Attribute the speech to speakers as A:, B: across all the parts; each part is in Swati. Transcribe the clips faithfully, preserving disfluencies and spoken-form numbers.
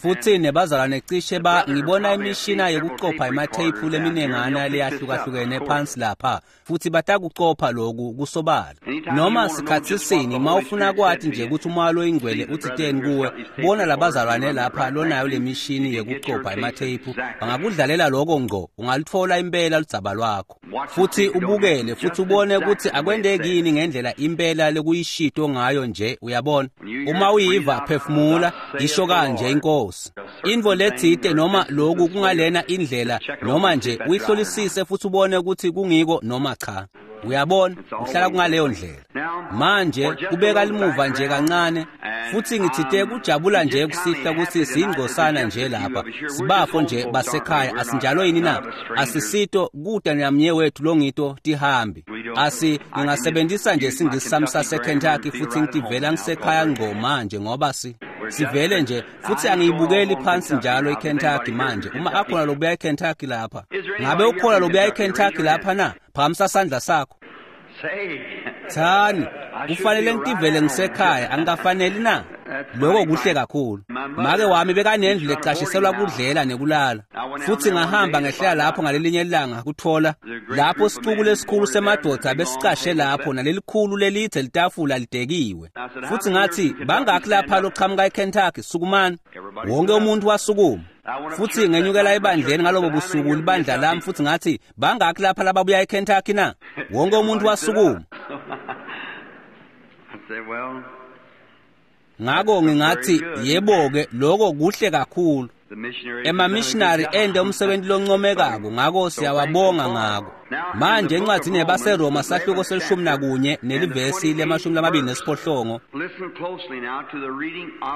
A: Futhi nebazalwane cishe ba ngibona imishina yokucopha ematheyiphu leminengana leyahlukahlukene phansi lapha, futhi batakucopha loku kusobala. Noma sikhathi sini mawufuna kwathi nje ukuthi umoya loyingcwele uthiteni kuwe, bona labazalwane lapha lonayo lemishini yokucopha ematheyiphu bangakudlalela lokho ngqo, ungalithola impela ludzaba lwakho. Futhi ubukele futhi ubone ukuthi akwendekini ngendlela impela lekuyishito ngayo nje, uyabona. Uma uyiva phefumula, isho kanje inkosi. Intfo letsite noma loku kungalena indlela noma nje uyihlolisise futhi ubone ukuthi kungiko noma cha. Uyabona, uhlala kungaleyo ndlela. Manje kubeka limuva nje kancane, futhi ngithite kujabula nje kusihla ukuthi siyingcosana nje lapha. Sibafo nje basekhaya, asinjalo yini na? Asisito kuda namnye wethu longito tihambi. Asi ngingasebenzisa nje isingisi sami saseKentucky futhi ngitivela ngisekhaya ngqo manje ngoba si sivele nje futhi angiyibukeli phansi njalo iKentucky manje. Uma akhona lobuya eKentucky lapha, ngabe ukhona lobuya eKentucky lapha na? Phakamisa sandla sakho. Thani, kufanele ngitivele ngisekhaya, angikafaneli na? Lokho kuhle kakhulu. Make wami bekanendlu lecashiselwa kudlela nekulala. Futhi ngahamba ngehlela lapho ngalelinye ilanga kuthola lapho sicuku lesikhulu semadoda besicashe lapho nalelikhulu lelithe litafula lidekiwe. Futhi ngathi bangakhi lapha loqhamuka eKentucky, sukumani. Wonke umuntu wasukuma. Futhi ngenyukela ebandleni ngalobo busuku libandla lami futhi ngathi bangakhi lapha lababuya eKentucky na? Wonke umuntu wasukuma. Ngako ngingathi yebo-ke lokho kuhle kakhulu. Emamissionary ende umsebenzi loncomekako, ngako siyawabonga ngako. Manje encwadini yabaseRoma sahluko selishumi nakunye nelivesi lemashumi lamabili nesiphohlongo.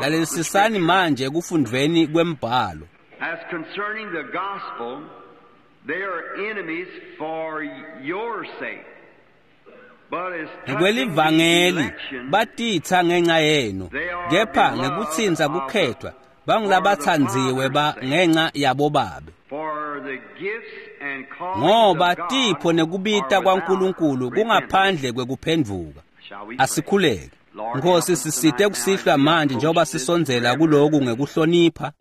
A: Lalelisisani manje ekufundveni kwembhalo.
B: As concerning the gospel, they are enemies for your sake.
A: Ngekwelivangeli batitha ngenxa yenu, kepha ngekutsintsa kukhethwa bangilabathandziwe ba ngenxa yabo babe. Ngoba tipho nekubita kwaNkulunkulu kungaphandle kwekuphendvuka. Asikhuleke. Nkosi, sisite kusihlwa manje njengoba sisondzela kuloku ngekuhlonipha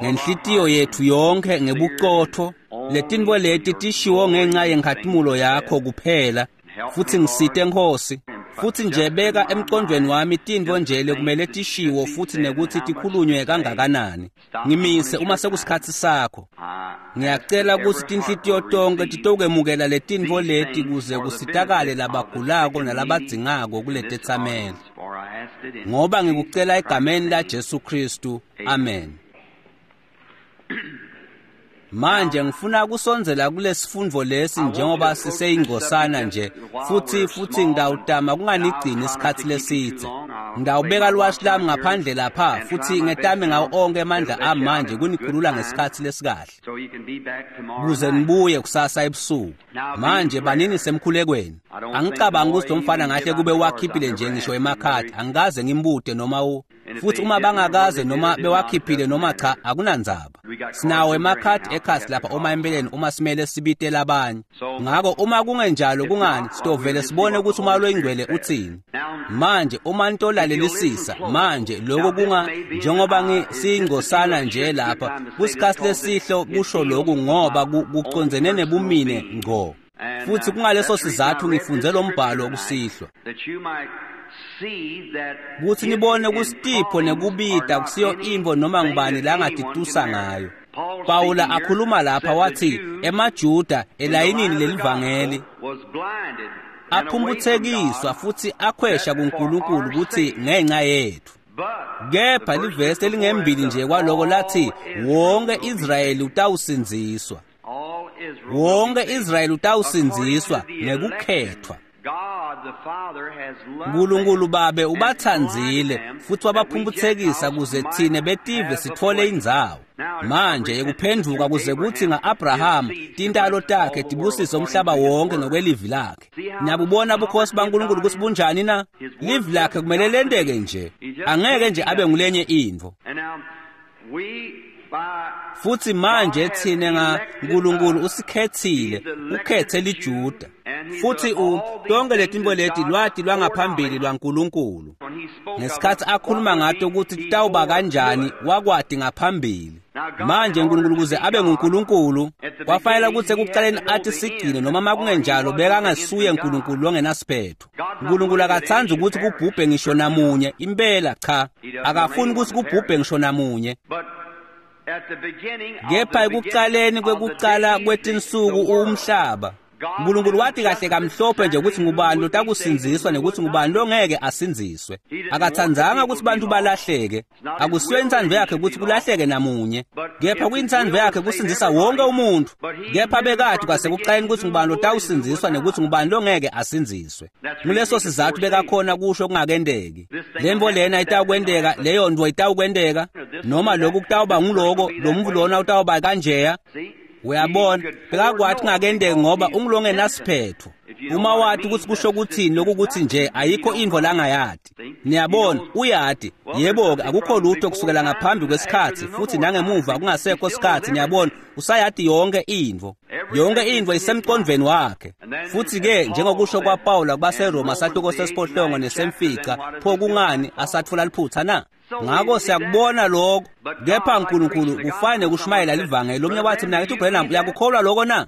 A: ngenhlitiyo yethu yonke ngebuqotho. Letintfo leti tishiwo ngenxa yenkhatimulo yakho kuphela. Futhi ngisite Nkosi, futhi nje beka emqondweni wami tintfo nje lekumele tishiwo futhi nekuthi tikhulunywe kangakanani. Ngimise uma sekusikhatsi sakho. Ngiyacela ukuthi tinhlitiyo tonke titokwemukela letintfo leti kuze kusitakale labagulako nalabadzingako kuletetsameli. Ngoba ngikucela egameni la Jesu Kristu. Amen. Manje ngifuna kusondzela kulesifundvo lesi njengoba siseyingcosana nje, futhi futhi ngidawutama kunganigcini isikhathi lesidze. Ngidawubeka liwashi lami ngaphandle lapha futhi ngetame ngawo onke amandla ami manje kunikhulula ngesikhathi lesikahle kuze nibuye kusasa ebusuku. Manje banini semkhulekweni. Angicabangi ukuthi lo mfana ngahle kube wakhiphile nje ngisho emakhadi, angikaze ngimbude noma u futhi uma bangakaze noma bewakhiphile noma cha akunandzaba. Sinawo emakhadi ekhasi lapha uma empeleni uma simele sibite labanye. Ngako uma kungenjalo kungani sitovele sibone ukuthi uma loyingcwele uthini. Manje uma nitolalelisisa manje lokho kunga njengoba ngisingcosana nje lapha kusikhathi lesihlo kusho lokhu ngoba kucondzene nebumine ngqo. Futhi kungaleso sizathu ngifunze lo mbhalo kusihlwa, kuthi nibone kusitipho nekubita kusiyo intfo noma ngubani langatitusa ngayo. Pawula akhuluma lapha wathi emaJuda elayinini lelivangeli aphumputhekiswa futhi akhwesha kuNkulunkulu kuthi ngenxa yethu. Kepha livesi elingembili nje kwaloko lathi wonke Israyeli utawusindziswa. Wonke Israyeli utawusindziswa ngekukhethwa. Nkulunkulu babe ubathandzile futhi wabaphumputhekisa kuze thine betive sithole indzawo. Manje yekuphendvuka kuze kuthi nga-Abraham tintalo takhe tibusise umhlaba wonke ngokwelivi lakhe. Niyabubona bukhosi baNkulunkulu kutsi bunjani na? Livi lakhe kumele lenteke nje, angeke nje abe ngulenye intfo. Futhi manje thina ngaNkulunkulu usikhethile, ukhethe liJuda. Futhi u tonke letinto leti lwati lwangaphambili lwaNkulunkulu. Ngesikhathi akhuluma ngato ukuthi titawuba kanjani, wakwati ngaphambili. Manje uNkulunkulu kuze abe nguNkulunkulu kwafanele ukuthi ekuqaleni athi sigcine, noma makungenjalo bekangasuye uNkulunkulu longenasiphetho. uNkulunkulu akathandi ukuthi kubhubhe ngisho namunye, impela cha, akafuni ukuthi kubhubhe ngisho namunye. Kepha ekuqaleni kwekuqala kwetinsuku umhlaba, uNkulunkulu wathi kahle kamhlophe nje ukuthi ngubani lotakusindziswa nekuthi ngubani longeke asindziswe. Akathandzanga ukuthi bantu balahleke. Akusiyo intsandvo yakhe ukuthi kulahleke namunye, kepha kuyintsandvo yakhe kusindzisa wonke umuntu. Kepha bekade kwasekuqaleni ukuthi ngubani lotawusindziswa nekuthi ngubani longeke asindziswe. Nguleso sizathu bekakhona kusho kungakendeki. Lemvo lena itawukwenteka, leyo ntfo itawukwenteka, noma lokhu kutawuba nguloko, lo muntu lona utawuba kanjeya. Uyabona, bekakwathi kungakendeki ngoba ungulongenasiphetho. Uma wathi ukuthi kusho kuthini lokhu kuthi nje ayikho intfo langayati. Niyabona, uyati. Yebo-ke akukho lutho kusukela ngaphambi kwesikhathi futhi nangemuva kungasekho sikhathi. Niyabona, usayati yonke intfo. Yonke intfo isemqondweni wakhe. Futhi-ke njengokusho kwaPawula kubaseRoma sahluko sesiphohlongo nesemfica, pho kungani asatfola liphutha na? Ngakho siyakubona lokho. Kepha uNkulunkulu kufane kushumayela livangeli. Lomnye wathi mina ngithi uBrenham uyakukholwa lokho na?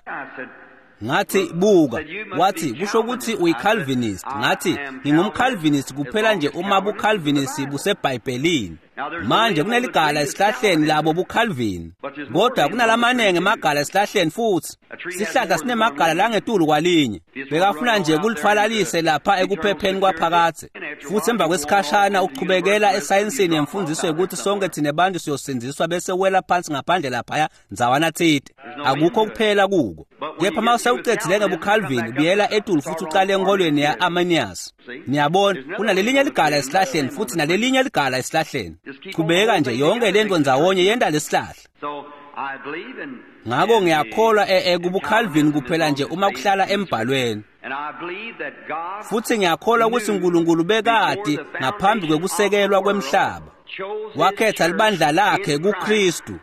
A: Ngathi buka, wathi kusho ukuthi uyiCalvinist. Ngathi ngingumCalvinist kuphela nje uma buCalvinist buseBhayibhelini. Manje kuneligala esihlahleni labo buCalvin, kodwa kunalamanenge emagala esihlahleni futhi. Sihlahla sinemagala langetulu kwalinye. Bekafuna nje kulithwalalise lapha ekuphepheni kwaphakathe. Futhi emva kwesikhashana uchubekela esayensini yemfundiso yokuthi sonke thina bantu siyosindziswa bese wela phansi ngaphandle laphaya ndzawana tsite. Akukho kuphela kuko. Kepha uma sewucedzile ngebuCalvin ubuyela etulu futhi uqale enkolweni ya-Arminius. Niyabona, kunalelinye ligala esihlahleni futhi nalelinye ligala esihlahleni. Chubeka nje yonke lento ndzawonye yenta lesihlahla. Ngakho ngiyakholwa kubuCalvin kuphela nje uma kuhlala embhalweni. Futhi ngiyakholwa ukuthi uNkulunkulu bekati ngaphambi kwekusekelwa kwemhlaba wakhetha libandla lakhe kuKristu,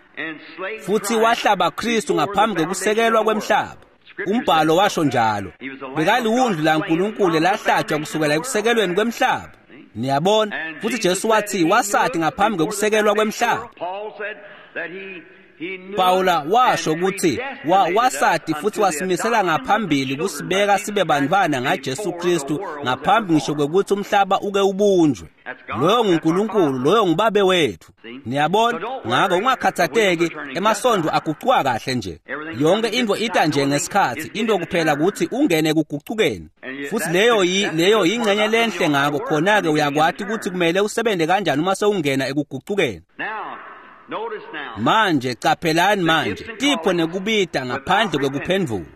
A: futhi wahlaba Kristu ngaphambi kwekusekelwa kwemhlaba. Umbhalo washo njalo. Bekaliwundlu laNkulunkulu lahlatshwa kusukela ekusekelweni kwemhlaba. Niyabona, futhi Jesu wathi wasati ngaphambi kwekusekelwa kwemhlaba. Pawula washo ukuthi wa wasati futhi wasimisela ngaphambili kusibeka sibe bantwana ngaJesu Kristu ngaphambi ngisho kwekuthi umhlaba uke ubunjwe. Loyo nguNkulunkulu, loyo ngubabe wethu. Niyabona, ngakho ungakhathatheki, emasondo agucuka kahle nje. Yonke into ita nje ngesikhathi, into kuphela ukuthi ungene kugucukeni. Futhi leyo yi leyo ingxenye lenhle ngakho khona-ke uyakwati ukuthi kumele usebenze kanjani uma sewungena ekugucukeni. Manje caphelani manje, tipho nekubita ngaphandle kwekuphendvuka.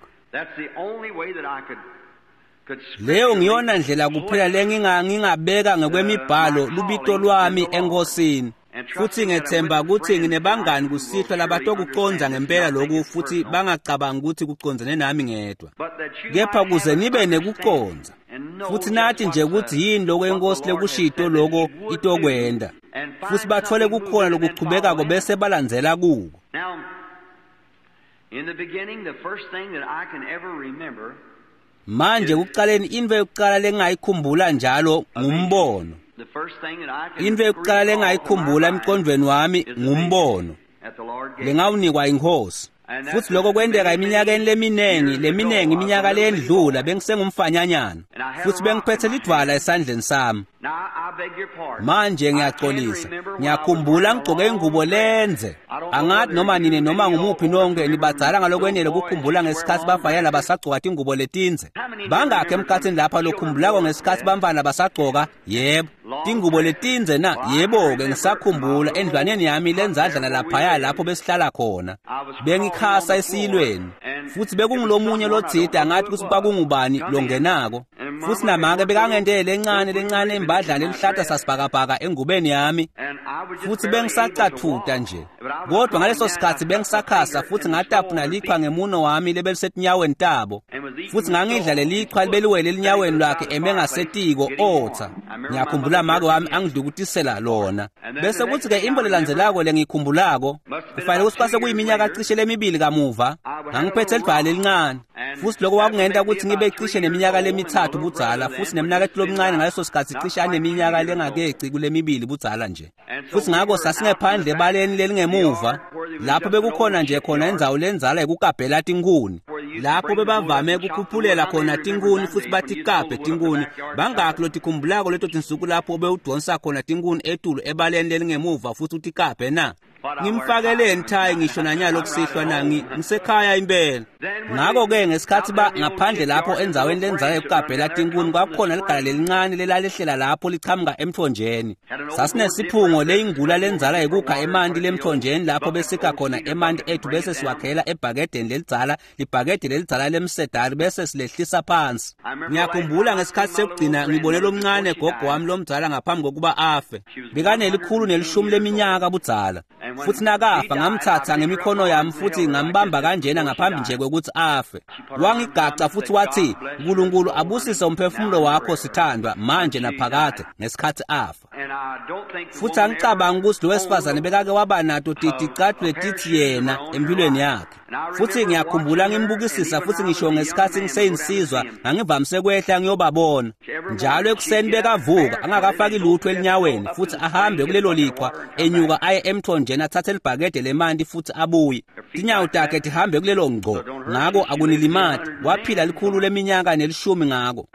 A: Leyo ngiyona ndlela kuphela lenginga ngingabeka ngekwemibhalo lubito lwami enkosini. Futhi ngethemba ukuthi nginebangani kusihlwa labatokuconza ngempela lokhu futhi bangacabangi ukuthi kucondzene nami ngedwa. Kepha kuze nibe nekuconza futhi nathi nje ukuthi yini lokho enkosi lekushito lokho itokwenda, futhi bathole kukhona lokuchubekako bese balandzela kuko. Manje kuqaleni into yokuqala lengayikhumbula njalo ngumbono. Into yokuqala lengayikhumbula emqondweni wami ngumbono lengawunikwa inkosi. Futhi lokho kwenteka eminyakeni leminengi leminengi iminyaka leyendlula bengisengumfanyanyana futhi bengiphethe lidwala esandleni sami. Manje ngiyaxolisa, ngiyakhumbula ngigcoke ingubo lenze. Angathi noma nini noma ngumuphi nonke nibadzala ngalokwenele ukukhumbula ngesikhathi bafanyana basagcoka tingubo letinze. Bangakhe emkhathini lapha lokhumbulako ngesikhathi bamfana basagcoka? Yebo, tingubo letinze na? Yebo-ke ngisakhumbula endlwaneni yami lenzadlana laphaya lapho besihlala khona. Bengikhasa esiyilweni futhi bekungulomunye lotsite angathi ukuthi kwakungubani longenako. Futhi namake bekangentele lencane lencane imbadlana elihlata sasibhakabhaka engubeni yami. Futsi bengisacatfuta nje. Kodwa ngaleso sikhatsi bengisakhasa futsi ngatapuna lichwa ngemuno wami lebelisetinyaweni tabo. Futsi ngangidla lelichwa libeliwele elinyaweni lwakhe eme ngasetiko otsa. Ngiyakhumbula make wami angidlukutisela lona. Bese kuthi-ke intfo lelandzelako lengiyikhumbulako, kufanele kutsi kwase kuyiminyaka cishe lemibili kamuva, ngangiphethe lidvwala lelincane. Futsi lokho kwakungenta kutsi ngibe cishe neminyaka lemitsatfu budzala, futsi nemnaketfu lomncane ngaleso sikhatsi cishe aneminyaka lengakeci kulemibili budzala nje. Futsi ngako sasingephandle ebaleni lelingemuva, lapho bekukhona nje khona indzawo lendzala yekukabhela tinkhuni, lapho bebavame kukhuphulela khona tinkhuni futsi batikabhe tinkhuni. Bangakhi lotikhumbulako leto tinsuku lapho bewudonsa khona tinkhuni etulu ebaleni lelingemuva futsi utikabhe na? Ngimfakeleni thayi ngisho nanyalo kusihlwa na ngisekhaya impela. Ngako-ke ngesikhatsi ba ngaphandle lapho endzaweni lendzala yekukabhela tinkhuni kwakukhona ligala lelincane lelalehlela lapho lichamuka emthonjeni. Sasinesiphungo leyingula lendzala yekukha emanti lemthonjeni lapho besikha khona emanti ethu bese siwakhela ebhakedeni lelidzala, libhakede lelidzala lemsedari bese silehlisa phansi. Ngiyakhumbula ngesikhatsi sekugcina ngibone lomncane gogo wami lomdzala ngaphambi kokuba afe. Bekanelikhulu nelishumi leminyaka budzala. Futsi nakafa ngamtsatsa ngemikhono yami futsi ngambamba kanjena ngaphambi nje kwekutsi afe. Wangigaca futsi watsi, "Nkulunkulu abusise umphefumulo wakho sithandwa manje naphakade," ngesikhatsi afa. Futsi angicabangi kutsi lo wesifazane bekake waba nato ticatfulo letitsi yena empilweni yakhe. Futsi ngiyakhumbula ngimbukisisa futsi ngisho ngesikhatsi ngiseyinsizwa ngangivamise kwehla ngiyobabona. Njalo ekuseni bekavuka angakafaki lutho elinyaweni futsi ahambe kulelo lichwa enyuka aye emthonjeni athathe libhakede lemanti futsi abuye. Tinyawo takhe tihambe kulelo ngco, ngako akunilimati. Waphila likhulu leminyaka nelishumi ngako.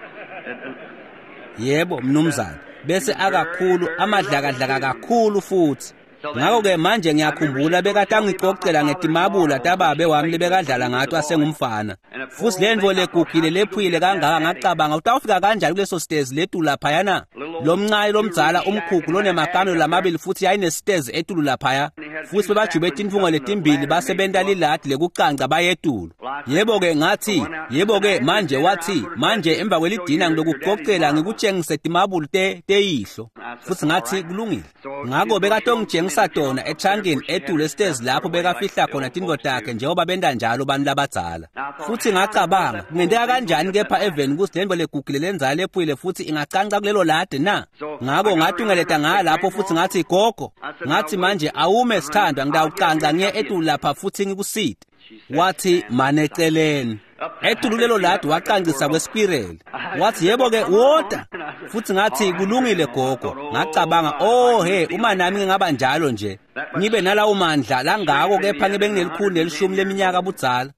A: Yebo mnumzane, bese akakhulu amadlakadlaka kakhulu futsi. Ngako-ke manje ngiyakhumbula bekatangicocela ngetimabula tababe wami lebekadlala ngato asengumfana. Futsi lentfo legugile lephuyile kangaka ngacabanga utawufika kanjani kuleso sitezi letulu laphayana? Lomncane lomdzala umkhukhu lonemakamelo lamabili futsi yayinesitezi etulu laphaya. Futsi bebajube tintfungo letimbili basebenta liladi lekucanca bayetulu. Yebo-ke ngathi, yebo-ke manje wathi, manje emva kwelidina ngilokugocela ngikutshengise timabula te teyihlo. Futsi ngathi kulungile. Ngako bekatongitshengisa tona echankini etulu esitezi lapho bekafihla khona tintfo takhe njengoba benta njalo bantu labadzala. Futsi ngacabanga, kungenteka kanjani kepha eveni kutsi lentfo legugile lendzala lephuyile futsi ingacanca kulelo ladi na? Ngako ngatungeleta ngaya lapho futsi ngathi, "Gogo," ngathi, "manje awume sithandwa, ngitawucanca ngiye etulu lapha futsi ngikusite." Wathi, "Mane eceleni." Etulu lelo ladi wacancisa kweskwireli. Wathi, "Yebo-ke wota." Futsi ngathi, "Kulungile gogo." Ngacabanga, "Oh he, uma nami ngingaba njalo nje, ngibe nalawo mandla langako kepha ngibe nginelikhulu nelishumi leminyaka budzala."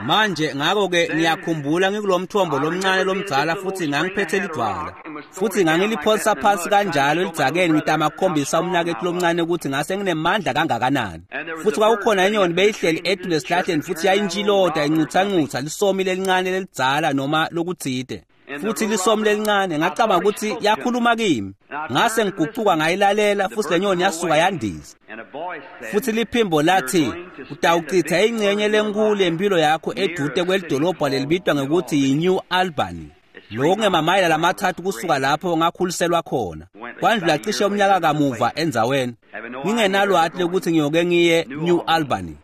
A: Manje ngako-ke ngiyakhumbula ngikulomthombo lomncane lomdzala futsi ngangiphethe lidvwala. Futsi ngangiliphonsa phansi kanjalo elidzakeni ngitama kukhombisa umnaketfu lomncane ukuthi ngase nginemandla kangakanani. Futsi kwakukhona inyoni beyihleli etulu esihlahleni futsi yayintshilota incutsancutsa lisomi lelincane lelidzala noma lokutsite. Futsi lisomi lelincane ngacabanga ukuthi yakhuluma kimi. Ngase ngigucuka ngayilalela futsi lenyoni yasuka yandiza. Futsi liphimbo lathi, "Utawuchitha ingcenye lenkulu yempilo yakho edute kwelidolobha lelibitwa ngekuthi yi-New Albany." Lokhu ngemamayela lamathathu kusuka lapho ngakhuliselwa khona. Kwandlula cishe umnyaka kamuva endzaweni. Ngingenalwati lokuthi ngiyoke ngiye New Albany.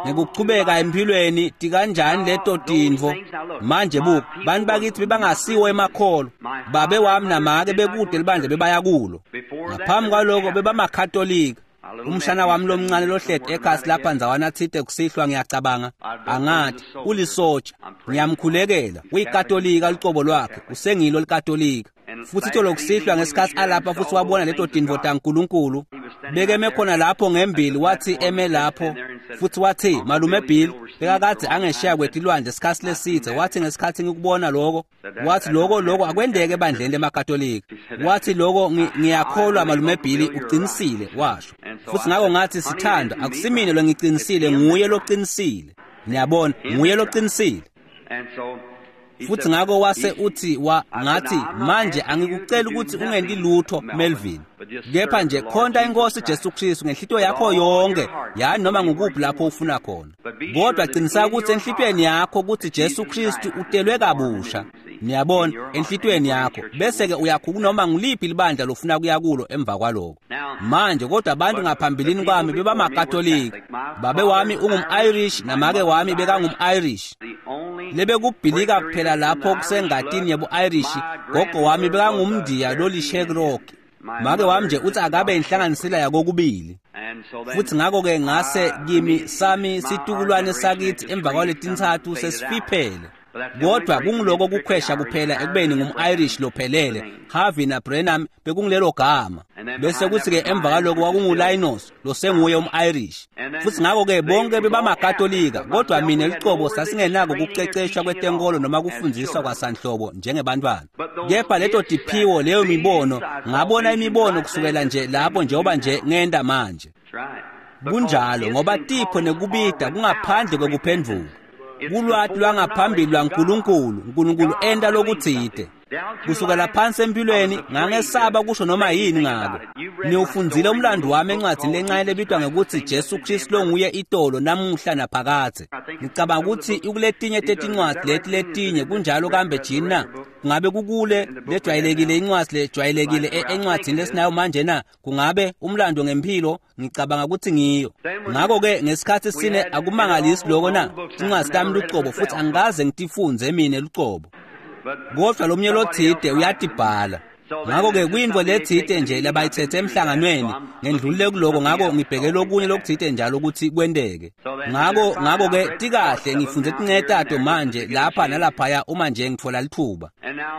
A: Ngekuchubeka empilweni tikanjani leto tintfo. Manje buka, bantu bakithi bebangasiwo emakholo. Babe wami namake bekude libandla bebaya kulo. Ngaphambi kwaloko bebamakatolika. Umshana wami lomncane lohleti ekhasi lapha ndzawana tsite kusihlwa ngiyacabanga, angathi ulisotsha. Ngiyamkhulekela, uyikatolika lucobo lwakhe, usengilo likatolika. Futsi itolo kusihlwa ngesikhatsi alapha futsi wabona leto tintfo taNkulunkulu. Bekeme khona lapho ngembili wathi eme lapho futsi wathi, "Malume Bill, bekakadze angesheya kwetilwandle sikhatsi lesitse." Wathi, "Ngesikhatsi ngikubona lokho," wathi, "lokho lokho akwendeke ebandleni lemakatolika." Wathi, "Lokho ngiyakholwa Malume Bill uqinisile," washo. Futsi ngako ngathi, "Sithandwa, akusimine longicinisile, nguye loqinisile." Niyabona, nguye loqinisile. Futsi ngako wase uthi wa ngathi, "Manje angikuceli ukuthi ungenti lutho Melvin, kepha nje khonta inkosi Jesu Kristu ngenhlitiyo yakho yonke, yani noma ngukuphi lapho ufuna khona. Kodwa qiniseka ukuthi enhlitiyweni yakho ukuthi Jesu Kristu utelwe kabusha." Niyabona, enhlitiyweni yakho, bese-ke uyakhuka noma nguliphi libandla lofuna kuya kulo emva kwaloko. Manje kodwa abantu ngaphambilini kwami bebamakatolika. Babe wami ungum-Irish namake wami bekangum-Irish. Lebekubhilika kuphela lapho kusengatini yebu-Irish, gogo wami bekangumndiya loliSherokhi. Make wami nje uthi akabe inhlanganisela yakokubili. Futhi ngakho-ke ngase kimi sami situkulwane sakithi emva kwaletintsatfu sesifiphele. Kodwa kungiloko kukhwesha kuphela ekubeni ngum-Irish lophelele. Harvey na Branham bekungilelo gama. Bese kuthi-ke emva kwaloko kwakunguLinos losenguye um-Irish. Futhi ngakho-ke bonke bebamakatolika, kodwa mina lucobo sasingenako ukuceceshwa kwetenkolo noma kufundziswa kwasanhlobo njengebantwana. Kepha leto tiphiwo leyo mibono, ngabona imibono kusukela nje lapho njengoba nje ngenda manje. Kunjalo ngoba tipho nekubida kungaphandle kwekuphendvuka. Kulwati lwangaphambili lwaNkulunkulu, uNkulunkulu enta lokutsite. Kusukela phansi empilweni ngangesaba kusho noma yini ngako. Niwufundzile umlando wami encwadzini lencane lebitwa ngekutsi Jesu Kristu longuye itolo namuhla naphakadze. Ngicabanga kutsi ikuletinye tetincwadzi leti letinye kunjalo kambe jini na? Kungabe kukule lejwayelekile incwadzi lejwayelekile encwadzini lesinayo manje na? Kungabe umlando ngempilo? Ngicabanga kutsi ngiyo. Ngakho-ke ngesikhatsi sine akumangalisi loko na? Tincwadzi tami lucobo futhi angikaze ngitifundze mine lucobo. Kodwa lomnye lotsite uyatibhala. Ngakho-ke kuyintfo letsite nje labayithethe emhlanganweni ngendlulile kuloko, ngako ngibheke lokunye lokutsite njalo ukuthi kwenteke. Ngako ngako-ke tikahle ngifundze tincetato manje lapha nalaphaya uma nje ngitfola litfuba.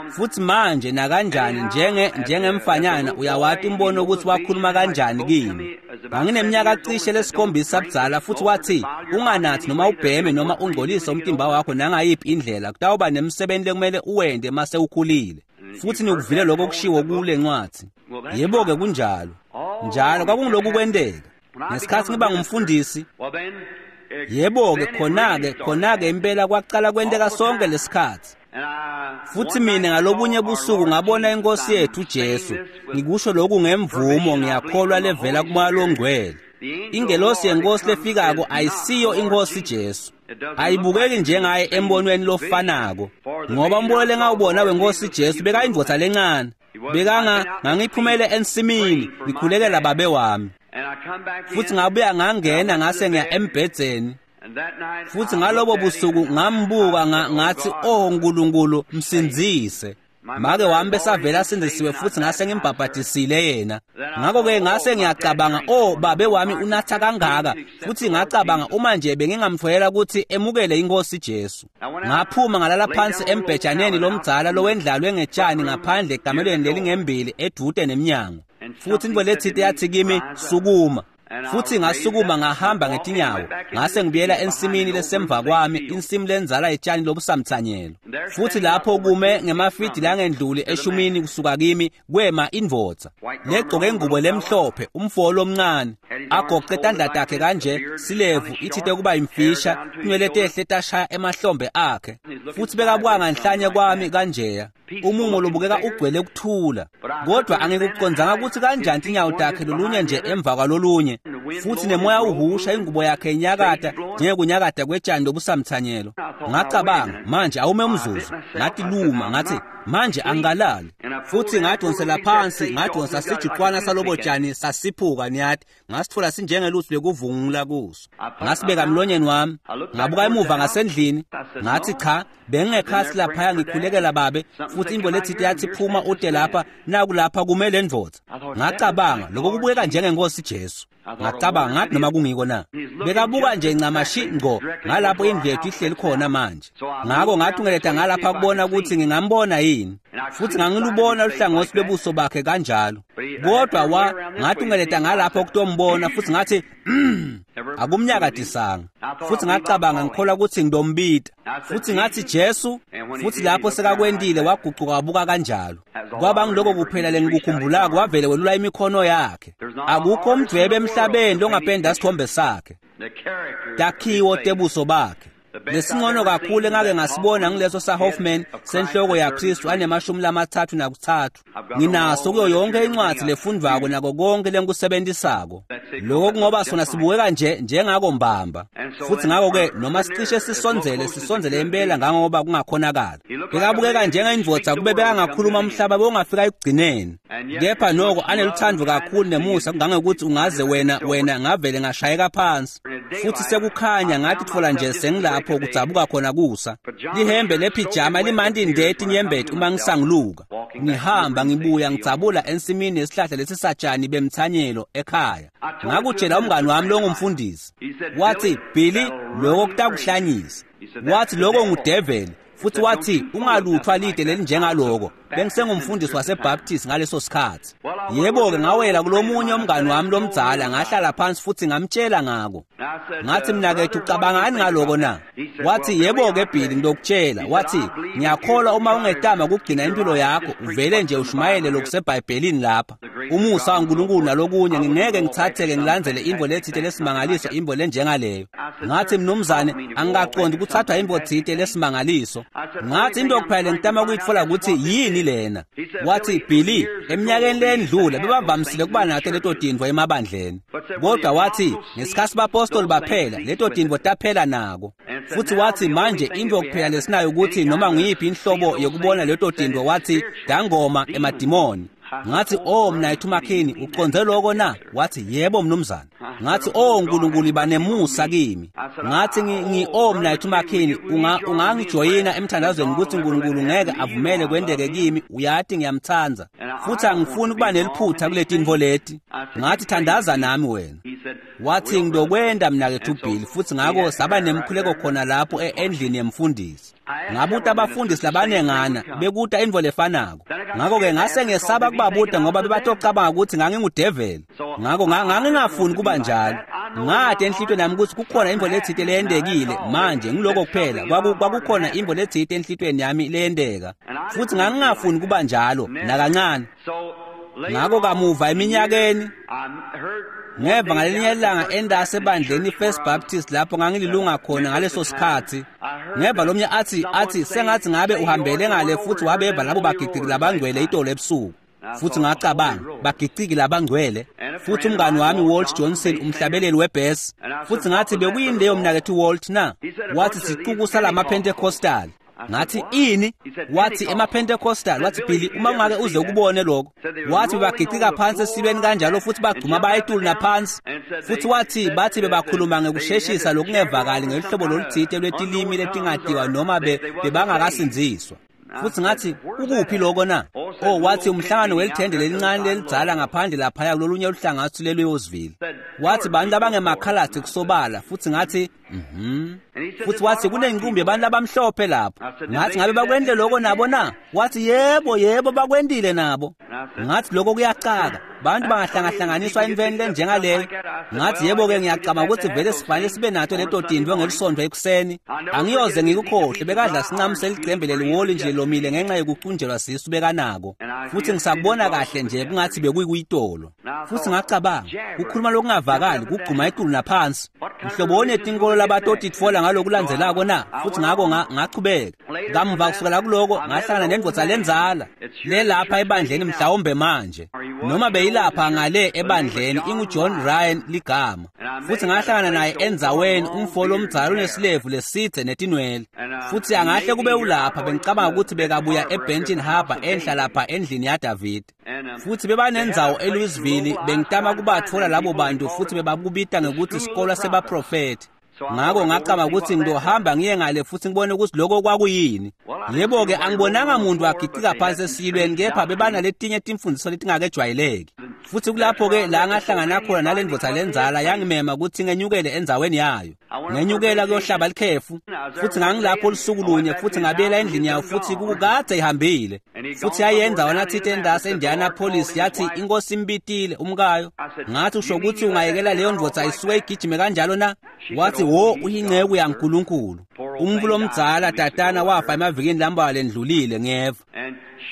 A: Futhi manje nakanjani njenge njengemfanyana uyawati umbono ukuthi wakhuluma kanjani kimi. Ngangineminyaka cishe lesikhombisa budzala futhi wathi unganathi noma ubheme noma ungcolise umtimba wakho nangayiphi indlela, kutawuba nemsebenzi lekumele uwente mase ukhulile. Futhi nikuvile lokho kushiwo kule ncwadzi. Yebo-ke kunjalo. Njalo kwakungiloku kwenteka. Ngesikhatsi ngiba ngumfundisi, yebo-ke khona-ke khona-ke impela kwacala kwenteka sonke lesikhatsi. Futhi mina ngalobunye busuku ngabona inkosi yethu Jesu. Ngikusho lokhu ngemvumo, ngiyakholwa levela kuMoya loNgcwele. Ingelosi yenkosi lefikako ayisiyo inkosi Jesu. Ayibukeki njengaye embonweni lofanako, ngoba umbono lengawubona wenkosi Jesu bekayindvodza lencane. Bekanga ngangiphumele ensimini ngikhulekela babe wami. Futhi ngabuya ngangena ngase ngiya embhedzeni. Futhi ngalobo busuku ngambuka ngathi, "Oh Nkulunkulu, msindzise." Make wami besavela asindzisiwe futhi ngase ngimbhabhadisile yena. Ngakho-ke ngase ngiyacabanga, "Oh babe wami unatha kangaka." Futhi ngacabanga uma nje bengingamtfolela ukuthi emukele inkosi Jesu. Ngaphuma ngalala phansi embhejaneni lomdzala lowendlalwe ngetshani ngaphandle ekamelweni lelingembili edude nemnyango. Futhi intfo letsite yathi kimi, "Sukuma." Futhi ngasukuma ngahamba ngetinyawo, ngase ngibuyela ensimini lesemva kwami, insimu lenzala etshani lobusamthanyelo. Futhi lapho kume ngemafidi langendluli eshumini kusuka kimi kwema indvodza legcoke ingubo lemhlophe, umfo lomncane, agoqe tandla takhe kanje, silevu ithite kuba imfisha, tinwele tehle tashaya emahlombe akhe. Futhi bekabuka nganhlanye kwami kanjeya, umumo lobukeka ugcwele kuthula. Kodwa angikucondzanga ukuthi kanjani tinyawo takhe lolunye nje emva kwalolunye. Futhi nemoya uhusha ingubo yakhe inyakata njengekunyakata kwetshani lobusamthanyelo. Ngacabanga, manje awume umzuzu. Ngathi luma, ngathi manje angikalali. Futhi ngadonsela phansi, ngadonsa sijuqwana salobo tshani sasiphuka niyathi, ngasitfola sinjengelutsi lekuvungula kuso. Ngasibeka emlonyeni wami, ngabuka emuva ngasendlini, ngathi cha, bengingekhasi laphaya ngikhulekela babe. Futhi intfo letsite yathi phuma ute lapha, nakulapha kume le ndvodza. Ngacabanga, lokho kubukeka njengenkosi Jesu. Ngacabanga ngathi noma kungiko na. Bekabuka nje ncamashi ngqo ngalapho indlu yethu ihleli khona manje. Ngako ngathungeleta ngalapha kubona ukuthi ngingambona yini. Futhi ngangilubona luhlangothi lwebuso bakhe kanjalo. Kodwa wa ngathungeleta ngalapho kutombona futhi ngathi akumnyakadisanga. Futhi ngacabanga ngikholwa ukuthi ngidombita. Futhi ngathi Jesu, futhi lapho sekakwendile wagucuka wabuka kanjalo. Kwaba ngiloko kuphela lengikukhumbulako, wavele welula imikhono yakhe. Akukho umdvwebe emhlabeni longapenda sithombe sakhe. Takhiwo tebuso bakhe. Lesingcono kakhulu engake ngasibona ngileso saHoffman senhloko yaKristu anemashumi lamathathu nakutsatfu. Nginaso kuyo yonke incwadzi lefundvwako nako konke lengikusebenzisako. Lokho kungoba sona sibukeka nje njengako mbamba. Futhi ngakho-ke noma sicishe sisondzele sisondzele impela ngangoba kungakhonakala. Bekabukeka njengendvodza kube bekangakhuluma umhlaba bewungafika ekugcineni. Kepha noko aneluthando kakhulu nemusa kungangekuthi ungaze wena wena ngavele ngashayeka phansi. Futhi sekukhanya ngathi tfola nje sengilapho kudzabuka khona kusa. Lihembe lephijama limanti ndeti nyembeti uma ngisanguluka. Ngihamba ngibuya ngidzabula ensimini yesihlahla lesisatshani bemthanyelo ekhaya. Ngakutshela umngani wami longumfundisi. Wathi, "Billy, lokho kutakuhlanyisa." Wathi lokho ngudeveli. Futhi wathi ungaluthwa lide lelinjengaloko. Bengisengumfundisi waseBaptist ngaleso sikhathi. Yebo-ke ngawela kulomunye umngani wami lomdzala ngahlala phansi futhi ngamtshela ngako. Ngathi mnakethu ucabangani ngaloko na? Wathi yebo-ke Billy ngilokutshela. Wathi ngiyakholwa uma ungetama ukugcina impilo yakho uvele nje ushumayele lokuseBhayibhelini lapha. Umusa waNkulunkulu nalokunye ngingeke ngithatheke ngilandzele imvo lethite lesimangaliso imvo lenjengaleyo. Ngathi mnumzane angikaqondi kuthathwa imvo thite lesimangaliso. Ngathi into kuphela ngitama ukuyitfola ukuthi yini lena. Wathi Billy eminyakeni lendlula bebavamisile kuba nato leto tintfo emabandleni. Kodwa wathi ngesikhathi bapostoli baphela leto tintfo taphela nako. Futhi wathi manje into kuphela lesinayo ukuthi noma ngiyiphi inhlobo yokubona leto tintfo wathi dangoma emadimoni. Ngathi oh mnayethu Makhini uconze lokho na? Wathi yebo mnumzane. Ngathi oh uNkulunkulu iba nemusa kimi. Ngathi ngi oh mnayethu Makhini unga ungangijoyina emthandazweni ukuthi uNkulunkulu ngeke avumele kwendeke kimi, uyati ngiyamthanda. Futhi angifuni kuba neliphutha kule tintfo leti. Ngathi thandaza nami wena. Wathi ngidokwenda mnakethu Bill futhi ngako saba nemkhuleko khona lapho endlini yemfundisi. Ngabuta abafundisi labanengana bekuta intfo lefanako. Ngakho-ke ngase ngesaba kubabuta ngoba bebatocabanga ukuthi ngangingudeveli. Ngakho ngangingafuni kuba njalo. Ngathi enhlitweni yami ukuthi kukhona intfo letsite leyendekile manje ngiloko kuphela kwakukhona intfo letsite enhlitweni yami leyendeka. Futhi ngangingafuni kuba njalo nakancane. Ngakho kamuva eminyakeni ngeva ngalelinye ilanga endase ebandleni First Baptist lapho ngangililunga khona ngaleso sikhathi. Ngeva lomnye athi athi sengathi ngabe uhambele ngale futhi wabeva labo bagiciki labangcwele itolo ebusuku. Futhi ngacabanga bagiciki labangcwele. Futhi umngani wami Walt Johnson umhlabeleli webhesi. Futhi ngathi bekuyini leyo mnakethu Walt na? Wathi sicuku salama Pentecostal. Ngathi ini? Wathi emaPentecostal. Wathi Billy uma ungake uze ukubone lokho. Wathi bagicika phansi esibeni kanjalo futhi bagcuma bayetulu naphansi. Futhi wathi bathi bebakhuluma ngekusheshisa lokungevakali ngelihlobo loluthite lwetilimi letingatiwa noma bebangakasindziswa. Futhi ngathi ukuphi lokho na? Oh wathi umhlangano welithende lelincane lelidzala ngaphandle laphaya kulolunye uhlangatho leluyozville. Wathi bantu abangemakhaladi kusobala. Futhi ngathi mhm. Futhi wathi kunenqumbi yabantu abamhlophe lapho. Ngathi ngabe bakwendle lokho nabo na? Wathi yebo yebo bakwendile nabo. Ngathi lokho kuyacaka. Bantu bangahlangahlanganiswa entweni lenjengaleyo. Ngathi yebo-ke ngiyacabanga ukuthi vele sifanele sibe nato leto tintfo ngelisonto ekuseni. Angiyoze ngikukhohle bekadla sincamu selicembe leliwoli nje lomile ngenxa yokucunjelwa sisu bekanako. Futhi ngisakubona kahle nje kungathi bekuyitolo. Futhi ngacabanga kukhuluma lokungavakali kugcuma etulu naphansi. Mhlobo onetinkolo labatotitfola ngalokulandzelako na? Futhi ngako ngachubeka. Kamuva kusukela kuloko ngahlangana nendvodza lenzala lelapha ebandleni mhlawumbe manje. Noma beyilapha ngale ebandleni inguJohn Ryan ligama. Futhi ngahlangana naye endzaweni umfo lomdzala onesilevu lesithe netinwele. Futhi angahle kube ulapha bengicabanga ukuthi bekabuya eBenton Harbor enhla lapha endlini yaDavid. Futhi bebanendzawo eLouisville bengitama kubatfola labo bantu futhi bebakubita ngekuthi isikolo sebaprofethi. Ngako ngacabanga ukuthi ngizohamba ngiye ngale futhi ngibone ukuthi lokho kwakuyini. Yebo-ke angibonanga muntu agicika phansi esiyilweni kepha bebanaletinye timfundiso letingakejwayeleki. Futhi kulapho-ke la ngahlangana khona nale ndvodza lenzala yangimema ukuthi ngenyukele endzaweni yayo. Ngenyukela kuyohlaba likhefu. Futhi ngangilapho olusuku lunye futhi ngabuyela endlini yayo futhi kukade ihambile. Futhi yayenza wona thite endase eIndianapolis yathi inkosi imbitile umkayo. Ngathi usho ukuthi ungayekela leyo ndvodza isuke igijime kanjalo na? Wathi wo uyinceku yaNkulunkulu. Umfo lomdzala tatana wafa emavikini lambalwa lendlulile ngeva.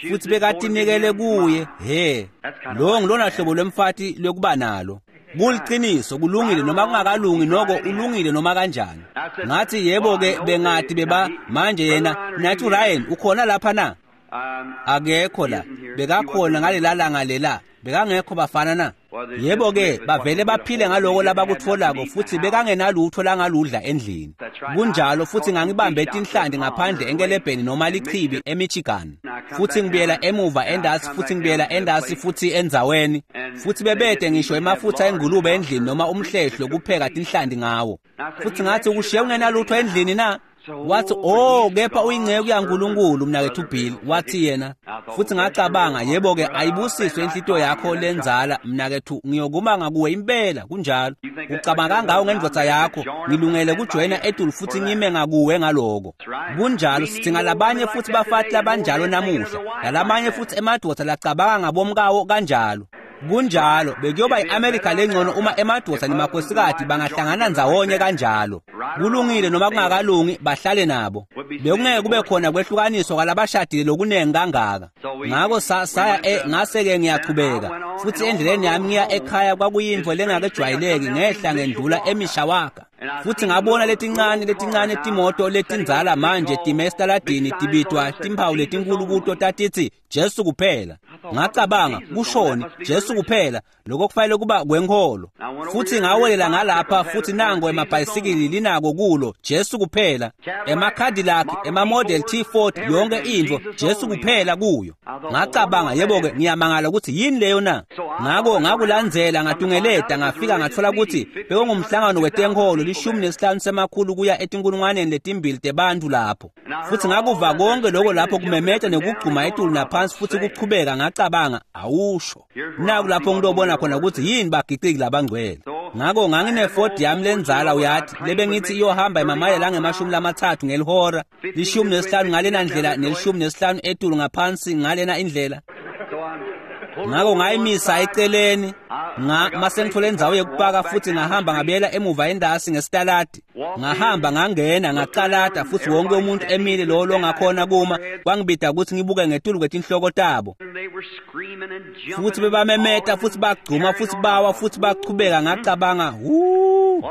A: Futhi bekatinikele kuye he. Lo ngilona hlobo lwemfati lokuba nalo. Kuliqiniso kulungile noma kungakalungi noko ulungile noma kanjani. Ngathi yebo ke bengathi beba manje yena nathi Ryan ukhona lapha na? Akekho la. Bekakhona ngalela langa lela. Bekangekho bafana na? Yebo-ke bavele baphile ngaloko labakutfolako futhi bekangenalutho langaludla endlini. Kunjalo futhi ngangibambe tinhlanti ngaphandle enkelebheni noma lichibi eMichigan. Futhi ngibuyela emuva endasi futhi ngibuyela endasi futhi endzaweni. Futhi bebede ngisho emafutha engulube endlini noma umhlehlo kupheka tinhlanti ngawo. Futhi ngathi ukushiye ungenalutho endlini na? Wathi oh kepha uyinceku yaNkulunkulu mnakethu Bill, wathi yena. Futhi ngacabanga yebo-ke ayibusiswe inhlito yakho lenzala mnakethu, ngiyokuma ngakuwe impela. Kunjalo. Ucabanga kangawo ngendvodza yakho, ngilungele kujoyina etulu futhi ngime ngakuwe ngaloko. Kunjalo, sidinga labanye futhi bafati labanjalo namuhla, nalamanye futhi emadvodza lacabanga ngabomkawo kanjalo. Kunjalo, bekuyoba i-Amerika lengcono uma emadvodza nemakhosikazi bangahlangana ndzawonye kanjalo. Kulungile noma kungakalungi bahlale nabo. Bekungeke kube khona kwehlukaniswa kwalabashadile lokunengi kangaka. Ngako saya e ngase-ke ngiyachubeka. Futhi endleleni yami ngiya ekhaya kwakuyintfo lengakejwayeleki, ngehla ngendlula eMishawaka. Futhi ngabona letincane letincane timoto letindzala manje time esitaladini tibitwa timphawu letinkulu kuto tatitsi Jesu kuphela. Ngacabanga kushoni Jesu kuphela, lokho kufanele kuba kwenkholo. Futhi ngawelela ngalapha futhi nango emabhayisikili linako kulo Jesu kuphela, ema-Cadillac, ema-Model T Ford, yonke intfo Jesu kuphela kuyo. Ngacabanga yebo-ke ngiyamangala ukuthi yini leyo na. Ngako ngakulandzela ngatungeleta ngafika ngatfola ukuthi bekungumhlangano wetenkholo lishumi nesihlanu semakhulu kuya etinkulungwaneni letimbili tebantfu lapho. Futhi ngakuva konke lokho lapho kumemeta nekugcuma etulu naphansi futhi kuchubeka. Ngacabanga awusho naku lapho ngilobona khona ukuthi yini bagiciki labangcwele. Ngako ngangineford yami lenzala uyathi lebengithi iyohamba emamayela angemashumi lamathathu ngelihora, lishumi nesihlanu ngalena ndlela nelishumi nesihlanu etulu ngaphansi ngalena indlela. Ngako ngayimisa eceleni nga mase ngithole indzawo yekupaka futhi ngahamba ngabuyela emuva endasi ngesitaladi. Ngahamba ngangena ngacalata futhi wonke umuntu emile lo longakhona kuma kwangibida ukuthi ngibuke ngetulu kwetinhloko tabo. Futhi bebamemeta futhi bagcuma futhi bawa futhi bachubeka. Ngacabanga hu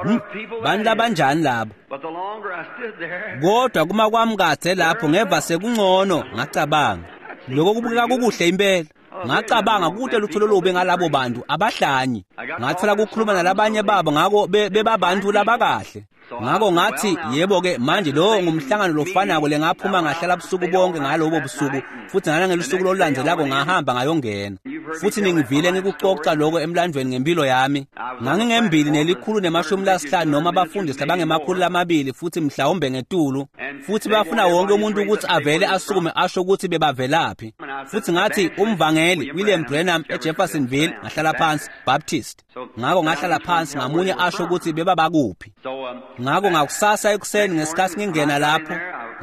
A: bantu labanjani labo. Kodwa kuma kwami kadze lapho ngeva sekungcono. Ngacabanga lokho kubukeka kukuhle impela. Ngacabanga kude lutho lolubi ngalabo bantu abahlanyi. Ngathola ukukhuluma nalabanye babo ngako bebabantu labakahle. Ngako ngathi yebo-ke manje lo ngumhlangano lofanako lengaphuma ngahlala busuku bonke ngalobo busuku futhi nangelusuku olulandzelako ngahamba ngayongena. Futhi ningivile ngikucoca lokho emlandweni ngempilo yami. Ngangingembili nelikhulu nemashumi lasihlanu noma abafundisi labangemakhulu lamabili futhi mhlawumbe ngetulu, futhi bafuna wonke umuntu ukuthi avele asukume asho ukuthi bebavelaphi. Futhi ngathi umvangeli William Branham eJeffersonville, ngahlala phansi Baptist. Ngako ngahlala phansi ngamunye asho ukuthi bebabakuphi. Ngako ngakusasa ekuseni ngesikhathi ngingena lapho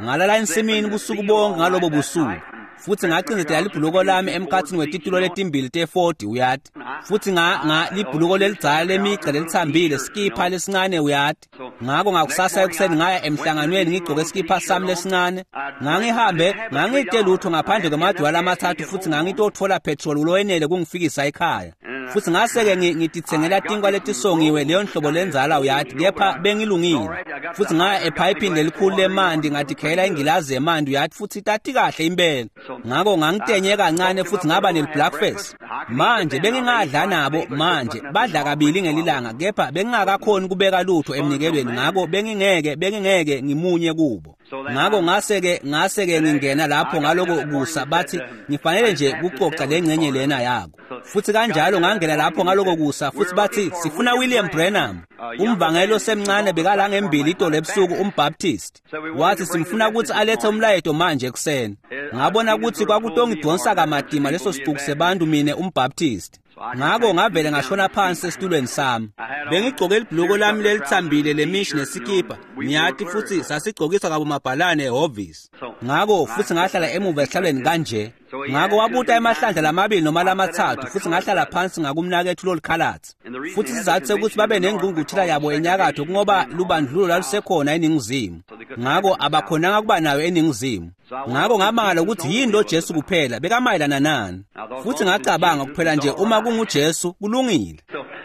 A: ngalala ensimini busuku bonke ngalobo busuku. Futhi ngacindezela libhuluko lami emkhathini wetitulo letimbili te-forty uyati. Futhi nga nga libhuluko lelidzala lemigca lelithambile, skipha lesincane uyati. Ngako ngakusasa ekuseni ngaya emhlanganweni ngigcoke skipha sami lesincane. Ngangihambe ngangite lutho ngaphandle kwamadwala amathathu futhi ngangitothola petrol lowenele kungifikisa ekhaya. Futhi ngase-ke ngititsengela tinkwa letisongiwe leyo nhlobo lenzala uyati, kepha bengilungile. Futhi ngaya ephayiphini lelikhulu lemanti ngatikhela ingilazi yemanti uyati, futhi tati kahle impela. Ngako ngangitenye kancane futhi ngaba nel-breakfast. Manje bengingadla nabo manje badla kabili ngelilanga, kepha bengingakakhoni kubeka lutho emnikelweni, ngako bengingeke bengingeke ngimunye kubo. Ngako ngase-ke ngase-ke ngingena lapho ngaloko kusa bathi ngifanele nje kucoca lengcenye lena yako. Futhi kanjalo ngangena lapho ngaloko kusa futhi bathi sifuna William Branham. Umvangeli osemncane bekala ngembili itolo ebusuku umBaptist. Wathi simfuna ukuthi alethe umlayeto manje ekuseni. Ngabona ukuthi kwakutongidonsa kamatima leso sicuku sebantu mine umBaptist. Ngako ngavele ngashona phansi esitulweni sami. Bengigcoke libhuluko lami lelithambile lemishi nesikipa. Ngiyati futhi sasigcokiswa kabomabhalane ehhovisi. Ngako futhi ngahlala emuva esihlalweni kanje. Ngako wabuta emahlandla lamabili noma lamathathu futhi ngahlala phansi ngakumnakethu lolukhalatsi. Futhi isizathu sekuthi babe nengqungquthela yabo enyakatho kungoba lubandlululo lwalusekhona eningizimu. Ngako abakhonanga kuba nayo eningizimu. Ngako ngamangala ukuthi yini lo Jesu kuphela bekamayelana nani. Futhi ngacabanga kuphela nje uma kunguJesu kulungile.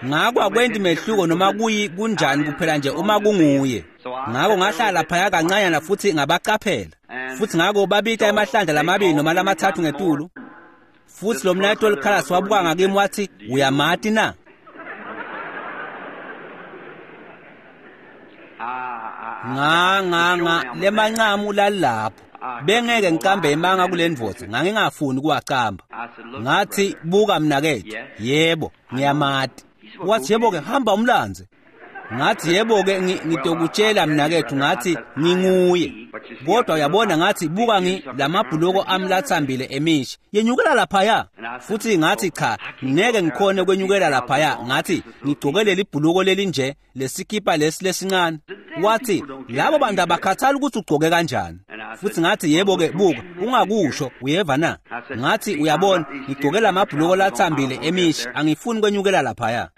A: Ngako akwenti mehluko noma kuyi kunjani kuphela nje uma kunguye. Ngako ngahlala phaya kancanyana futhi ngabacaphela. Futhi ngako babita emahlandla lamabili noma lamathathu ngetulu. Futhi lo mnayethu olikhalasi wabuka ngakimi wathi, uyamati na? Nga nga nga lemancamu lalapho. Bengeke ngicambe emanga kule ndvodza, ngangingafuni kuwacamba. Ngathi, buka mnakethu, yebo, ngiyamati. Wathi, yebo ke, hamba umlandze. Ngathi, yebo ke, ngitokutshela mnakethu, ngathi nginguye. Kodwa uyabona, ngathi, buka ngi lamabhuloko ami lathambile emishi, yenyukela laphaya. Futhi ngathi, cha, ngeke ngikhone kwenyukela laphaya. Ngathi, ngigcoke leli bhuluko lelinje, lesikipa lesi lesincane. Wathi, labo bantu abakhathali ukuthi ugcoke kanjani. Futhi ngathi, yebo ke, buka, ungakusho, uyeva na? Ngathi, uyabona, ngigcoke lamabhuluko lathambile emishi, angifuni kwenyukela laphaya.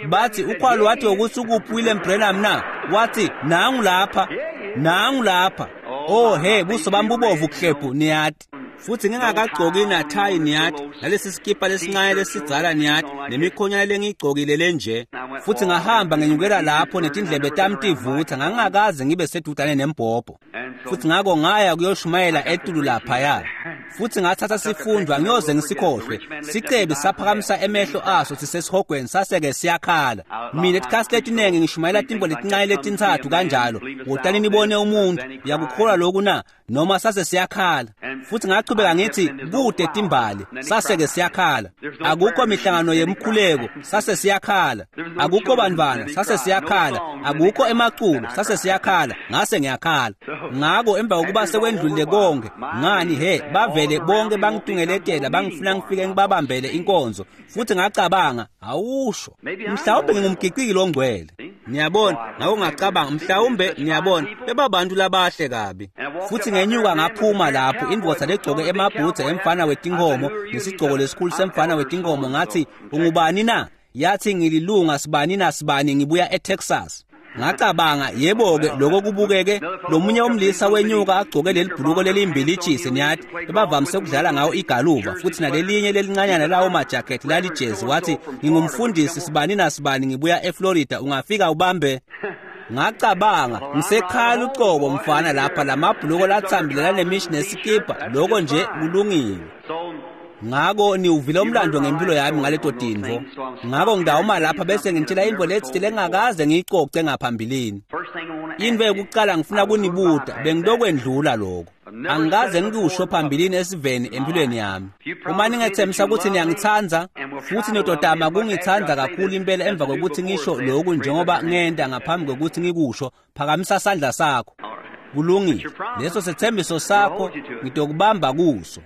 A: Bathi, ukhwalo wathi ukuthi ukuphi William Branham na? Wathi, nangu lapha, nangu lapha. Oh he, buso bami bubovu kuhlephu, niyati. Futhi ngingakagcoki nathayi, niyati, nalesi sikipa lesincane lesidzala, niyati, nemikhonyana lengiyigcokile lenje. Futhi ngahamba ngenyukela lapho netindlebe tami tivutha, ngangingakaze ngibe sedudane nembhobho. Futhi ngako ngaya kuyoshumayela etulu laphaya. Futhi ngathatha sifundwa, ngiyoze ngisikhohlwe. Sicebi saphakamisa emehlo aso sisesihogweni, saseke siyakhala. Mina etikhathi letiningi ngishumayela tintfo letincane letintsatfu kanjalo. Wotani nibone umuntu, uyakukholwa lokhu na? Noma sase siyakhala. Futhi ngachubeka ngithi, kude timbali, saseke siyakhala. Akukho mihlangano yemkhuleko, sase siyakhala. Akukho bantwana, sase siyakhala. Akukho emaculo, sase siyakhala. Ngase ngiyakhala. Ngako emva kokuba sekwendlulile konke, ngani he, bavele bonke bangitungeletela, bangifuna ngifike ngibabambele inkonzo. Futhi ngacabanga, awusho, mhlawumbe ngingumgiqiki longcwele. Niyabona, ngako ngacabanga, mhlawumbe, niyabona, bebabantu labahle kabi. Futhi ngenyuka ngaphuma lapho, indvodza legcoke emabhutsi emfana wetinkomo, nesigcoko lesikhulu semfana wetinkomo. Ngathi, ungubani na? Yathi, ngililunga sibani na sibani, ngibuya eTexas. Ngacabanga, yebo-ke, lokho kubukeke. Lomunye umlisa wenyuka agcoke leli bhuluko lelimbilitshisi, niyati, bebavamise ukudlala ngawo igaluva, futhi nalelinye lelincanyana lawo majakhethi lalijezi. Wathi, ngingumfundisi sibani na sibani, ngibuya eFlorida, ungafika ubambe. Ngacabanga, ngisekhaya ucobo mfana lapha, lamabhuluko lathambile lanemishi nesikipa, lokho nje kulungile. Ngako niwuvile umlando ngempilo yami ngaleto tintfo. Ngako ngidawuma lapha bese ngitshela intfo letsite lengakaze ngiyicoce ngaphambilini. Intfo yokucala ngifuna kunibuta, bengilokwendlula lokho. Angikaze ngikusho phambilini esiveni empilweni yami. Uma ningethembisa ukuthi niyangitsandza, futhi nitotama kungitsandza kakhulu impela emva kokuthi ngisho lokhu njengoba ngenta ngaphambi kokuthi ngikusho, phakamisa sandla sakho. Kulungile. Leso sethembiso sakho ngitokubamba kuso.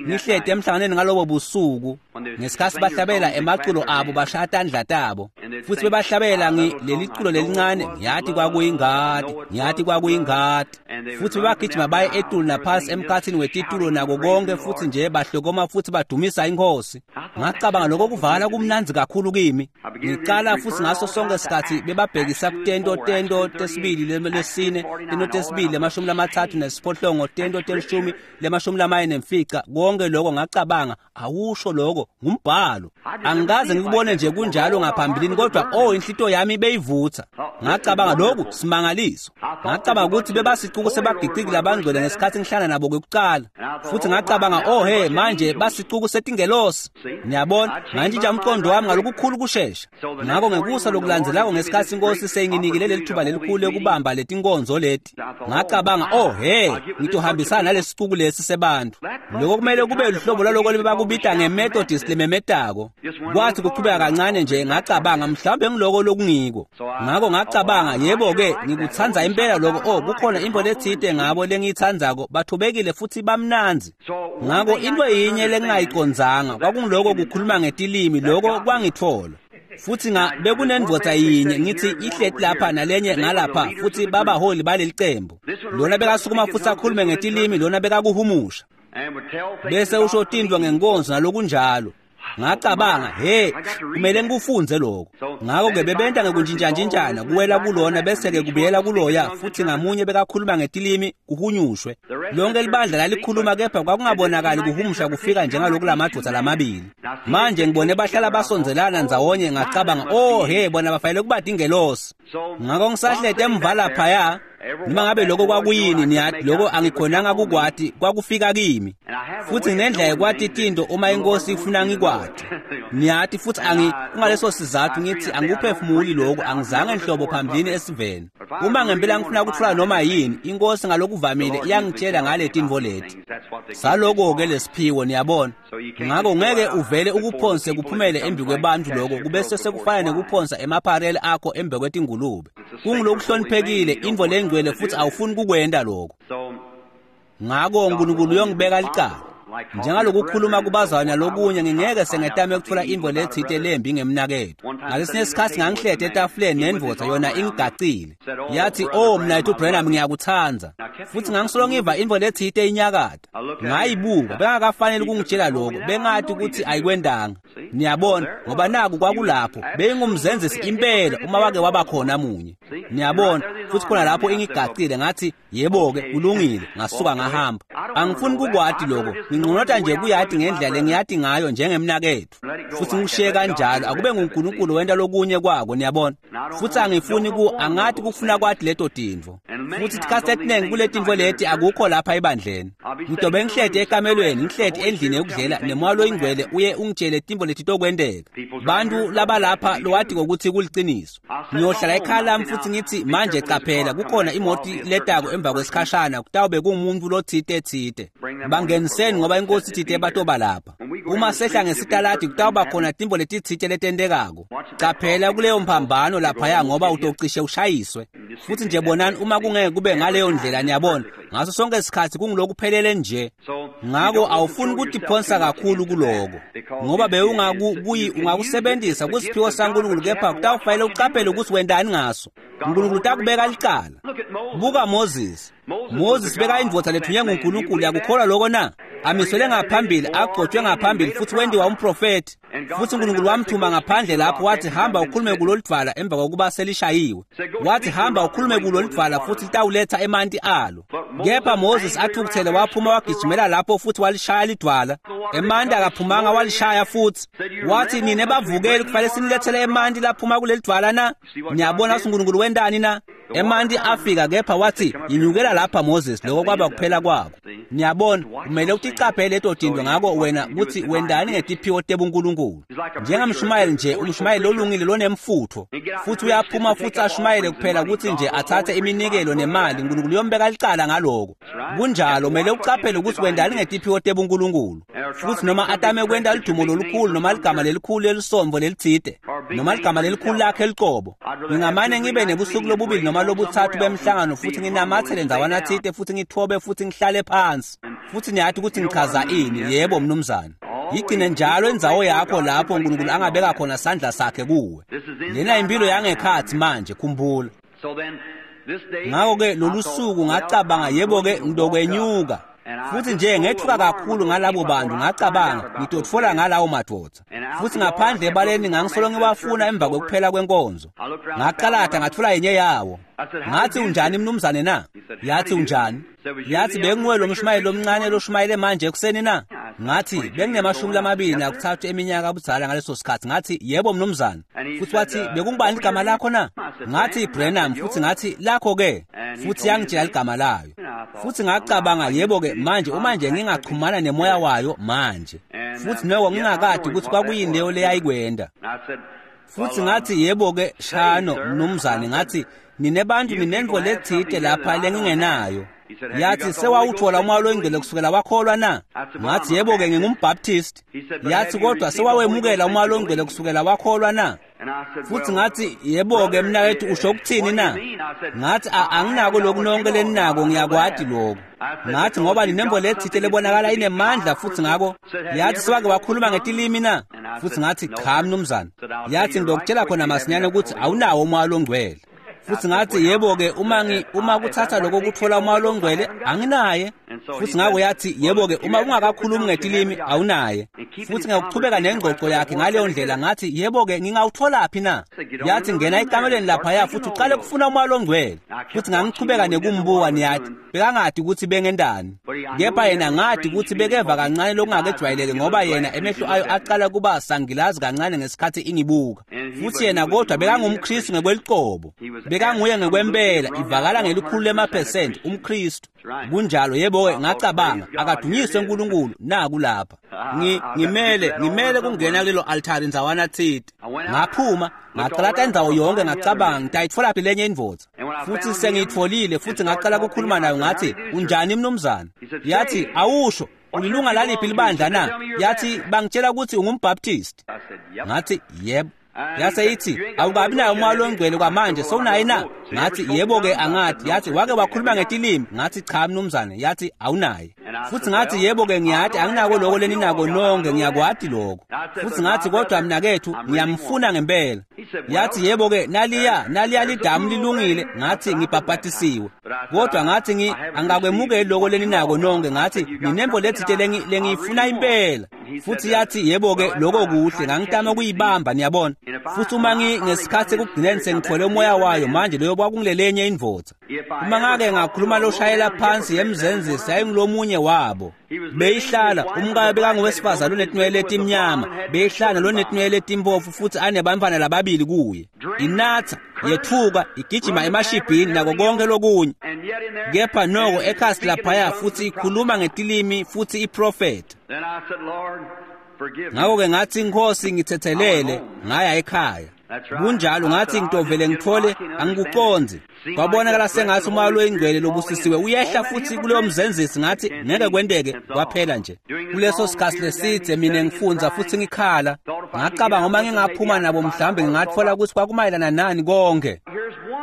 A: Ngihleti emhlanganweni ngalobo busuku, ngesikhathi bahlabela emaculo abo bashaya tandla tabo, futhi bebahlabela leli culo lelincane, ngiyathi kwakuyingadi, ngiyathi kwakuyingadi. Futhi bebagijima baye etulu naphasi emkhathini wetitulo nako konke, futhi nje bahlokoma futhi badumisa inkosi. Ngacabanga lokho kuvala kumnandzi kakhulu kimi. Ngicala futhi ngaso sonke isikhathi bebabhekisa kutento tento tesibili lesine, tento tesibili lemashumi lamathathu nesiphohlongo, tento telishumi lemashumi lamane nemfica, konke lokho ngacabanga, awusho lokho ngumbhalo. Angikaze ngikubone nje kunjalo ngaphambilini, kodwa oh, inhlito yami beyivutha. Ngacabanga lokhu simangaliso. Ngacabanga ukuthi bebasicuku sebagiqiki labangcwele ngesikhathi ngihlala nabo kwekucala. Futhi ngacabanga, oh he, manje basicuku setingelosi. Niyabona, ngantshintsha umqondo wami ngalokukhulu kushesha. Ngako ngekusa lokulandzelako ngesikhathi inkosi seyinginikile leli thuba lelikhulu lekubamba letinkonzo leti, ngacabanga, oh he, ngitohambisana nalesicuku lesi sebantu. Lokho kumele kube luhlobo lwaloko lebakubita ngeMethodist lememetako. Kwathi kuchubeka kancane nje ngacabanga, mhlawumbe ngiloko lokungiko. Ngako ngacabanga, yebo-ke, ngikutsandza impela lokho. Oh, kukhona intfo letsite ngabo lengiyitsandzako, bathobekile futhi bamnandzi. Ngako intfo yinye lengingayicondzanga kwakungiloko kukhuluma ngetilimi, lokho kwangitfola. Futhi nga bekunendvodza yinye ngithi ihleti lapha nalenye ngalapha, futhi babaholi baleli cembu. Lona bekasukuma futhi akhulume ngetilimi, lona bekakuhumusha, bese usho tintfo ngenkonzo nalokunjalo. Ngacabanga, he, kumele ngikufunze lokho. Ngako-ke bebenta ngekuntshintshantshintshana, kuwela kulona bese-ke kubuyela kuloya, futhi ngamunye bekakhuluma ngetilimi kuhunyushwe. Lonke libandla lalikhuluma, kepha kwakungabonakali kuhumusha kufika njengaloku lamadvodza lamabili. Manje ngibone bahlala basondzelana ndzawonye, ngacabanga, oh he, bona bafanele kuba tingelosi. Ngako ngisahleti emva laphaya, Noma ngabe lokho kwakuyini, niyati, lokho angikhonanga kukwati, kwakufika kimi. Futhi nginendlela yokwati tinto uma inkosi ifuna ngikwati. Niyati, futhi angi kungaleso sizathu ngithi angikuphefumuli lokho, angizange nhlobo phambilini esiveni. Uma ngempela ngifuna ukuthola noma yini, inkosi ngalokuvamile iyangitshela ngale tintfo leti. Saloko-ke lesiphiwo, niyabona. Ngakho ngeke uvele ukuphonse kuphumele embi kwebantu lokho, kubese sekufana nekuphonsa emapharele akho embi kwetingulube. Kungulokuhloniphekile, intfo lengcwele, futhi awufuni kukwenta lokho. Ngakho uNkulunkulu uyongibeka licala. Njengalokukhuluma kubazalwane lokunye, ngingeke sengetame ukuthola intfo letsite lembi ngemnaketfu. Ngalesinye isikhatsi ngangihleti etafuleni nendvodza, yona ingigacile. Yathi, "Oh mnaketfu Branham, ngiyakutsandza." Futhi ngangisolo ngiva intfo letsite inyakata. Ngayibuka, bengakafanele ukungitshela lokho, bengathi ukuthi ayikwendanga. Niyabona, ngoba naku kwakulapho, beyingumzenzisi impela uma wake waba khona munye. Niyabona, futhi khona lapho ingigacile, ngathi, "Yebo-ke, kulungile." Ngasuka ngahamba. Angifuni kukwati lokho, nginqonota nje kuyati ngendlela lengiyati ngayo njengemnaketfu. Futhi ngikushiye kanjalo, akube nguNkulunkulu wenta lokunye kwako, niyabona. Futhi angifuni ku angathi kufuna kwati leto tintfo. Futhi tikhatsi letinengi kule tintfo leti akukho lapha ebandleni. Ngidobe ngihleti ekamelweni, ngihleti endlini yokudlela, nemoya loyingcwele uye ungitshele tintfo letitokwenteka. Bantu labalapha lowati ngokuthi kuliciniso. Ngiyohlala ekhaya lami futhi ngithi, "Manje qaphela, kukhona imoti letako emva kwesikhashana, kutawube kungumuntu lotsite tsite. Bangeniseni ngoba inkosi itsite batoba lapha." Uma sehla ngesitaladi kutawuba khona tintfo letitsite letentekako. Qaphela kuleyo mphambano laphaya ngoba utocishe ushayiswe. Futhi nje bonani uma kungeke kube ngaleyo ndlela, niyabona, ngaso sonke isikhatsi kungilokuphelele nje. Ngako awufuni kutiphonsa kakhulu kuloko, ngoba bewungakubuyi ungakusebenzisa kusiphiwo saNkulunkulu, kepha kutawufanele ucaphele ukuthi wentani ngaso. uNkulunkulu utakubeka licala. Buka Moses. Moses bekayindvodza lethunywe nguNkulunkulu, yakukholwa lokho na? Amiswele ngaphambili, agcotshwe ngaphambili, futhi wendiwa umprofethi. Futhi uNkulunkulu wamthuma ngaphandle lapho, wathi, "Hamba ukhulume kulolidvwala," emva kokuba selishayiwe. Wathi, "Hamba ukhulume kulolidvwala futhi litawuletha emanti alo." Kepha Moses athukuthele waphuma wagijimela lapho futhi walishaya lidvwala. Emanti akaphumanga, walishaya futhi. Wathi, "Nine bavukeli, kufanele sinilethele emanti laphuma kulelidvwala na?" Niyabona ukuthi uNkulunkulu wentani na? Emanti afika, kepha wathi, "Yinyukela lapha Moses," lokho kwaba kuphela kwako. Niyabona, kumele uticaphele leto tintfo ngako wena kutsi wentani ngetiphiwo tebuNkulunkulu. Njengamshumayeli nje, umshumayeli lolungile lonemfutfo, futhi uyaphuma futhi ashumayele kuphela kutsi nje atsatse iminikelo nemali, uNkulunkulu uyombeka licala ngaloko. Kunjalo, kumele ucaphele ukuthi wentani ngetiphiwo tebuNkulunkulu. Futhi noma atame kwenta lidumo lolukhulu noma ligama lelikhulu lelisomvo lelitsite, noma ligama lelikhulu lakhe licobo. Ngingamane ngibe nebusuku lobubili noma lobutsatfu bemhlangano futhi nginamatsele ndzawana tsite futhi ngithobe futhi ngihlale phansi. Futhi niyati ukuthi ngichaza ini, yebo mnumzane. Yigcine njalo indzawo yakho lapho uNkulunkulu angabeka khona sandla sakhe kuwe. Lena impilo yangekhatsi manje, khumbula. Ngakho-ke lolu suku ngacabanga, yebo-ke, ngitokwenyuka. Futhi nje ngethuka kakhulu ngalabo bantu, ngacabanga ngitotfola ngalawo madvodza. Futhi ngaphandle ebaleni ngangisolo ngiwafuna emva kwekuphela kwenkonzo. Ngaqalada ngatfola yenye yawo. Ngathi, "Unjani mnumzane na?" Yathi, "Unjani?" Yathi, "Benguwe lo mshumayeli lomncane loshumayele manje ekuseni na?" Ngathi, "Benginemashumi lamabili nakuthathu eminyaka budzala ngaleso sikhathi." Ngathi, "Yebo mnumzane." Futhi wathi, "Bekungubani ligama lakho na?" Ngathi, "Branham." Futhi ngathi, "Lakho ke?" Futhi yangitshela ligama layo. Futhi ngacabanga, yebo-ke manje uma nje ngingachumana nemoya wayo manje. Futhi noko ngingakade ukuthi kwakuyini leyo leyayikwenda. Futhi ngathi, "Yebo-ke shano mnumzane," ngathi, "nine bantu ninentfo letsite lapha lengingenayo." Yathi, "Sewawuthola umoya loyingcwele kusukela wakholwa na?" Ngathi, "Yebo-ke, ngingumbaptist." Yathi, "Kodwa sewawemukela umoya loyingcwele kusukela wakholwa na?" Futhi ngathi, "Yebo-ke mnaketfu, usho ukuthini na?" Ngathi, "Anginako lokhu nonke leninako, ngiyakwati lokho." Ngathi, "Ngoba ninembo letsite lebonakala inemandla." Futhi ngako yathi, "Sewake wakhuluma ngetilimi na?" Futhi ngathi, "Cha mnumzane." Yathi, "Ngizokutshela khona masinyane ukuthi awunawo umoya longcwele." Futhi ngathi, "Yebo-ke, uma ngi uma kuthatha lokho kuthola umoya longcwele, anginaye." Futhi ngako yathi, yebo-ke, uma ungakakhulumi ngetilimi awunaye. Futhi ngakuchubeka nengxoxo yakhe ngaleyo ndlela, ngathi, yebo-ke, ngingawutholaphi na? Yathi, ngena ekamelweni laphaya futhi uqale kufuna umoya ongcwele. Futhi ngangichubeka nekumbuka, niyathi bekangadi ukuthi bengendani, kepha yena ngadi ukuthi bekeva kancane lokungakejwayeleke, ngoba yena emehlo ayo aqala kuba sangilazi kancane ngesikhathi ingibuka. Futhi yena kodwa bekangumKristu ngekwelicebo, bekanguye ngekwempela, ivakala ngelikhulu lemaphesenti umKristu. Kunjalo, yebo-ke, ngacabanga, akadunyiswe uNkulunkulu, naku lapha. Ngi ngimele ngimele kungena kulelo altari ndzawana thite. Ngaphuma ngaqalata indzawo yonke, ngacabanga ngitayitfolaphi lenye indvodza. Futhi sengiyitfolile, futhi ngaqala ukukhuluma nayo, ngathi, unjani mnumzane? Yathi, awusho, ulilunga laliphi libandla na? Yathi, bangitshela ukuthi ungumbaptist. Ngathi, yebo. Yase ithi, awukabi nayo umoya ongcwele kwamanje, sewunaye na? Ngathi, yebo-ke, angathi. Yathi, wake wakhuluma ngetilimi? Ngathi, cha mnumzane. Yathi, awunaye. Futhi ngathi, yebo-ke, ngiyathi anginako lokho leninako nonke, ngiyakwati lokho. Futhi ngathi, kodwa mnakethu ngiyamfuna ngempela. Yathi, yebo-ke, naliya naliya lidamu lilungile. Ngathi, ngibhabhatisiwe, kodwa ngathi ngi angakwemukeli lokho leninako nonke. Ngathi, nginembo lethite lengiyifuna impela. Futhi yathi, yebo-ke, lokho kuhle. Ngangitama ukuyibamba, niyabona. Futhi uma ngesikhathi ekugcineni sengithole umoya wayo manje, leyo kwakungilelenye indvodza. Uma ngake ngakhuluma loshayela phansi yemzenzisi, yayingulomunye wabo. Beyihlala umkayo bekangowesifazane onetinwele etimnyama, beyihlala lonetinwele etimpofu, futhi anebantfwana lababili kuye. Inatha, yethuka, igijima emashibhini nako konke lokunye. Kepha noko ekhasi laphaya futhi ikhuluma ngetilimi futhi iprofetha. Ngakho-ke ngathi, Nkosi, ngithethelele, ngaya ekhaya. Kunjalo, ngathi ngitovele ngithole, angikuconzi. Kwabonakala sengathi umoya loyingcwele lobusisiwe uyehla futhi kuleyo mzenzisi. Ngathi ngeke kwenteke, kwaphela nje. Kuleso sikhathi lesidze mina ngifundza futhi ngikhala, ngacabanga uma ngingaphuma nabo mhlawumbe ngingathola ukuthi kwakumayelana nani konke.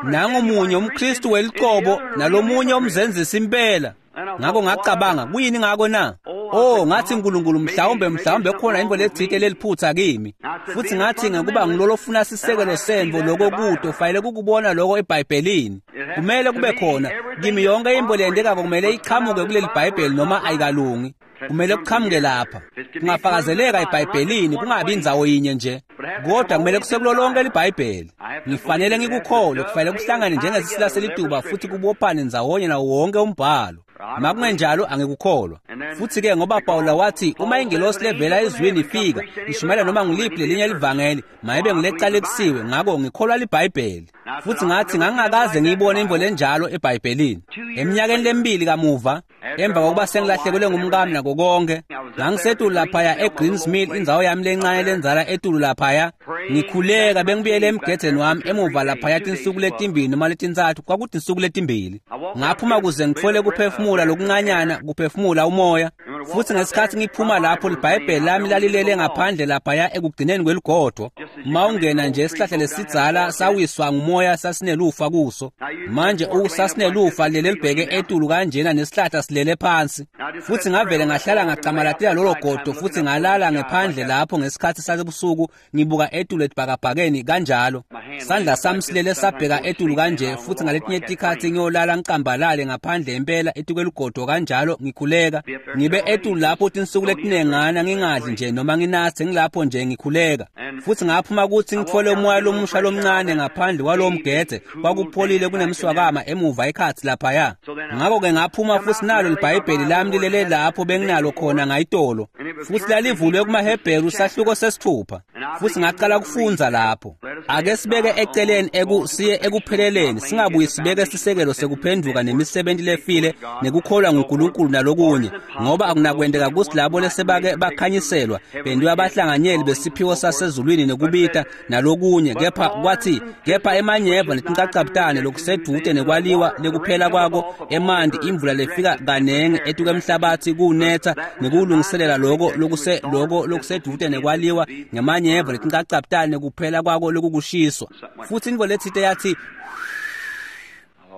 A: Nangomunye umKristu welicobo nalomunye umzenzisi impela. Ngakho ngacabanga, kuyini ngako na? Oh, ngathi uNkulunkulu, mhlawumbe mhlawumbe khona into lethite leliphutha kimi. Futhi ngathi ngekuba ngilolo funa sisekelo semvo lokho kude, ufanele ukubona lokho eBhayibhelini. Kumele kube khona kimi yonke into leyendekako kumele iqhamuke kuleli Bhayibheli noma ayikalungi. Kumele kuqhamuke lapha. Kungafakazeleka eBhayibhelini, kungabi indzawo yinye nje, kodwa kumele kusekulo lonke iBhayibheli. Ngifanele ngikukholwe, kufanele kuhlangane njengesisila selituba futhi kubophane ndzawonye nawo wonke umbhalo. Makungenjalo angikukholwa. Futhi-ke ngoba Pawula wathi uma ingelosi levela ezwini ifika ishumayela noma ngiliphi lelinye livangeli, mayibe ngilecalekisiwe. Ngakho ngikholwa liBhayibheli. Futhi ngathi ngangingakaze ngiyibone imvo lenjalo eBhayibhelini. Eminyakeni lemibili kamuva, emva kokuba sengilahlekelwe ngumkami nako konke, ngangisetulu laphaya eGreens Mill, indzawo yami lencane lenzala etulu laphaya, ngikhuleka. Bengibuyele emgedeni wami emuva laphaya tinsuku letimbili noma letintsatfu, kwakuthi insuku letimbili. Ngaphuma kuze ngitfole kuphefumula lokuncanyana, kuphefumula umoya. Futhi ngesikhathi ngiphuma lapho, liBhayibheli lami lalilele ngaphandle laphaya ekugcineni kweligodo. Uma ungena nje esihlahla lesidzala sawiswa ngumoya, sasinelufa kuso. Manje usasinelufa lele libheke etulu kanjena nesihlahla silele phansi. Futhi ngavele ngahlala ngacamalatela lolo godo, futhi ngalala ngephandle lapho ngesikhathi sasebusuku, ngibuka etulu etibhakabhakeni kanjalo. Sandla sami silele sabheka etulu kanje, futhi ngaletinye tikhathi ngiyolala ngicambalale ngaphandle impela etukweligodo kanjalo, ngikhuleka. Ngibe etulu lapho tinsuku letinengana ngingadli nje noma nginathe, ngilapho nje ngikhuleka. Futhi ngaphuma ukuthi ngithole umoya lomusha lomncane ngaphandle kwalowo mgede, kwakupholile kunemswakama emuva ekhathi laphaya. Ngakho-ke ngaphuma futhi nalo liBhayibheli lami lilele lapho benginalo khona ngayitolo, futhi lalivulwe kumaHebheru sahluko sesithupha. Futhi ngaqala kufundza lapho. Ake sibeke eceleni eku siye ekupheleleni, singabuyi sibeke sisekelo sekuphenduka nemisebenzi lefile nekukholwa nguNkulunkulu nalokunye, ngoba akunakwendeka kuthi labo lesebake bakhanyiselwa bendiwa abahlanganyeli besiphiwo sasezulwini nekubita nalokunye. Kepha kwathi kepha emanyeva netincacabutane lokusedude nekwaliwa lekuphela kwako emanti, imvula lefika kanenge etuke emhlabathi kunetha nekulungiselela lokho lokuse lokho lokusedude nekwaliwa ngemanyeva netincacabutane kuphela kwako lokukushiswa. Futhi into lethite yathi,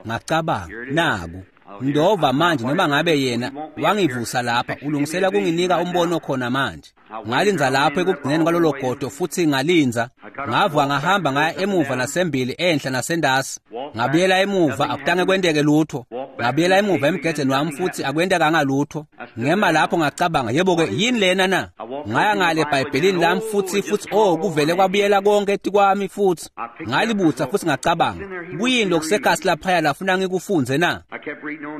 A: ngacabanga, naku ndova manje, noma ngabe yena wangivusa lapha ulungisela kunginika umbono khona manje. Ngalinza lapho ekugcineni kwalolo godo, futhi ngalinza. Ngavuka ngahamba ngaya emuva nasembili, enhla nasendasi. Ngabuyela emuva, akutange kwenteke lutho. Ngabuyela emuva emgedeni wami futhi akwentekanga lutho. Ngema lapho ngacabanga, yebo-ke yini lena na? Ngaya ngale eBhayibhelini lami futhi futhi oh kuvele kwabuyela konke etikwami futhi. Ngalibutha futhi ngacabanga, kuyini lokusekhasi laphaya lafuna ngikufunze na?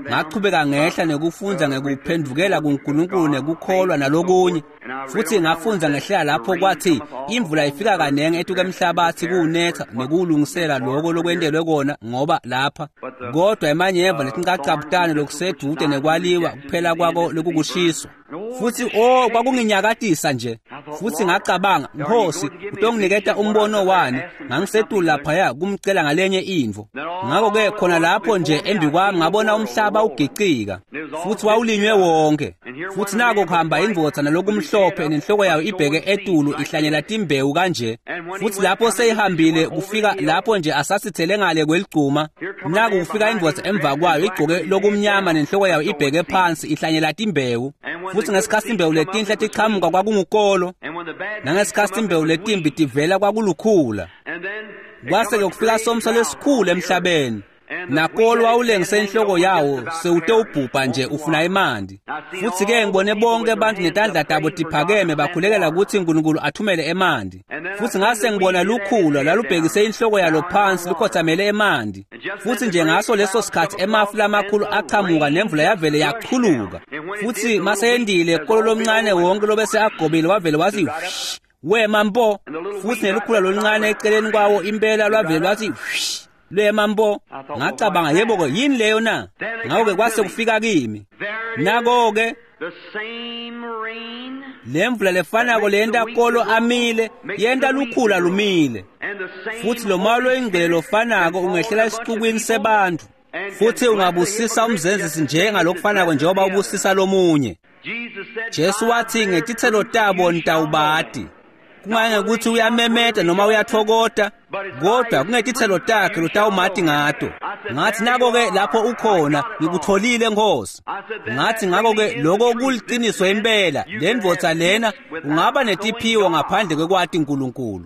A: Ngachubeka ngehla nekufundza ngekuphendvukela kuNkulunkulu nekukholwa nalokunye. Futhi ngafundza ngehlela lapho kwathi imvula ifika kanengi etuka emhlabathi kuwunetha nekuwulungisela lokho lokwentelwe kona ngoba lapha. Kodwa emanyeva letincacabutane lokusedude nekwaliwa kuphela kwako lokukushiswa. Futhi oh kwakunginyakatisa nje. Futhi ngacabanga, Nkosi, utonginiketa umbono wani? Ngangisetulu laphaya kumcela ngalenye intfo. Ngakho-ke khona lapho nje embi kwami ngabona umhlaba ugicika futhi wawulinywe wonke. Futhi nako kuhamba indvodza nalokumhlophe nenhloko yayo ibheke etulu ihlanyela timbewu kanje. Futhi lapho seyihambile kufika lapho nje asasithele ngale kweligcuma, naku kufika indvodza emva kwayo igcoke lokumnyama nenhloko yayo ibheke phansi ihlanyela timbewu. Futhi ngesikhathi imbewu letinhle tichamuka kwakungukolo, nangesikhathi imbewu letimbi tivela kwakulukhula. Kwase-ke kufika somiso lesikhulu emhlabeni. Nakolo wawulengise inhloko yawo sewutewubhubha nje ufuna emanti. Futhi-ke ngibone bonke abantu netandla tabo tiphakeme bakhulekela ukuthi uNkulunkulu athumele emanti. Futhi ngase ngibona lukhula lalubhekise inhloko yalo phansi lukhothamele emanti. Futhi nje ngaso leso sikhathi emafu lamakhulu achamuka nemvula yavele yachuluka. Futhi maseyendile kolo lomncane wonke lobese agobile wavele wathi wema mpo. Futhi nelukhula loluncane eceleni kwawo impela lwavele lwathi lwema mpo. Ngacabanga, yebo-ke yini leyo na? Ngakho-ke kwase kufika kimi. Nako-ke lemvula lefanako leyenta kolo amile yenta lukhula lumile. Futhi lo moya loyingcwele lofanako ungehlela esicukwini sebantfu futhi ungabusisa umzenzisi njengalokufanako njengoba ubusisa lomunye. Jesu wathi ngetitselo tabo nitawubati. Kungangekuthi uyamemeta noma uyathokota, kodwa kungetitselo takhe lotawumati ngato. Ngathi nako-ke lapho ukhona ngikutholile Nkosi. Ngathi ngako-ke lokho kuliciniso impela, le ndvodza lena ungaba netiphiwo ngaphandle kwekwati uNkulunkulu.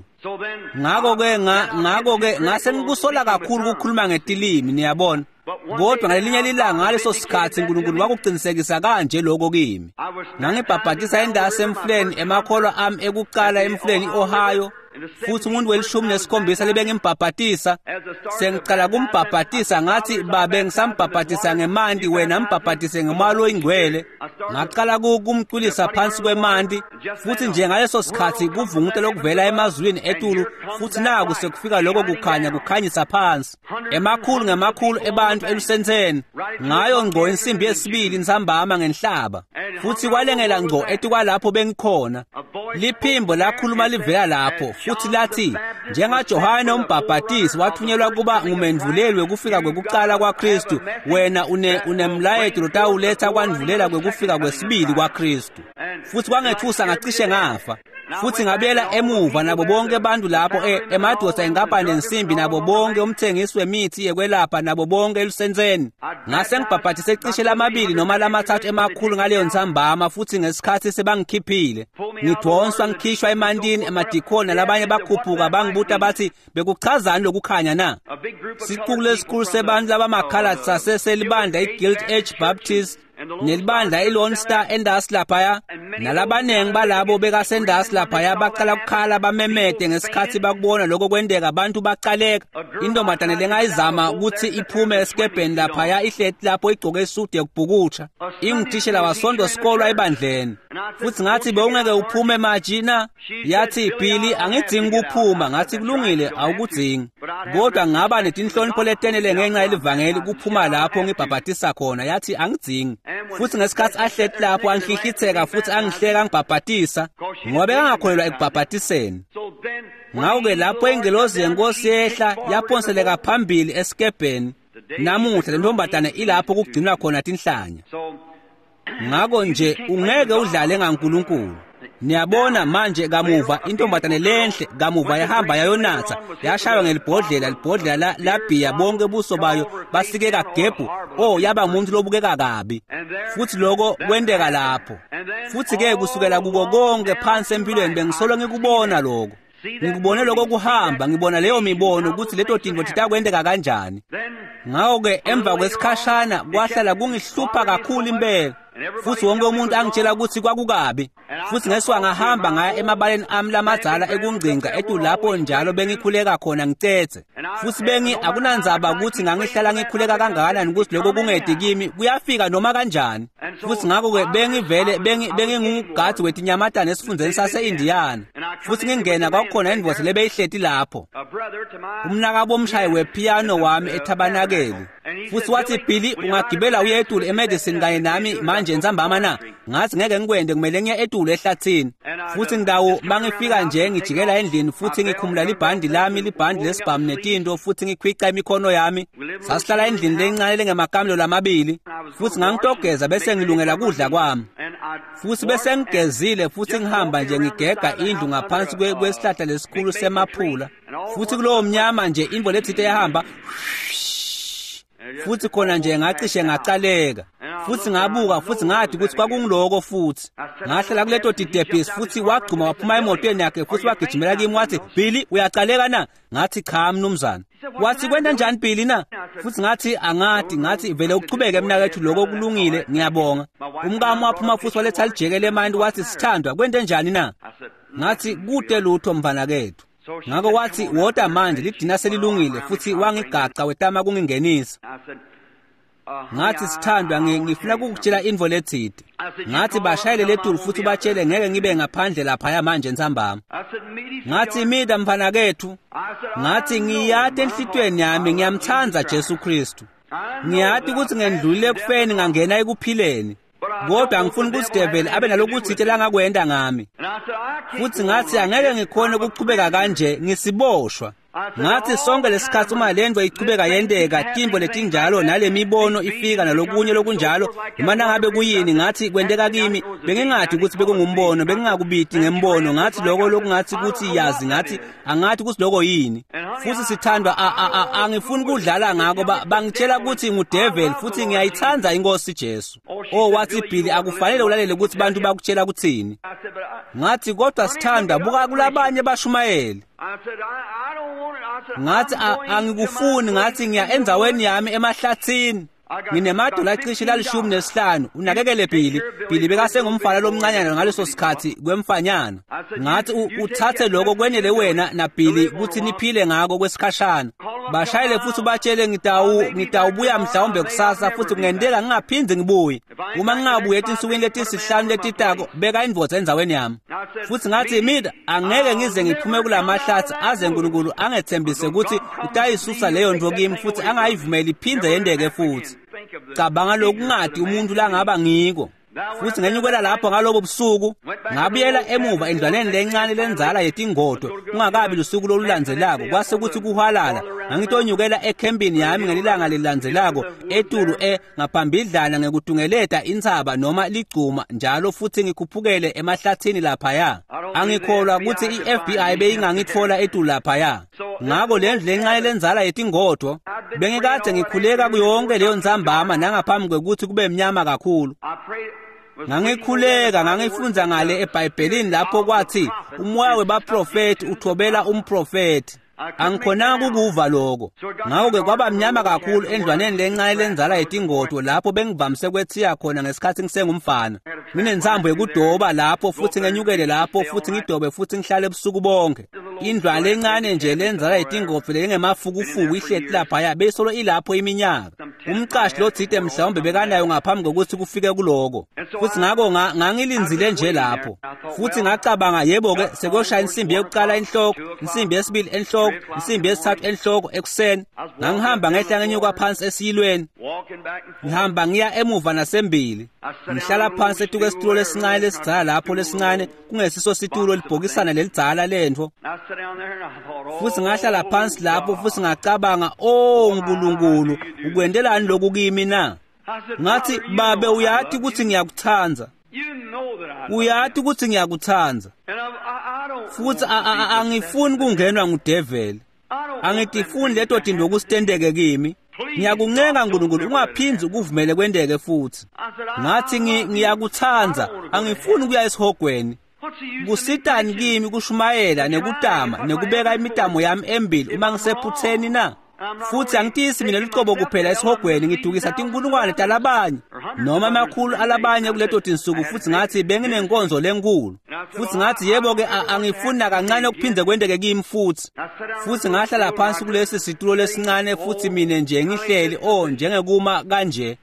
A: Ngakho-ke ngakho-ke ngase ngikusola kakhulu ukukhuluma ngetilimi, niyabona. Kodwa ngalelinye ilanga ngaleso sikhathi uNkulunkulu wakuqinisekisa kanje lokho kimi. Ngangibhabhatisa endasi emfuleni emakholwa ami ekuqala emfuleni i-Ohio, futhi umuntu welishumi nesikhombisa libe ngimbhabhatisa. Sengicala kumbhabhatisa ngathi, babe ngisambhabhatisa ngemanti, wena mbhabhatise ngomoya loyingcwele. Ngaqala kumcwilisa phansi kwemanti, futhi nje ngaleso sikhathi kuvunguta lokuvela emazulwini etulu, futhi naku sekufika lokho kukhanya kukhanyisa phansi emakhulu ngemakhulu ebantu elusentseni ngayo ngco insimbi yesibili ntsambama ngenhlaba. Futhi kwalengela ngco etikwalapho bengikhona. Liphimbo lakhuluma livela lapho futhi lathi, njengaJohane umbhabhatisi wathunyelwa kuba ngumendvuleli wekufika kwekuqala kwaKristu, wena une unemlayeto lotawuletha kwandvulela kwekufika kwesibili kwaKristu. Futhi kwangethusa ngacishe ngafa. Futhi ngabuyela emuva nabo bonke abantu lapho emadoda enkampani nensimbi nabo bonke umthengisi wemithi yekwelapha nabo bonke elusentseni. Ngase ngibhabhatise cishe lamabili noma lamathathu emakhulu ngaleyo ntsambama, futhi ngesikhathi sebangikhiphile ngidonswa ngikhishwa emantini emadikoni nalabanye bakhuphuka bangibuta bathi, bekuchazani lokukhanya na? Sicuku lesikhulu sebantu labamakhala saseselibandla i-Guild H Baptist nelibandla i-Lone Star endasi laphaya, nalabanengi balabo bekasendasi laphaya baqala ukukhala bamemede ngesikhathi bakubona lokho kwenteka. Abantu baqaleka. Intombazane lengayizama ukuthi iphume esikebheni laphaya ihleti lapho igcoke isudu yokubhukutsha, ingutishela wasonto sikolwa ebandleni. Futhi ngathi, bewungeke uphume maji na? Yathi, Billy, angidzingi ukuphuma. Ngathi, kulungile, awukudzingi, kodwa ngaba netinhlonipho letenele ngenxa yelivangeli kuphuma lapho ngibhabhatisa khona. Yathi, angidzingi. Futhi ngesikhathi ahleti lapho anhlihlitheka futhi angihleka ngibhabhatisa, ngoba bekangakholelwa ekubhabhatiseni. Ngakho-ke lapho ingelozi yenkosi yehla yaphonseleka phambili esikebheni. Namuhla le ntombazane ilapho kugcinwa khona tinhlanya. Ngakho nje ungeke udlale ngaNkulunkulu. Niyabona manje kamuva intombazane lenhle kamuva yahamba yayonatha, yashaywa ngelibhodlela, libhodlela labhiya bonke buso bayo basikeka gebhu. Oh, yaba umuntu lobukeka kabi. Futhi lokho kwenteka lapho. Futhi ke kusukela kuko konke phansi empilweni bengisolo ngikubona lokho. Ngikubone lokho kuhamba, ngibona leyo mibono ukuthi leto tintfo titakwenteka kanjani. Ngakho-ke emva kwesikhashana kwahlala kungihlupha kakhulu impela. Futhi wonke umuntu angitshela ukuthi kwakukabi. Futhi ngesuka ngahamba ngaya emabaleni ami lamadzala ekungcinga etu lapho njalo bengikhuleka khona ngicethe. Futhi bengi akunandzaba ukuthi ngangihlala ngikhuleka kangakanani ukuthi lokho kungedi kimi kuyafika noma kanjani. Futhi ngakho-ke bengivele bengingumgadzi wetinyamatane esifundzeni sase-Indiana. Futhi ngingena kwakukhona indvodza lebeyihleti lapho. Umnakabo umshayi wepiano wami ethabanakeli. Futhi wathi, Billy, ungagibela uye etulu eMadison kanye nami manje ntsambama na? Ngathi ngeke ngikwende, kumele ngiye etulu ehlathini. Futhi ngidawo mangifika nje ngijikela endlini futhi ngikhumula libhandi lami, libhandi lesibhamu netinto, futhi ngikhwica imikhono yami. Sasihlala endlini lencane lengemakamelo lamabili. Futhi ngangitogeza bese ngilungela kudla kwami. Futhi bese ngigezile futhi ngihamba nje ngigega indlu ngaphansi kwesihlahla lesikhulu semaphula. Futhi kulowo mnyama nje imvo lethite yahamba. Futhi khona nje ngacishe ngacaleka. Futhi ngabuka futhi ngathi ukuthi kwakungiloko futhi. Ngahlala kuleto titebhisi futhi wagcuma waphuma emotweni yakhe futhi wagijimela kimi wathi, Billy, uyacaleka na? Ngathi cha mnumzane. Wathi kwenta njani Billy na? Futhi ngathi angathi, ngathi vele uchubeke mnakethu lokho kulungile, ngiyabonga. Umkami waphuma futhi waletha lijeke lemandi wathi, sithandwa kwente njani na? Ngathi kude lutho mfana kethu. Ngakho wathi wota manje lidina selilungile futhi wangigaca wetama kungingenisa. Ngathi sithandwa ngifuna ukukutshela info lethide. Ngathi bashayele letulu futhi batshele ngeke ngibe ngaphandle laphaya manje ntsambama. Ngathi mida mfana kethu. Ngathi ngiyati enhlitweni yami ngiyamthanda Jesu Kristu. Ngiyati ukuthi ngendlulile ekufeni ngangena ekuphileni. Kodwa angifuni ukuthi devil abe nalokuthite langakwenda ngami. Futhi ngathi angeke ngikhone ukuchubeka kanje ngisiboshwa. Ngathi sonke lesikhathi uma lento ichubeka yenteka timbo letinjalo nale mibono ifika nalokunye lokunjalo noma nangabe kuyini ngathi kwenteka kimi bengingathi ukuthi bekungumbono bengingakubiti ngembono ngathi lokho lokungathi ukuthi yazi ngathi angathi ukuthi lokho yini. Futhi sithandwa angifuni ukudlala ngako bangitshela ukuthi ngudevil futhi ngiyayithanda inkosi Jesu. Oh wathi Billy akufanele ulalele ukuthi bantu bakutshela ukuthini. Ngathi kodwa sithandwa buka kulabanye bashumayeli. Ngathi angikufuni, ngathi ngiya endzaweni yami emahlathini. Nginemadola acishe lalishumi nesihlanu. Unakekele Billy. Billy bekasengumfana lomncanyana ngaleso sikhathi kwemfanyana. Ngathi uthathe lokho kwenele wena na Billy ukuthi niphile ngako kwesikhashana. Bashayele futhi ubatshele ngitawu ngitawubuya mhlawumbe kusasa futhi kungenteka ngingaphindi ngibuye. Uma ngingabuye etinsukwini letisihlanu letitako beka indvodza endzaweni yami. Futhi ngathi mina angeke ngize ngiphume kulamahlathi aze uNkulunkulu angethembise ukuthi utayisusa leyo nto kimi futhi angayivumeli iphinde yendeke futhi. Cabanga lokungadi umuntu langaba ngiko. Futhi ngenyukela lapho ngalobo busuku ngabuyela emuva endlwaneni lencane lenzala yetingodo kungakabi lusuku lolulandzelako kwase kuthi kuhwalala. Ngangitonyukela ekhempini yami ngelilanga lelilandzelako etulu e ngaphambidlana ngekutungeleta intsaba noma ligcuma njalo futhi ngikhuphukele emahlathini laphaya. Angikholwa ukuthi i-F B I beyingangitfola etulu laphaya. Ngako lendlu lencane lenzala yetingodo bengikade ngikhuleka kuyonke leyo ntsambama nangaphambi kwekuthi kube mnyama kakhulu. Ngangikhuleka ngangifundza ngale eBhayibhelini lapho kwathi umoya webaprofeti uthobela umprofeti. Angikhonanga ukuva lokho. Ngakho-ke kwaba mnyama kakhulu endlwaneni lencane lenzala yetingodo lapho bengivamise kwethiya khona ngesikhathi ngisengumfana. Nginensambo yekudoba lapho futhi ngenyukele lapho futhi ngidobe futhi ngihlale ebusuku bonke. Indlwana lencane nje lenzala yetingodo lengemafukufuku ihleti laphaya beyisolo ilapho iminyaka. Umqashi lothite mhlawumbe bekanayo ngaphambi kokuthi kufike kuloko. Futhi ngako ngangilinzile nje lapho. Futhi ngacabanga yebo-ke sekuyoshaya insimbi yokuqala enhloko, insimbi yesibili enhloko, insimbi yesithathu enhloko ekuseni. Ngangihamba ngehla ngenyuka phansi esiyilweni. Ngihamba ngiya emuva nasembili. Ngihlala phansi etuke esitulo lesincane lesidzala lapho lesincane kungesiso situlo libhokisana lelidzala lentfo. Futhi ngahlala phansi lapho futhi ngacabanga, "Oh Nkulunkulu, ukwendelani lokhu kimi na?" Ngathi, "Babe uyati ukuthi ngiyakuthanda. Uyati ukuthi ngiyakuthanda. Futhi angifuni kungenwa ngudeveli. Angitifuni leto tinto kusitendeke kimi. Ngiyakuncenga Nkulunkulu ungaphindzi ukuvumele kwenteke futhi." Ngathi ngiyakuthanda, angifuni ukuya esihogweni. Kusitani kimi kushumayela nekutama nekubeka imitamo yami embili uma ngisephutheni na? Futhi angitisi mina lucobo kuphela esihogweni, ngidukisa tinkulungwane talabanye noma amakhulu alabanye kuleto tinsuku. Futhi ngathi benginenkonzo lenkulu, futhi ngathi yebo-ke angifuni nakancane ukuphinde kwenteke kimi futhi. Futhi ngahlala phansi kulesi situlo lesincane, futhi mina nje ngihleli oh njengekuma kanje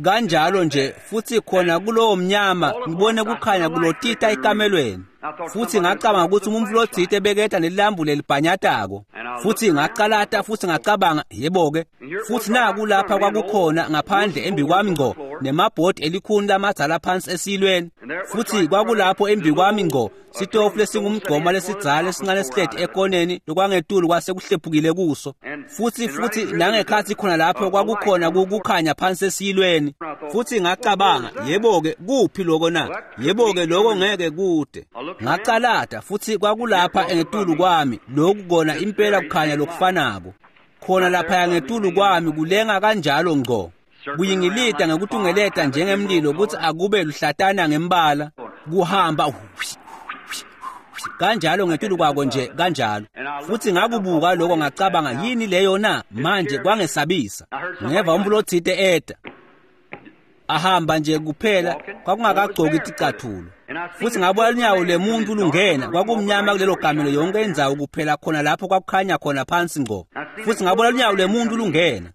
A: kanjalo nje, futhi khona kulowo mnyama ngibone kukhanya kulotita ekamelweni. Futhi ngacabanga ukuthi umuntu lotsite beketa nelambu lelibhanyatako, futhi ngacalata futhi ngacabanga yebo-ke. Futhi naku lapha kwakukhona ngaphandle embi kwami ngco nemabhodi elikhuni lamadzala phansi esilweni, futhi kwakulapho embi kwami ngco sitofu lesingumgqoma lesidzala esincane esihleti ekoneni lokwangetulu kwasekuhlephukile kuso. Futhi futhi nangekhathi khona lapho kwakukhona kukhanya phansi esilweni, futhi ngacabanga yebo-ke kuphi lokho na? Yebo-ke lokho ngeke kude. Ngacalata futhi kwakulapha ngetulu kwami lokhu kona impela kukhanya lokufanako khona lapha ngetulu kwami kulenga kanjalo ngco, kuyingilida ngekutungeleta njengemlilo ukuthi akube luhlatana ngembala, kuhamba kanjalo ngetulu kwako nje kanjalo. Futhi ngakubuka lokho ngacabanga yini leyo na? Manje kwangesabisa. Ngeva umuntu lotsite eta ahamba nje kuphela, kwakungakagcoki ticathulo. Futhi ngabona lunyawo lemuntu lungena, kwakumnyama kulelo kamelo yonke indzawo kuphela khona lapho kwakukhanya khona phansi ngco. Futhi ngabona lunyawo lemuntu lungena,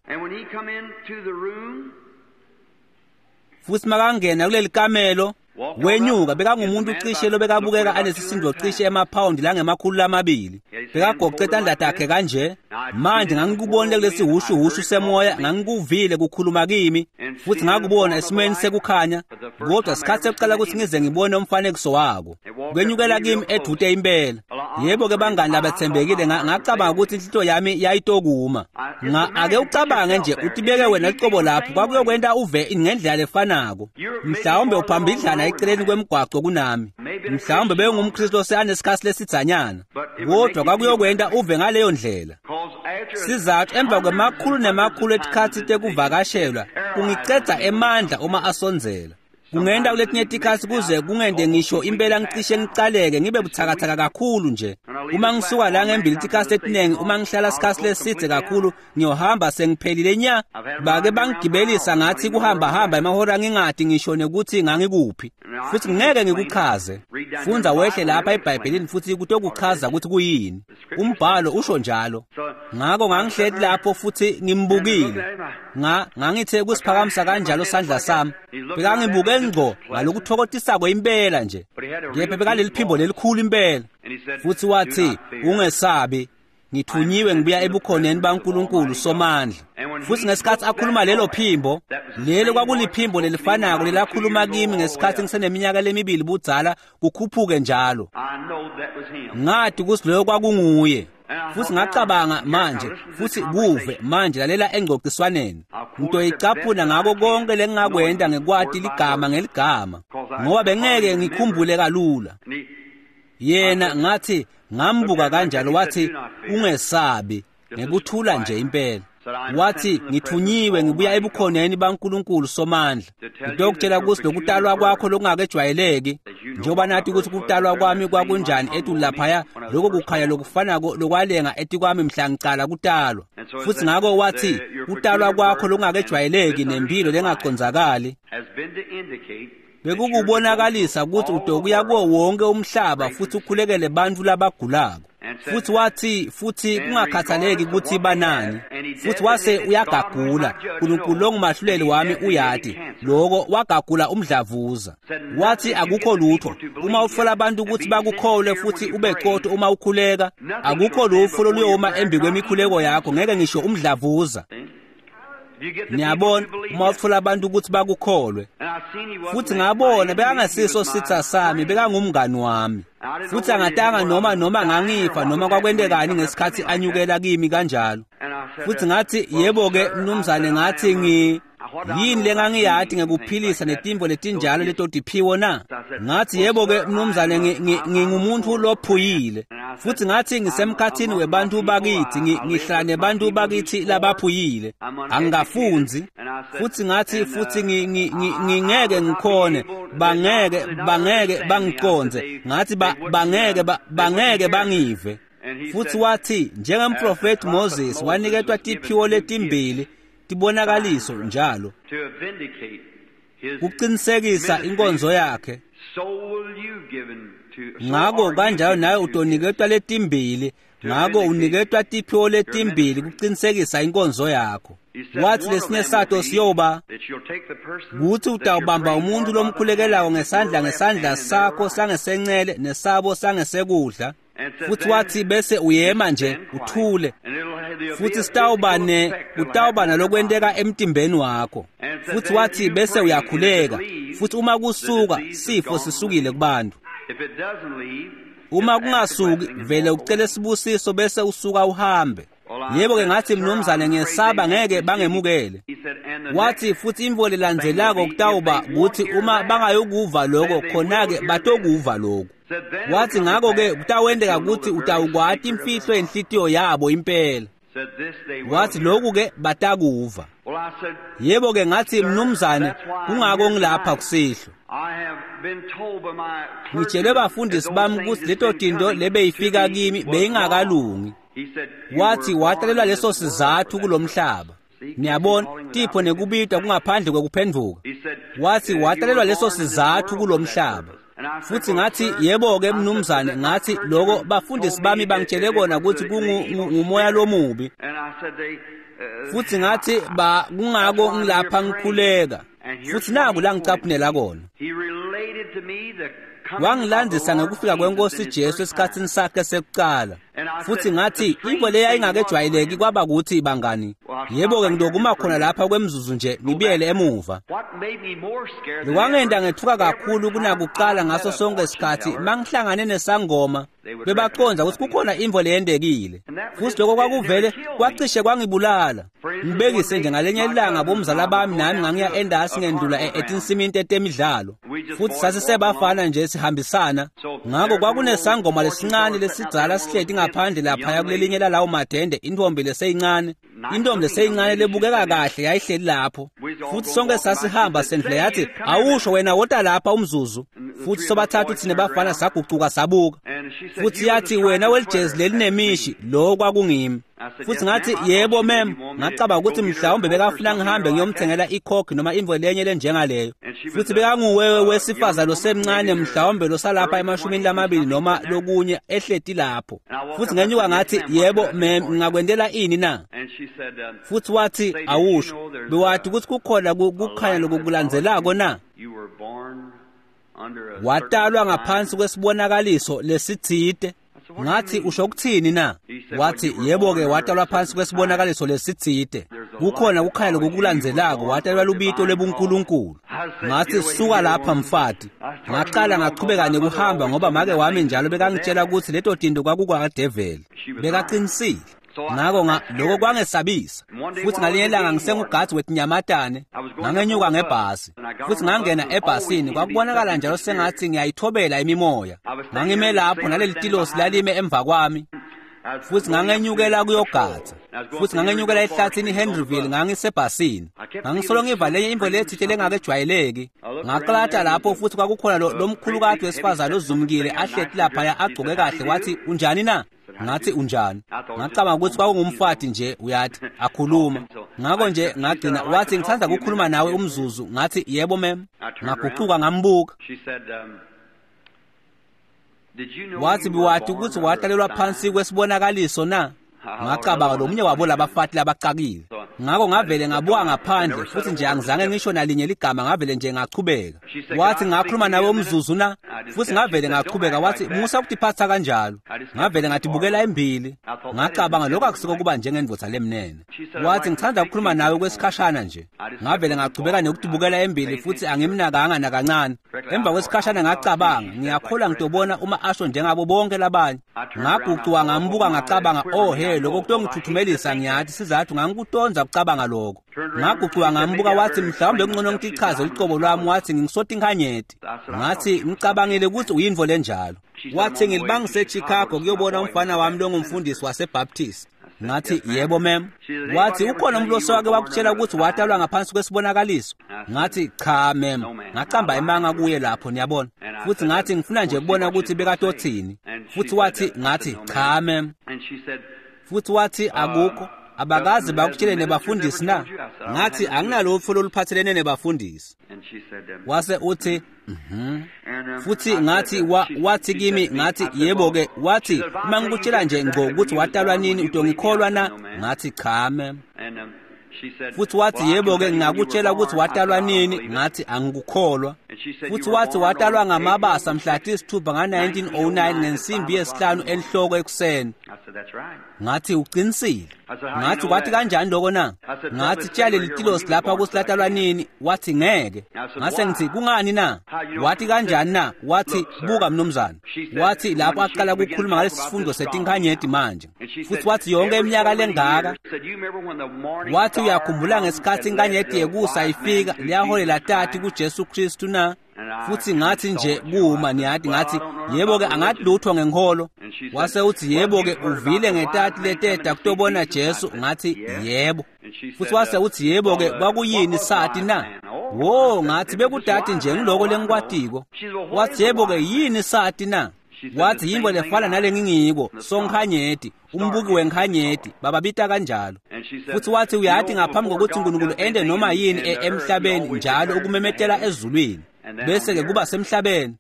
A: futhi makangena kuleli kamelo wenyuka, bekangumuntu cishe lobekabukeka anesisindo cishe emaphawundi langemakhulu lamabili, bekagoce tandla takhe kanje. Manje ngangikubonile kulesi hushuhushu semoya, ngangikuvile kukhuluma kimi, futhi ngakubona esimweni sekukhanya, kodwa sikhathi sekuqala ukuthi ngize ngibone umfanekiso wako. Kwenyukela kimi edute impela. Yebo-ke bangani labethembekile, ngacabanga ukuthi inhlito yami yayitokuma. Ake ucabange nje utibeke wena licobo lapho, kwakuyokwenta uve ngendlela lefanako. Mhlawumbe uphambidlana eceleni kwemgwaco kunami, mhlawumbe bengumKristu oseanesikhathi lesidzanyana, kodwa kwakuyokwenta uve ngaleyo ndlela. Sizathu emva kwemakhulu nemakhulu etikhatsi tekuvakashelwa kungicedza emandla uma asondzela. Kungenta kuletinye tikhatsi kuze kungente ngisho impela ngicishe ngicaleke ngibe buthakathaka kakhulu nje. Uma ngisuka la ngembili tikhatsi letinengi, uma ngihlala sikhatsi lesidze kakhulu ngiyohamba sengiphelile nya. Bake bangigibelisa ngathi kuhamba hamba emahora ngingadi ngisho nekuthi ngangikuphi, futhi ngeke ngikuchaze. Fundza wehle lapha eBhayibhelini futhi kutokuchaza ukuthi kuyini. Umbhalo usho njalo. Ngakho ngangihleti lapho futhi ngimbukile. Nga ngangithe kusiphakamisa kanjalo sandla sami, bekangibuke ngco ngalokuthokotisako impela nje. Kepha bekaleliphimbo lelikhulu impela, futhi wathi ungesabi, ngithunyiwe ngibuya ebukhoneni baNkulunkulu Somandla. Futhi ngesikhathi akhuluma lelo phimbo, lelo kwakuliphimbo lelifanako lelakhuluma kimi ngesikhathi ngiseneminyaka lemibili budzala kukhuphuke njalo. Ngathi ukuthi loyo kwakunguye. Futhi ngacabanga manje, futhi kuve manje lalela engcociswaneni, ngitoyicaphuna ngako konke lengingakwenta ngekwati ligama ngeligama, ngoba bengeke ngikhumbule kalula. Yena ngathi ngambuka kanjalo, wathi ungesabi, ngekuthula nje impela. Wathi ngithunyiwe ngibuya ebukhoneni baNkulunkulu Somandla, ngitokutshela ukuthi lokutalwa kwakho lokungakejwayeleki, njengoba nathi ukuthi kutalwa kwami kwakunjani etulu laphaya, lokho kukhanya lokufanako lokwalenga etikwami mhla ngicala kutalwa. Futhi ngako wathi kutalwa kwakho lokungakejwayeleki nempilo lengacondzakali bekukubonakalisa ukuthi utokuya kuwo wonke umhlaba futhi ukhulekele bantfu labagulako. Futhi wathi futhi kungakhathaleki ukuthi banani. Futhi wase uyagagula, uNkulunkulu longumahluleli wami uyati lokho, wagagula umdlavuza. Wathi akukho lutho uma utfola abantu ukuthi bakukholwe futhi ube qotho uma ukhuleka, akukho lutho loluyoma embi kwemikhuleko yakho, ngeke ngisho umdlavuza. Niyabona, uma utfola abantu ukuthi bakukholwe. Futhi ngabona bekangasiso sitha sami, bekangumngani wami. Futhi angatanga noma noma ngangifa noma kwakwentekani ngesikhathi anyukela kimi kanjalo. Futhi ngathi yebo-ke mnumzane, ngathi ngi yini lengangiyati ngekuphilisa netimvo letinjalo letotiphiwo na? Ngathi yebo-ke mnumzane, ngingumuntu lophuyile. Futhi ngathi ngisemkhathini webantu bakithi, ngihlala nebantu bakithi labaphuyile, angikafunzi. Futsi ngatsi futsi ngingeke ngikhone, bangeke bangeke bangicondze. Ngatsi bangeke bangeke bangive. Futsi wathi njengemprofeti Moses waniketwa tiphiwo letimbili tibonakaliso njalo kuqinisekisa inkonzo yakhe. Ngako kanjalo nawe utoniketwa letimbili, ngako uniketwa tiphiwo letimbili kuqinisekisa inkonzo yakho. Wathi lesinye sato siyoba kutsi utawubamba umuntu lomkhulekelako ngesandla ngesandla sakho sangesencele nesabo sangesekudla. Futsi wathi bese uyema nje uthule, futsi sitawuba ne utawuba nalokwenteka emtimbeni wakho. Futsi wathi bese uyakhuleka, futhi uma kusuka sifo sisukile kubantu. Uma kungasuki vele ucele sibusiso bese usuka uhambe. Yebo ke ngathi mnumzane ngiyesaba ngeke bangemukele. Wathi futhi imvo lelandzelako kutawuba kuthi uma bangayokuva lokho khona-ke batokuva lokho. Wathi ngako-ke kutawenteka kutsi utawukwati imfihlo yenhlitiyo yabo impela. Wathi lokhu-ke batakuva. Yebo-ke ngathi mnumzane kungako ngilapha kusihlwa. Ngitshelwe bafundisi bami kutsi leto tinto lebeyifika kimi beyingakalungi. Wathi watalelwa leso sizathu kulomhlaba. Niyabona, tipho nekubitwa kungaphandle kwekuphendvuka. Wathi watalelwa leso sizathu kulomhlaba. Futsi ngathi yebo-ke mnumzane, ngathi loko bafundisi bami bangitshele kona kutsi kungumoya lomubi. Futsi ngathi ba kungako ngilapha ngikhuleka. Futsi naku la ngicaphunela kona. Wangilandzisa ngekufika kwenkosi Jesu esikhatsini sakhe sekucala. Futsi ngathi intfo leyayingakejwayeleki kwaba kutsi bangani. Yebo-ke ngidokuma khona lapha kwemzuzu nje ngibuyele emuva. Lokwangenta ngethuka kakhulu kunakucala ngaso sonke isikhatsi mangihlangane nesangoma bebacondza kutsi kukhona intfo leyentekile. Futsi lokho kwakuvele kwacishe kwangibulala. Ngibekise nje ngalenye ilanga bomzala bami nami ngangiya endasi ngendlula etinsimini tetemidlalo. Futsi sasisebafana nje sihambisana. Ngako kwakunesangoma lesincane lesidzala sihleti ngaphandle laphaya kulelinye lalawo madende, intombi leseyincane. Intombi leseyincane lebukeka kahle yayihleli lapho. Futsi sonke sasihamba sendlula yathi awusho wena wota lapha umzuzu. Futsi sobathathu thina bafana sagucuka sabuka. Futsi yathi wena welijezi lelinemishi, lo kwakungimi. Futsi ngathi yebo mem, ngacabanga ukuthi mhlawumbe bekafuna ngihambe ngiyomthengela ikhokhi noma imvo lenye lenjengaleyo. Futsi bekanguwewe wesifazane losemncane mhlawumbe losalapha emashumini lamabili noma lokunye ehleti lapho. Futsi ngenyuka ngathi yebo mem, ngingakwentela ini na? Futsi wathi awusho, bewathi ukuthi kukhona kukhanya lokukulandzelako na? Watalwa ngaphansi kwesibonakaliso lesitsite. Ngathi usho ukuthini na? Wathi yebo-ke watalwa phansi kwesibonakaliso lesitsite. Kukhona kukhanya lokukulandzelako, watalwa lubito lwebuNkulunkulu. Ngathi suka lapha mfati. Ngaqala ngachubeka nekuhamba ngoba make wami njalo bekangitshela ukuthi leto tinto kwakukwadeveli. Bekaqinisile. Ngako nga lokho kwangesabisa. Futsi ngalinye ilanga ngisengugadzi wetinyamatane, ngangenyuka ngebhasi. Futsi ngangena ebhasini, kwakubonakala njalo sengathi ngiyayithobela imimoya. Ngangime lapho naleli tilosi lalime emva kwami. Futsi ngangenyukela kuyogadza. Futsi ngangenyukela ehlathini iHenryville ngangisebhasini. Ngangisolo ngiva lenye imvo lethile lengakejwayeleki. Ngaqalata lapho futsi kwakukhona lomkhulukati wesifazane ozumkile ahleti laphaya agcoke kahle. Wathi unjani na? Ngathi unjani? Ngacabanga ukuthi kwakungumfati nje uyathi akhuluma. Ngako nje ngagcina wathi ngithanda ukukhuluma nawe umzuzu. Ngathi yebo mem. Ngagucuka ngambuka. Wathi biwathi ukuthi watalelwa phansi kwesibonakaliso na? Ngacabanga lomunye wabo labafati labacakile. Ngako ngavele ngabuka ngaphandle futhi nje angizange ngisho nalinye ligama, ngavele nje ngachubeka. Wathi ngakhuluma nawe umzuzu na? Futhi ngavele ngachubeka. Wathi musa ukutiphatha kanjalo. Ngavele ngatibukela embili. Ngacabanga lokho akusiko kuba njengendvodza lemnene. Wathi ngithanda ukukhuluma nawe kwesikhashana nje. Ngavele ngachubeka nekutibukela embili futhi angimnakanga nakancane. Emva kwesikhashana ngacabanga ngiyakholwa ngitobona uma asho njengabo bonke labanye. Ngagucuka ngambuka ngacabanga oh he lokho kutongithuthumelisa ngiyathi sizathu ngangikutonza ukucabanga lokho. Ngagucuka ngambuka wathi mhlawumbe kungcono ngitichaze ucobo lwami. Wathi ngingisota inkhanyeti. Ngathi ngicabangile ukuthi uyintfo lenjalo. Wathi ngilibangise eChicago kuyobona umfana wami longumfundisi waseBaptist. Ngathi, yebo mem. Wathi, ukhona umuntu osewake wakutshela ukuthi watalwa ngaphansi kwesibonakaliso? Ngathi, cha mem. Ngacamba emanga kuye lapho, niyabona. Futhi ngathi ngifuna nje kubona ukuthi bekatothini. Futhi wathi, ngathi, cha mem. Futhi wathi, akukho. Abakaze bakutshele nebafundisi na? Ngathi, anginalutho loluphathelene nebafundisi. Wase uthi, mhm. Futhi ngathi, wa, wathi kimi, ngathi, yebo-ke, wathi, uma ngikutshela nje ngco ukuthi watalwa nini, utongikholwa na? Ngathi, cha mem. Futhi wathi, yebo-ke, ngingakutshela ukuthi watalwa nini. Ngathi, angikukholwa. Futhi wathi watalwa ngamabasa mhla tisithupha nga nineteen oh nine ngensimbi yesihlanu enhloko ekuseni. Ngathi, uqinisile. Ngathi, kwathi kanjani lokho na? Ngathi, tshela leli tilosi lapha ukuthi latalwa nini. Wathi, ngeke. Ngase ngithi, kungani na? Wathi kanjani na? Wathi, buka mnumzane. Wathi lapho aqala ukukhuluma ngalesi sifundo setinkanyeti manje. Futhi wathi yonke iminyaka lengaka. Wathi uyakhumbula ngesikhathi inkanyeti yekusa ifika liyaholela tati kuJesu Kristu na? Futhi ngathi nje kuma, niyathi, ngathi, yebo-ke, angathi lutho ngenkolo. Wase uthi, yebo-ke, uvile ngetati leteta kutobona Jesu? Ngathi, yebo. Futhi wase uthi, yebo-ke, kwakuyini sati na? Wo, ngathi bekudati nje ngiloko lengikwatiko. Wathi, yebo-ke, yini sati na? Wathi yinto lefana nale ngingiko, sonkhanyeti, umbuki wenkhanyeti, bababita kanjalo. Futhi wathi uyathi ngaphambi kokuthi uNkulunkulu ende noma yini emhlabeni njalo ukumemetela ezulwini, bese-ke kuba semhlabeni.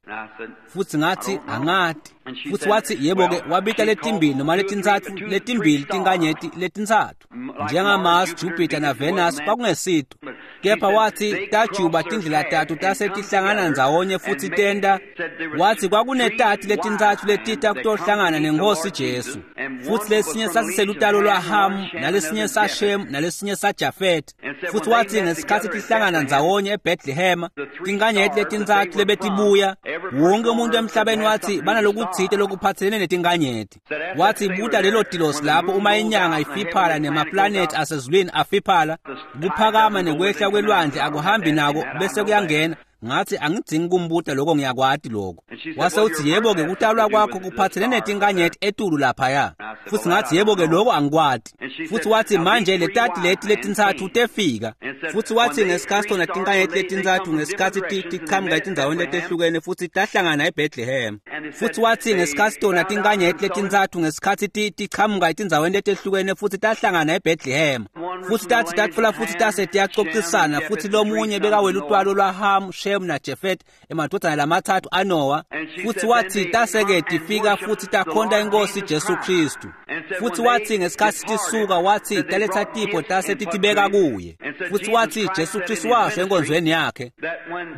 A: Futhi ngathi, angati. Futhi wathi, yebo-ke, wabita letimbili noma letintsatfu, letimbili tinkanyeti letintsatfu, njengaMars, Jupiter na Venus, kwakungesito. Kepha wathi tajuba tindlela tatu tase tihlangana ndzawonye futhi tenta. Wathi kwakunetati letintsatfu letita kutohlangana nenkosi Jesu. Futhi lesinye sasiselutalo lwaHam, nalesinye saShem, nalesinye saJafet. Futhi wathi ngesikhathi tihlangana ndzawonye eBethlehem, tinkanyeti letintsatfu lebetibuya, wonke umuntu emhlabeni wathi banalokutsite lokuphathelene netinkanyeti. Wathi buta lelo tilosi lapho uma inyanga ifiphala nemaplanethi asezulwini afiphala, kuphakama nekwehla kwelwandle akuhambi nako bese kuyangena. Ngathi angidzingi kumbuta lokho, ngiyakwati lokho. Wase uthi, yebo-ke, kutalwa kwakho kuphathelene netinkanyeti etulu laphaya. Futhi ngathi, yebo-ke, lokho angikwati. Futhi wathi manje letati leti letintsatfu tefika. Futhi wathi ngesikhathi tona tinkanyeti letintsatfu ngesikhathi tiqhamuka etindzaweni letehlukene futhi tahlangana eBethlehem. Futhi wathi ngesikhathi tona tinkanyeti letintsatfu ngesikhathi tiqhamuka etindzaweni letehlukene futhi tahlangana eBethlehem. Futhi tathi tatfola futhi tase tiyacocisana, futhi lomunye bekawela utwalo lwaHam, Shem na Jafet, emadodana lamathathu aNoah. Futhi wathi taseke tifika futhi takhonta inkosi Jesu Kristu. Futhi wathi ngesikhathi tisuka, wathi taletha tipho tase titibeka kuye. Futhi wathi Jesu Kristu washo enkonzweni yakhe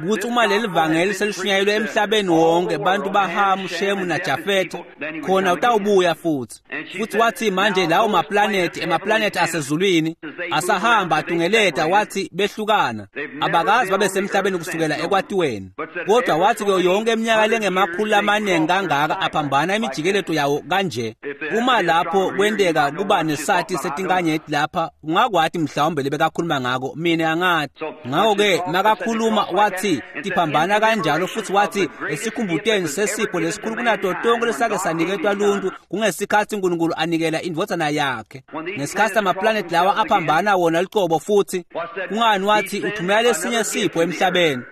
A: ukuthi uma leli vangeli selishunyayelwe emhlabeni wonke, bantu baHam, Shem na Jafet, khona utawubuya futhi. Futhi wathi manje lawo maplanethi, emaplanethi asezulwini asahamba atungeleta, wathi behlukana, abakazi babe semhlabeni kusukela ekwatiweni. Kodwa wathi kuyo yonke iminyaka lengemakhulu amaningi kangaka aphambana imijikeleto yawo kanje. Uma lapho kwenteka kuba nesati setinkanyeti lapha, ungakwati mhlawumbe lebekakhuluma ngako, mina angathi. Ngakho-ke makakhuluma wathi tiphambana kanjalo, futhi wathi esikhumbuteni sesipho lesikhulu kunato tonke lesake saniketwa luntu kungesikhathi uNkulunkulu anikela indvodzana yakhe. Ngesikhathi amaplanethi lawa aphambana wona licobo, futhi kungani wathi uthumela lesinye sipho emhlabeni.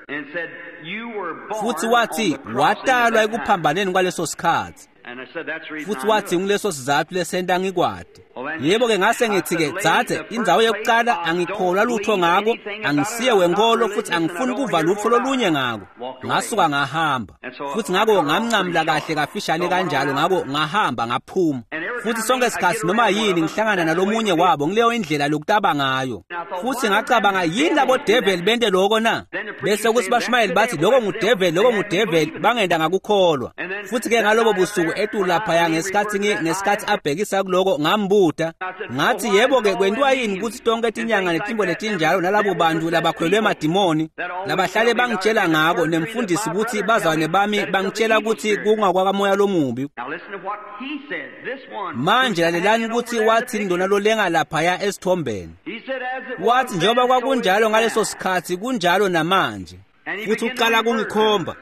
A: Futhi wathi watalwa ekuphambaneni kwaleso sikhathi. Futhi wathi nguleso sizathu lesenta ngikwati. Yebo-ke, ngase ngithi-ke, dzadze, indzawo yokuqala angikholwa lutho ngako, angisiye wenkolo futhi angifuni kuva lutho lolunye ngako. Ngasuka ngahamba. Futhi ngako ngamncamla kahle kafishane kanjalo, ngako ngahamba ngaphuma. Futhi sonke isikhathi noma yini ngihlangana nalomunye wabo ngileyo indlela lokutaba ngayo. Futhi ngacabanga, yini labo devil bente lokho na? Bese kuthi bashumayeli bathi lokho ngudevil, lokho ngudevil, bangenda ngakukholwa. Futhi-ke ngalobo busuku etulu laphaya ngesikhathi ngesikhathi abhekisa kuloko, ngambuta. Ngathi, yebo-ke, kwentiwa yini ukuthi tonke tinyanga netimbo letinjalo nalabo bantu labakhwelwe emadimoni labahlale bangitshela ngako, nemfundisi ukuthi bazalwane bami bangitshela ukuthi kungakwakamoya lomubi. Manje lalelani ukuthi wathini lona lolenga laphaya esithombeni. Wathi njengoba kwakunjalo ngaleso sikhathi kunjalo namanje. Futhi uqala kungikhomba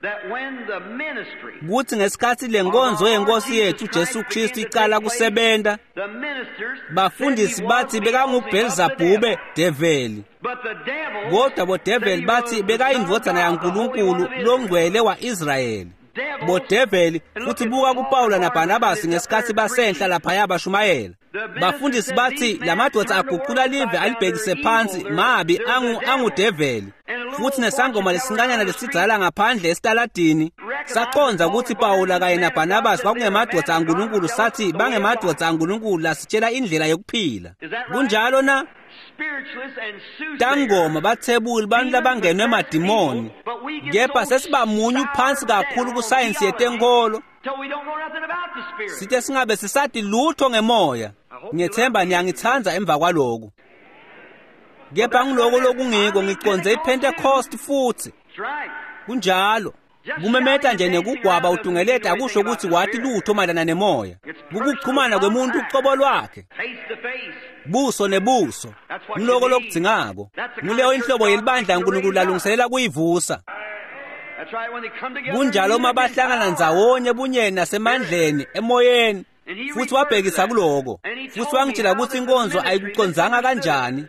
A: kutsi ngesikhatsi lenkonzo yenkosi yethu Jesu Kristu iqala kusebenta, bafundisi bathi bekanguBhelzebhube develi, kodwa bodeveli bathi bekayindvodzana yaNkulunkulu longcwele wa-Israyeli. Bodeveli futhi buka kuPawula naBarnabasi ngesikhatsi basenhla laphaya bashumayela. Bafundisi bathi lamadvodza aguqula live alibhekise phansi, mabi angu angudeveli. Futhi nesangoma lesincanyana lesidzala ngaphandle esitaladini saqondza ukuthi Pawula kanye naBarnabasi kwakungemadvodza aNkulunkulu, sathi bangemadvodza aNkulunkulu lasitshela indlela yokuphila. Kunjalo na? Tangoma bathebuli bantu labangenwe emadimoni, kepha sesibamunyu phansi kakhulu kusayensi yetenkolo, sithe singabe sisati lutho ngemoya. Ngiyethemba niyangithanda emva kwaloku, kepha ngiloko lokungiko ngiconze iPentecost futhi. Kunjalo. Kumemeta nje nekugwaba utungeleta akusho ukuthi wathi lutho mayelana nemoya. Kukuchumana kwemuntu ucobo lwakhe, buso nebuso. Ngiloko lokudzingako. Nguleyo inhlobo yelibandla uNkulunkulu lalungiselela kuyivusa. Kunjalo uma bahlangana ndzawonye bunyeni nasemandleni emoyeni. Futhi wabhekisa kuloko, futhi wangitshela ukuthi inkonzo ayikucondzanga kanjani,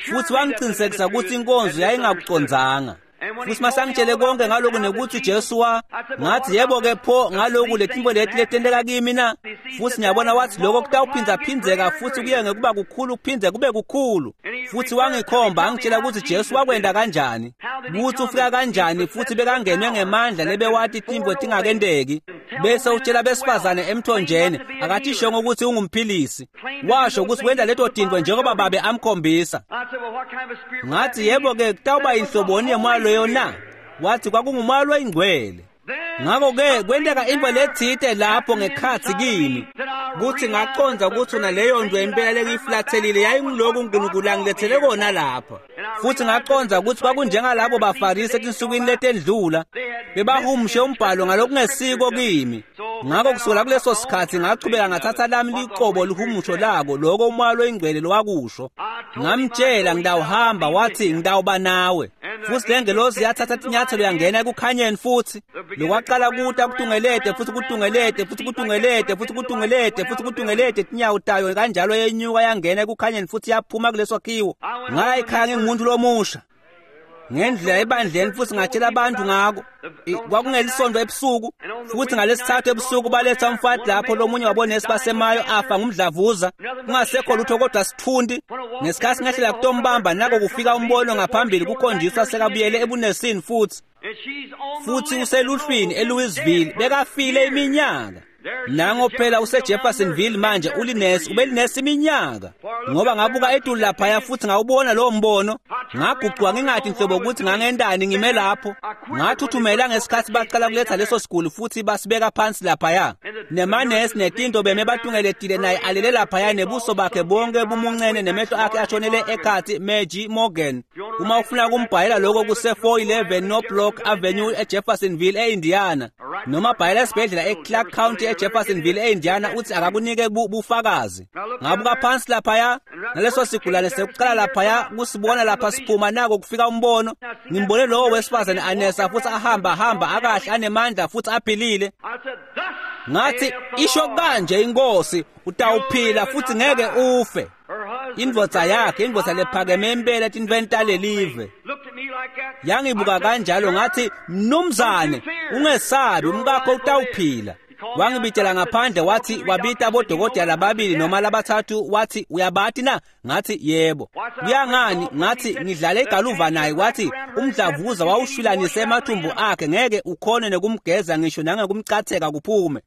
A: futhi wangiqinisekisa ukuthi inkonzo yayingakucondzanga. Futhi masangitshele konke ngaloku nekuthi Jesu wa ngathi yebo ke pho ngaloku letimbo leti letenteka kimi na. Futhi ngiyabona wathi lokho kutawuphinza phinzeka futhi kuye ngekuba kukhulu kuphindze kube kukhulu. Futhi wangikhomba angitshela ukuthi Jesu wakwenda kanjani, ukuthi ufika kanjani, futhi bekangenwe ngemandla lebewathi timbo tingakendeki. Bese utshela besifazane emthonjeni akathi ukuthi ungumphilisi, washo ukuthi wenda leto tintfo njengoba babe amkhombisa. Ngathi yebo ke kutawuba inhloboni yemoya loyo na? Wathi kwakungumoya loyingcwele. Ngakho-ke kwenteka into lethite lapho ngekhatsi kimi kuthi ngaqondza ukuthi naleyo nto impela lengiyiflathelile yayinguloku uNkulunkulu angilethele kona lapha. Futhi ngaqondza ukuthi kwakunjengalabo baFarisi etinsukwini letendlula bebahumushe umbhalo ngalokungesiko kimi. Ngakho kusukela kuleso sikhathi ngachubeka ngathatha lami liqobo lihumusho lako loko umoya loyingcwele lowakusho. Ngamtshela ngidawuhamba, wathi ngidawuba nawe. Futhi lengelosi yathatha tinyathelo yangena ekukhanyeni futhi lokwaqala kuta kutungelete futhi kutungelete futhi kutungelete futhi kutungelete futhi kutungelete tinyawo tayo kanjalo yenyuka yangena ekukhanyeni futhi yaphuma kuleso sakhiwo. Ngaya ekhaya ngingumuntu lomusha ngendlela ebandleni futhi ngatshela abantu ngako. Kwakungelisonto ebusuku, futhi ngalesithathu ebusuku baletha umfati lapho lomunye wabonesi basemayo afa ngumdlavuza, kungasekho lutho kodwa sithundi. Ngesikhathi ngehlela kutombamba nako kufika umbono ngaphambili kukhonjiswa sekabuyele ebunesini futhi futhi useluhlwini eLouisville, bekafile iminyaka. Nango phela useJeffersonville manje ulinesi, ubelinesi iminyaka. Ngoba ngabuka etulu laphaya futhi ngawubona lowo mbono, ngagucuka ngingathi nhlobo ukuthi ngangendani ngime lapho. Ngathuthumela ngesikhathi baqala kuletha leso siguli futhi basibeka phansi laphaya. Nemanesi netinto beme batungeletile naye alele laphaya nebuso bakhe bonke bumuncene nemehlo akhe ashonele ekhathi. Maggie Morgan, uma ufuna kumbhayela lokho kuse four eleven North Block Avenue eJeffersonville eIndiana, noma bhayela esibhedlela eClark County eJeffersonville eIndiana, uthi akakunike bufakazi. Ngabuka phansi laphaya naleso sigulane sekuqala laphaya kusibona lapha siphuma nako kufika umbono. Ngimbone lowo wesifazane anesa futhi ahamba hamba akahle anemandla futhi aphilile. Ngathi isho kanje inkosi, utawuphila futhi ngeke ufe. Indvodza yakhe, indvodza lephakeme impela etintfweni talelive, yangibuka kanjalo. Ngathi mnumzane ungesabi, umkakho utawuphila. Wangibitela ngaphandle wathi wabita bodokotela lababili noma labathathu, wathi uyabati na? Ngathi yebo. Kuyangani? Ngathi ngidlale igaluva naye. Wathi umdlavuza wawushwilanise emathumbu akhe, ngeke ukhone nekumgeza ngisho nangekumcatheka kuphume.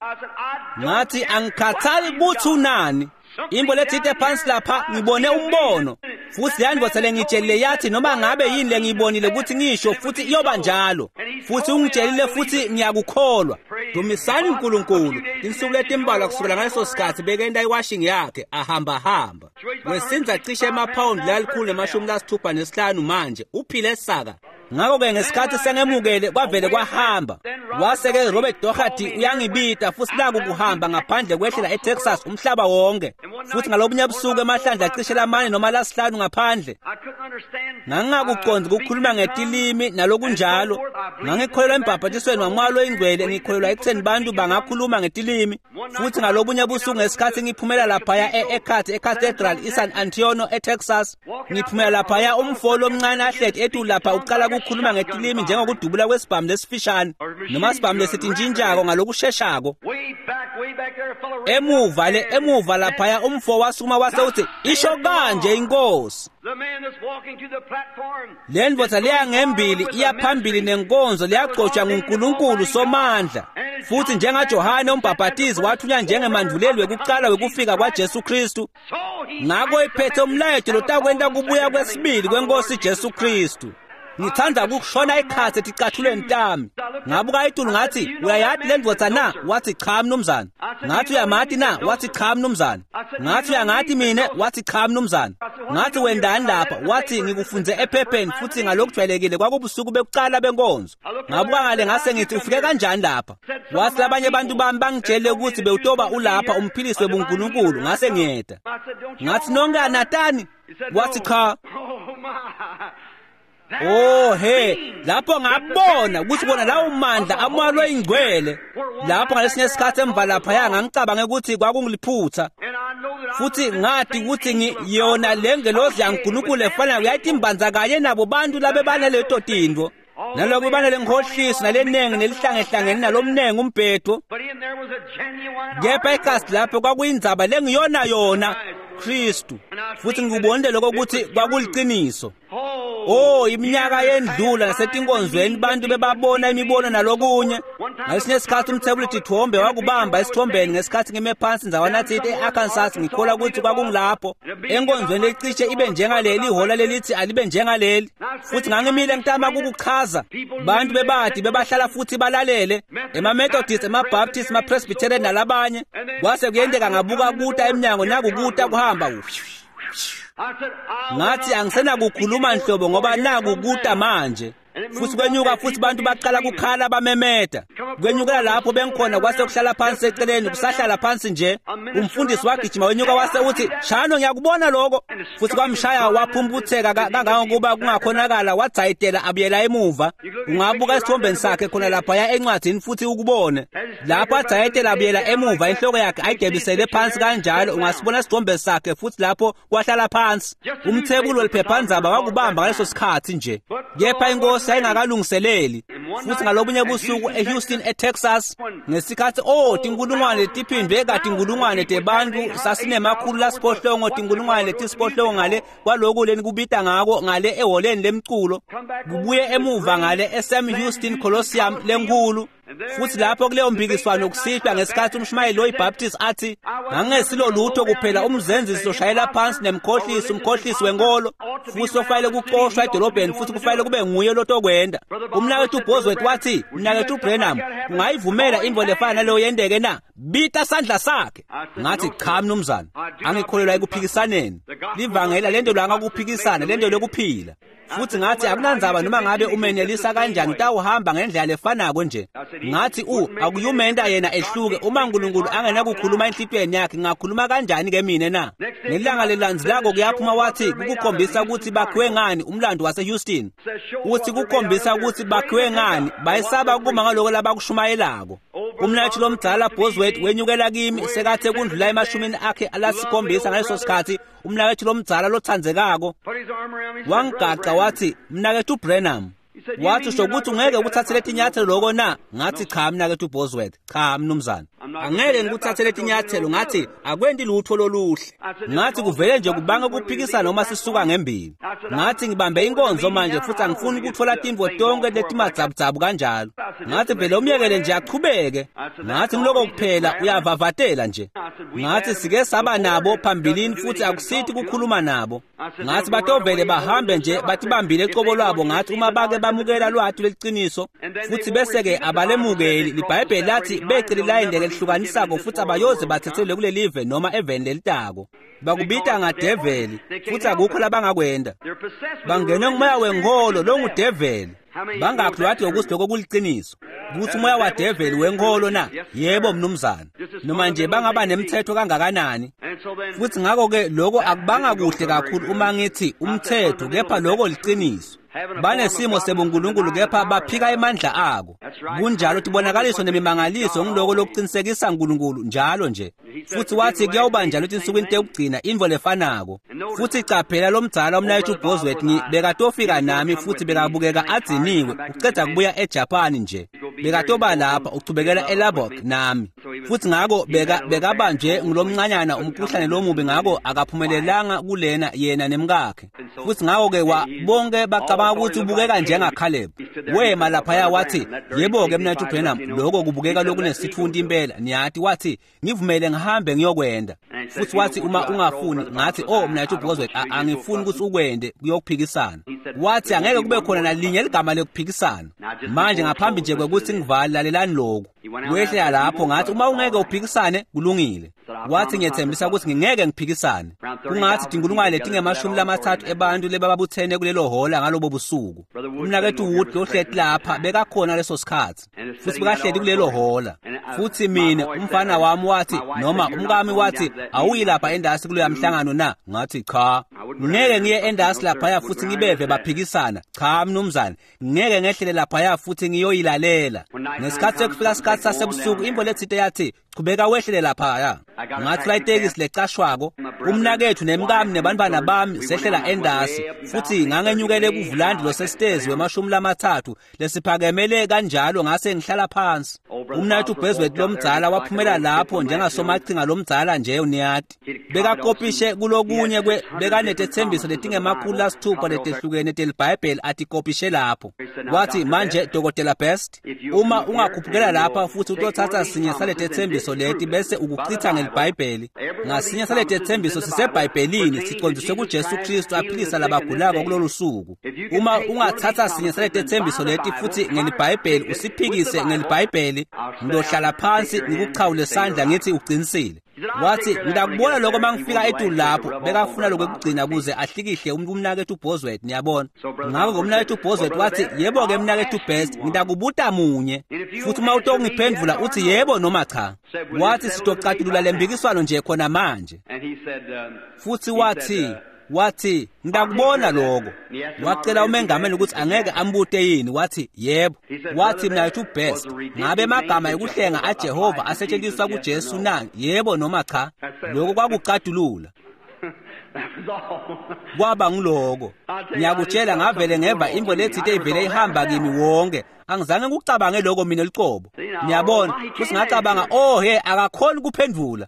A: Ngathi angikhathali ukuthi unani. Imbo lethite phansi lapha ngibone umbono. Futhi yandvodza lengitshelile yathi noma ngabe yini lengiyibonile ukuthi ngisho futhi iyoba njalo. Futhi ungitshelile futhi ngiyakukholwa. Dumisani uNkulunkulu. Insuku letimbalwa kusukela ngaleso sikhathi bekenda iwashing yakhe ahamba hamba. Wesinza cishe emaphawundi lalikhulu nemashumi lasithupha nesihlanu manje uphile saka. Ngakho-ke ngesikhathi sengemukele kwavele kwahamba. Wase-ke Robert Doherty uyangibita futhi naku kuhamba ngaphandle kwehlela eTexas umhlaba wonke. Futhi ngalobunye busuku emahlandla acishe lamane noma lasihlanu ngaphandle. Ngangingakucondzi ukukhuluma ngetilimi nalokunjalo. Ngangikholelwa embhabhatisweni waMoya loyiNgcwele, ngikholelwa ekutheni bantu bangakhuluma ngetilimi. Futhi ngalobunye busuku ngesikhathi ngiphumela laphaya e-Eckhart eCathedral iSan Antonio eTexas, ngiphumela laphaya umfo lomncane ahleti etulu lapha uqala ukukhuluma ngetilimi njengokudubula kwesibhamu lesifishane noma sibhamu lesitintshintshako ngalokusheshako. Emuva le emuva laphaya umfo wasukuma wase uthi isho kanje inkosi. Le ndvodza leya ngembili iya phambili nenkonzo leyagcotshwa nguNkulunkulu Somandla. Futhi njengaJohane umbhaphatizi wathunywa njengemanduleli wekuqala wekufika kwaJesu Kristu, ngakho iphethe umlayeto lotakwenta kubuya kwesibili kwenkosi Jesu Kristu. Ngithanda ukushona ikhatsi eticathulweni tami. Ngabuka itulu ngathi uyayati le ndvodza na? Wathi cha mnumzane. Ngathi uyamati na? Wathi cha mnumzane. Ngathi uyangati mine? Wathi cha mnumzane. Ngathi wendani lapha? Wathi ngikufunze ephepheni futhi ngalokujwayelekile kwakubusuku bekuqala benkonzo. Ngabuka ngale ngase ngithi ufike kanjani lapha? Wathi labanye abantu bami bangitshele ukuthi bewutoba ulapha umphilisi webuNkulunkulu. Ngase ngiyeda. Ngathi nonke anatani? Wathi cha. Oh he, lapho ngabona ukuthi bona lawo mandla aMoya loyiNgcwele. Lapho ngalesinye isikhathi emva laphaya ngangicabanga ukuthi kwakungiliphutha. Futhi ngathi ukuthi ngiyona le ngelozi yaNkulunkulu efanayo yayitimbanza kanye nabo bantu labe banaleto tintfo. Naloko banale nkhohliso nalenengi nelihlangehlangene nalomnengi umbhedo. Kepha ikasi lapho kwakuyindzaba lengiyona yona Kristu. Futhi ngikubonile lokho ukuthi kwakuliqiniso. Oh, iminyaka yendlula nasetinkonzweni bantu bebabona imibono nalokunye. Ngalesinye isikhathi umthwebuli tithombe wakubamba esithombeni ngesikhathi ngime phansi ndzawana thite e-Arkansas, ngikholwa ukuthi kwakungilapho. Enkonzweni lecishe ibe njengaleli ihola lelithi alibe njengaleli. Futhi ngangimile ngitama ukukuchaza. Bantu bebadi bebahlala futhi balalele. Ema-Methodist, ema-Baptist, ema-Presbyterian nalabanye. Kwase kuyenteka ngabuka kuta eminyango nakukuta kuhamba. Ngathi angisenakukhuluma nhlobo ngoba naku kuta manje. Futhi kwenyuka futhi bantu baqala kukhala bamemeta. Kwenyukela lapho bengikhona kwase kuhlala phansi eceleni kusahlala phansi nje. Umfundisi wagijima wenyuka wase uthi shano ngiyakubona lokho. Futhi kwamshaya waphumputheka kangangokuba kungakhonakala wadzayitela abuyela emuva. Ungabuka esithombeni sakhe khona laphaya encwadini futhi ukubone. Lapho adzayitela abuyela emuva inhloko yakhe ayigebisele phansi kanjalo ungasibona isithombe sakhe futhi lapho kwahlala phansi. Umthwebuli weliphephandzaba wakubamba ngaleso sikhathi nje. Kepha inkosi ayingakalungiseleli. Futhi ngalobunye busuku eHouston eTexas ngesikhathi oh tinkulungwane letiphindwe katinkulungwane tebantu sasinemakhulu lasiphohlongo tinkulungwane letisiphohlongo ngale kwaloku leni kubita ngako ngale eholeni lemculo kubuye emuva ngale eSam Houston Coliseum lenkulu. Futhi lapho kuleyo mpikiswano kusihlwa ngesikhathi umshumayeli oyiBaptist athi ngangesilo lutho kuphela umzenzisi oshayela phansi nemkhohlisi umkhohlisi wenkolo futhi ofanele kuxoshwa edolobheni futhi kufanele kube nguye lotokwenda. Umnakethu Bosworth wathi mnakethu Branham ungayivumela intfo lefana naleyo yenteke na? Bita sandla sakhe. Ngathi cha mnumzane, angikholelwa ekuphikisaneni. Livangela lento lwangakuphikisana lento lokuphila. Futhi ngathi akunandzaba noma ngabe umenelisa kanjani utawuhamba ngendlela lefanako nje. Ngathi u akuyumenta yena ehluke uma uNkulunkulu angenakukhuluma enhlitiyweni yakhe ngakhuluma kanjani ke mina na? Ngelanga lelandzelako kuyaphuma wathi kukukhombisa ukuthi bakhiwe ngani umlando waseHouston. Uthi kukhombisa ukuthi bakhiwe ngani bayesaba kuma ngaloko labakushumayelako. Umnathi lomdala Bosworth wenyukela kimi sekathe kundlula emashumini akhe alasikhombisa ngaleso sikhathi. Umnakethu lomdala lothandzekako wangigaca wathi mnakethu Branham, wathi usho ukuthi ungeke ukuthathele tinyathelo loko na? Ngathi cha mnakethu Bosworth, cha mnumzane, angeke ngikuthathele tinyathelo. Ngathi akwenti lutho loluhle. Ngathi kuvele nje kubanga ukuphikisana noma sisuka ngembili. Ngathi ngibambe inkonzo manje futhi angifuni ukuthola tintfo tonke letimadzabudzabhu kanjalo. Ngathi vele umyekele nje achubeke. Ngathi ngiloko kuphela uyavavatela nje. Ngathi sike saba nabo phambilini futhi akusithi kukhuluma nabo. Ngathi batovele bahambe nje batibambile ecobo lwabo. Ngathi uma bake bayamukela lwati lweliciniso futhi bese-ke abalemukeli. Libhayibheli lathi becele ilayini lelihlukanisako futhi abayoze bathethelwe kulelive noma eveni lelitako. Bakubita ngadeveli futhi akukho labangakwenda. Bangenwe ngumoya wenkholo longudeveli. Bangakhi lwati ukuthi lokho kuliciniso ukuthi umoya wadeveli wenkholo na? Yebo mnumzane. Noma nje bangaba nemthetho kangakanani. Futhi ngakho-ke lokho akubanga kuhle kakhulu uma ngithi umthetho, kepha lokho liciniso. Banesimo sebunkulunkulu kepha baphika emandla ako. Kunjalo tibonakaliso nemimangaliso ngiloko lokuqinisekisa uNkulunkulu njalo nje. Futhi wathi kuyawuba njalo etinsukwini tekugcina intfo lefanako. Futhi caphela lomdzala umnayethu Bosworth bekatofika nami futhi bekabukeka adziniwe uceda kubuya eJapan nje. Bekatoba lapha uchubekela eLubbock nami. Futhi ngako beka bekabanje ngulomncanyana umkhuhlane lomubi, ngako akaphumelelanga kulena yena nemkakhe. Futhi ngako-ke wa bonke bacabanga ukuthi ubukeka njengaCaleb. Wema laphaya wathi, yebo-ke mnayethu Branham, lokho kubukeka lokunesithunti impela. Niyati wathi, ngivumele ngihambe ngiyokwenda. Futhi wathi uma ungafuni, ngathi oh mnayethu Bosworth, angifuni ukuthi ukwende kuyokuphikisana. Wathi angeke kube khona nalinye ligama lekuphikisana. Manje ngaphambi nje kwekuthi ngivale, lalelani lokhu. Wehlela lapho ngathi uma ungeke uphikisane kulungile. Wathi ngiyethembisa ukuthi ngingeke ngiphikisane. Kungathi tinkulungwane letingemashumi lamathathu ebantu lebababuthene kulelo hola ngalobo busuku. Umnakethu Wood lohleti lapha bekakhona leso sikhathi futhi bekahleli kulelo hola. Futhi mina umfana wami wathi noma umkami wathi awuyi lapha endasi kuloya mhlangano na? Ngathi cha, ngeke ngiye endasi laphaya futhi ngibeve baphikisana. Cha mnumzane, ngeke ngehlele laphaya futhi ngiyoyilalela. Ngesikhathi sekufika isikhathi sasebusuku imvo lethinte yathi chubeka wehlele laphaya. Ngathi itekisi lecashwako umnakethu nemkami nebantwana bami sehlela endasi futhi ngangenyukele kuvulandi losesitezi wemashumi lamathathu lesiphakemele kanjalo ngase ngihlala phansi. Umnakethu Bosworth lomdzala waphumela lapho njengasomachinga lomdzala nje uniyati. Bekakopishe kulokunye kwe bekanetethembiso letingemakhulu lasithupha letehlukene teliBhayibheli atikopishe lapho. Wathi manje Dokotela Best, uma ungakhuphukela lapha futhi utothatha sinye saletethembiso leti bese ukuchitha ngeliBhayibheli, ngasinye saletethembiso siseBhayibhelini siqondiswe kuJesu Kristu aphilisa labagulako kulolu suku. Uma ungathatha sinye saletethembiso leti futhi ngeliBhayibheli usiphikise ngeliBhayibheli, ngiyohlala phansi ngikuchawule sandla ngithi uqinisile. Wathi ngidakubona lokho mangifika etulu lapho. Bekafuna lokho ekugcina kuze ahlikihle umnakethu Bosworth, niyabona. Ngakho umnakethu Bosworth wathi yebo-ke mnakethu Best, ngidakubuta munye futhi uma utongiphendvula uthi yebo noma cha. Wathi sitocatulula lempikiswano nje khona manje. Futhi wathi wathi ngidakubona lokho. Wacela umengameli ukuthi angeke ambute yini. Wathi yebo. Wathi mnakethu Best, ngabe amagama ekuhlenga aJehova asetshenziswa kuJesu na? Yebo noma cha? Lokho kwakucatulula. Kwaba ngiloko. Ngiyakutshela ngavele ngeva imvo lethinte ivele ihamba kimi wonke. Angizange ngikucabange lokho mina licobo. Niyabona, futhi ngacabanga oh he akakhoni kuphendvula.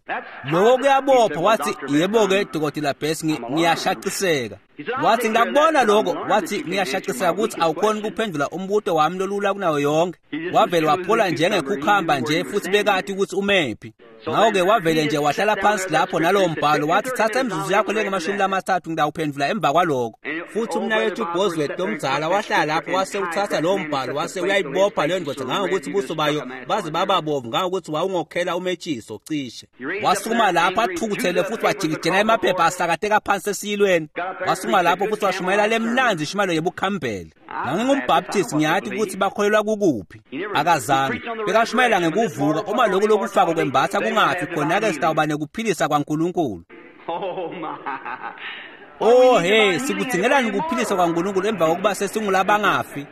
A: Lokho kuyabopha. Wathi yebo ke Dokotela Best, ngiyashaciseka. Wathi ngakubona lokho. Wathi ngiyashaciseka ukuthi awukhoni kuphendvula umbuto wami lolula kunayo yonke. Wavele waphola njengekhukhamba nje futhi bekathi ukuthi umephi. Ngakho-ke wavele nje wahlala phansi lapho nalowo mbhalo. Wathi thatha imizuzu yakho lengamashumi lamathathu ngidawuphendvula emva kwaloko. Futhi umnakethu Bosworth lomdzala wahlala lapho wase uthatha lowo mbhalo wase uyayibopha leyo ndoda ngangokuthi buso bayo baze bababovu ngangokuthi wawungokhela umetshiso cishe. Wasukuma lapho athukuthele futhi wajikijela emaphepha asakateka phansi esiyilweni. Wasukuma lapho futhi washumayela lemnanzi ishumayelo yebukhambele. NganginguMbaptist, ngiyathi ukuthi bakholelwa kukuphi. Akazange bekashumayela ngekuvuka. Uma lokhu lokufako kwembatha kungafi khona-ke sitawuba nekuphilisa kwaNkulunkulu. Oh hey, sikudzingelani ukuphilisa kwaNkulunkulu emva kokuba sesingulabangafi?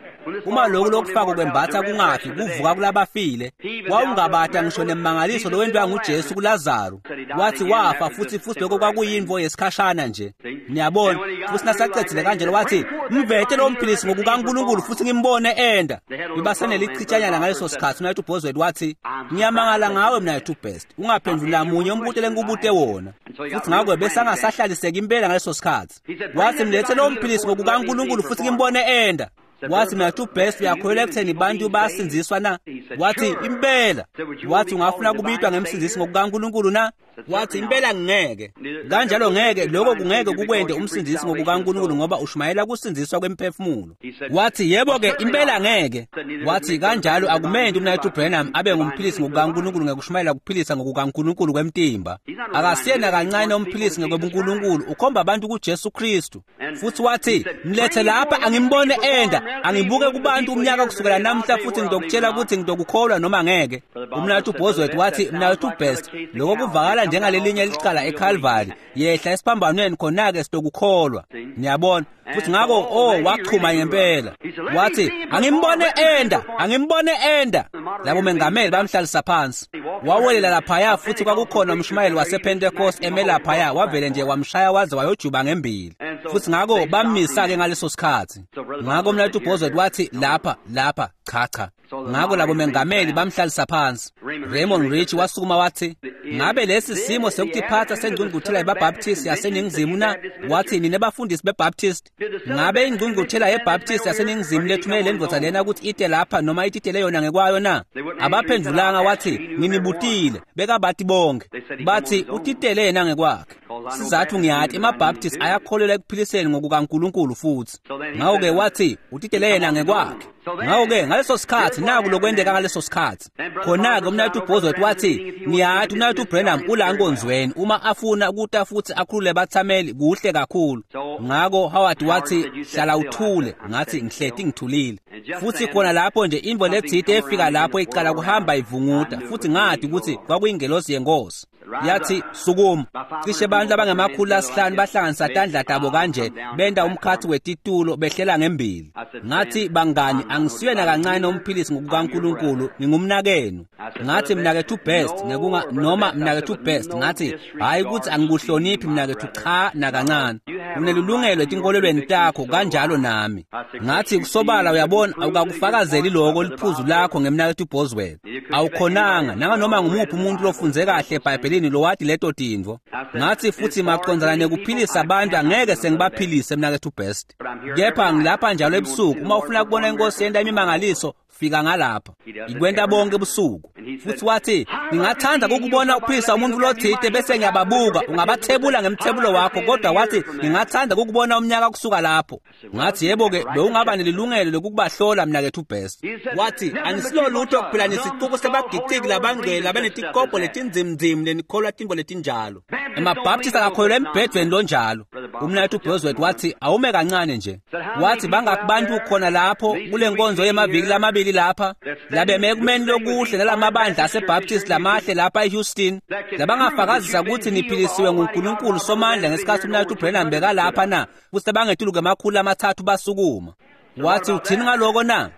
A: Uma lokhu lokufako kwembatha kungafi, kuvuka kulabafile. Wawungabata ngisho nemangaliso lowentiwa nguJesu kuLazaro. Wathi wafa futhi futhi lokho kwakuyinvo yesikhashana nje. Niyabona, futhi nasacedzile kanjalo wathi mvete lo mphilisi ngokukaNkulunkulu futhi ngimbone enda. Bibasenelichitshanyana ngaleso sikhathi. Mnakethu Bosworth wathi ngiyamangala ngawe mnakethu Best, ungaphenduli namunye umbuto lengikubute wona. Futhi ngakho besangasahlaliseka impela ngaleso sikhathi. Wathi mlethe lo mphilisi ngokukaNkulunkulu futhi ngimbone enda. Wathi mnakethu Best, uyakholelwa ekutheni bantu bayasindziswa na? Wathi impela. Wathi ungafuna kubitwa ngemsindzisi ngokukaNkulunkulu na? Wathi impela ngeke. Kanjalo ngeke lokho kungeke kukwente umsindisi ngokukaNkulunkulu ngoba ushumayela kusindziswa kwemphefumulo. Wathi yebo ke impela ngeke. Wathi kanjalo akumendi umnaketfu Branham abe ngumphilisi ngokukaNkulunkulu ngekushumayela kuphilisa ngokukaNkulunkulu kwemtimba. Akasiyena kancane umphilisi ngokwebuNkulunkulu, ukhomba abantu kuJesu Kristu. Futhi wathi mlethe lapha angimbone enda, angibuke kubantu umnyaka kusukela namhla futhi ngizokutshela ukuthi ngizokukholwa noma ngeke. Umnaketfu Bosworth wathi mnaketfu Best, lokho kuvakala njengalelinye licala eCalvary, yehla esiphambanweni khona-ke sitokukholwa. Niyabona? Futhi ngakho oh wachuma ngempela. Wathi angimbone enda, angimbone enda. Labo mengameli bamhlalisa phansi. Wawelela laphaya futhi kwakukhona umshumayeli wasePentecost eme laphaya, wavele nje wamshaya waze wayojuba ngembili. Futhi ngakho bamisa-ke ngaleso sikhathi. Ngakho umnaketfu Bosworth wathi lapha lapha cha cha. Ngakho labo mengameli bamhlalisa phansi. Raymond Rich wasukuma wathi ngabe lesi simo sokutiphatha sengqungquthela yeBaptist yaseNingizimu na? Wathi nine bafundisi beBaptist, ngabe ingqungquthela yeBaptist yaseNingizimu lethumele lendvodza lena ukuthi ite lapha noma ititele yona ngekwayo na? Abaphendulanga, wathi nginibutile, bekabathi bonke. Bathi utitele yena ngekwakhe. Sizathu ngiyathi emaBaptist ayakholelwa ekuphiliseni ngokukaNkulunkulu futhi. Ngakho-ke wathi utitele yena ngekwakhe. Ngakho-ke ngaleso sikhathi naku lokwenteka ngaleso sikhathi. Khona-ke umnaketfu Bosworth wathi ngiyathi umnaketfu Branham ula nkonzweni uma afuna ukuta futhi akhulule bathameli kuhle kakhulu. Ngakho Howard wathi hlala uthule, ngathi ngihleti ngithulile. Futhi khona lapho nje imvo letsite efika lapho iqala kuhamba ivunguta futhi ngathi ukuthi kwakuyingelosi yenkosi. Yathi sukuma. Cishe abantu abangemakhulu asihlanu bahlanganisa tandla tabo kanje benda umkhathi wetitulo behlela ngembili. Ngathi bangani angisiye nakancane umphilisi ngokukaNkulunkulu, ngingumnakenu. Ngathi mnaketfu Best ngekunga noma mnaketfu Best, ngathi hayi ukuthi angikuhloniphi mnaketfu, cha nakancane. Unelungelo etinkolelweni takho kanjalo nami. Ngathi kusobala uyabona awukakufakazeli lokho liphuzu lakho ngemnaketfu Bosworth. Awukhonanga nanganoma ngumuphi umuntu lofunze kahle eBhayibhelini lowati leto tintfo. Ngathi futhi maqondzana nekuphilisa abantu angeke sengibaphilise mnaketfu Best. Kepha ngilapha njalo ebusuku uma ufuna kubona inkosi yenta imimangaliso fika ngalapha. Ikwenta bonke ebusuku. Futhi wathi ngingathanda ukubona uphilisa umuntu lothite bese ngiyababuka, ungabathebula ngemthebulo wakho, kodwa wathi ngingathanda ukubona umnyaka kusuka lapho. Ngathi yebo ke bewungaba nelilungelo lokubahlola mnaketfu Best. Wathi anisilo lutho kuphela nesicuku sebagiciki labangcwele labanetikobho letinzimnzim lenikholwa tintfo letinjalo. EmaBaptist akakholelwa embhedweni lonjalo. Umnaketfu Bosworth wathi awume kancane nje. Wathi bangakubantu khona lapho kule nkonzo yemaviki lamabili lapha labeme ekumeni lokuhle nalamabandla aseBaptist lamahle lapha eHouston labangafakazisa ukuthi niphilisiwe nguNkulunkulu Somandla ngesikhathi umnaketfu Branham bekalapha na, futhi abangetulu kwemakhulu amathathu basukuma. Wathi uthini ngaloko na?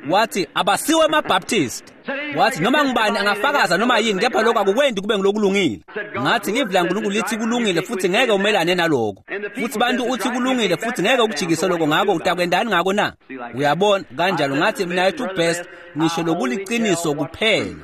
A: Wathi abasiwe amaBaptist. Wathi noma ngubani angafakaza noma yini kepha lokho akukwendi kube ngilokulungile. Ngathi livi laNkulunkulu lithi kulungile futhi ngeke umelane naloko. Futhi bantu uthi kulungile futhi ngeke ukujikise lokho, ngakho utakwendani ngako na? Uyabona kanjalo. Ngathi mnaketfu Best ngisho lokuliqiniso kuphela.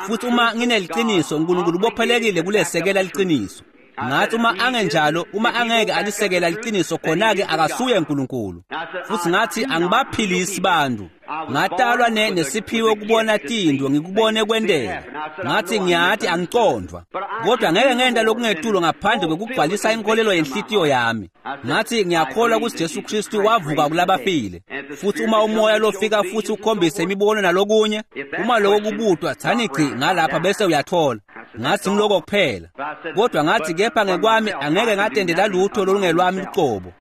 A: Futhi uma ngineliqiniso uNkulunkulu ubophelekile kulesekela liqiniso. Ngathi uma angenjalo, uma angeke alisekela liqiniso khona-ke akasuye uNkulunkulu. Futhi ngathi angibaphilisi bantu. Ngatalwa ne nesiphiwe ukubona tintfo ngikubone kwenteka. Ngathi ngiyathi angicondvwa, kodwa ngeke ngenta lokungetulo ngaphandle kwekugcwalisa inkolelo yenhlitiyo yami. Ngathi ngiyakholwa ukuthi Jesu Kristu wavuka kulabafile. Futhi uma umoya lofika futhi ukhombise imibono nalokunye, uma lokho kubutwa thani gci ngalapha bese uyathola. Ngathi ngiloko kuphela. Kodwa ngathi kepha ngekwami angeke ngatendela lutho olungelwami luqobo.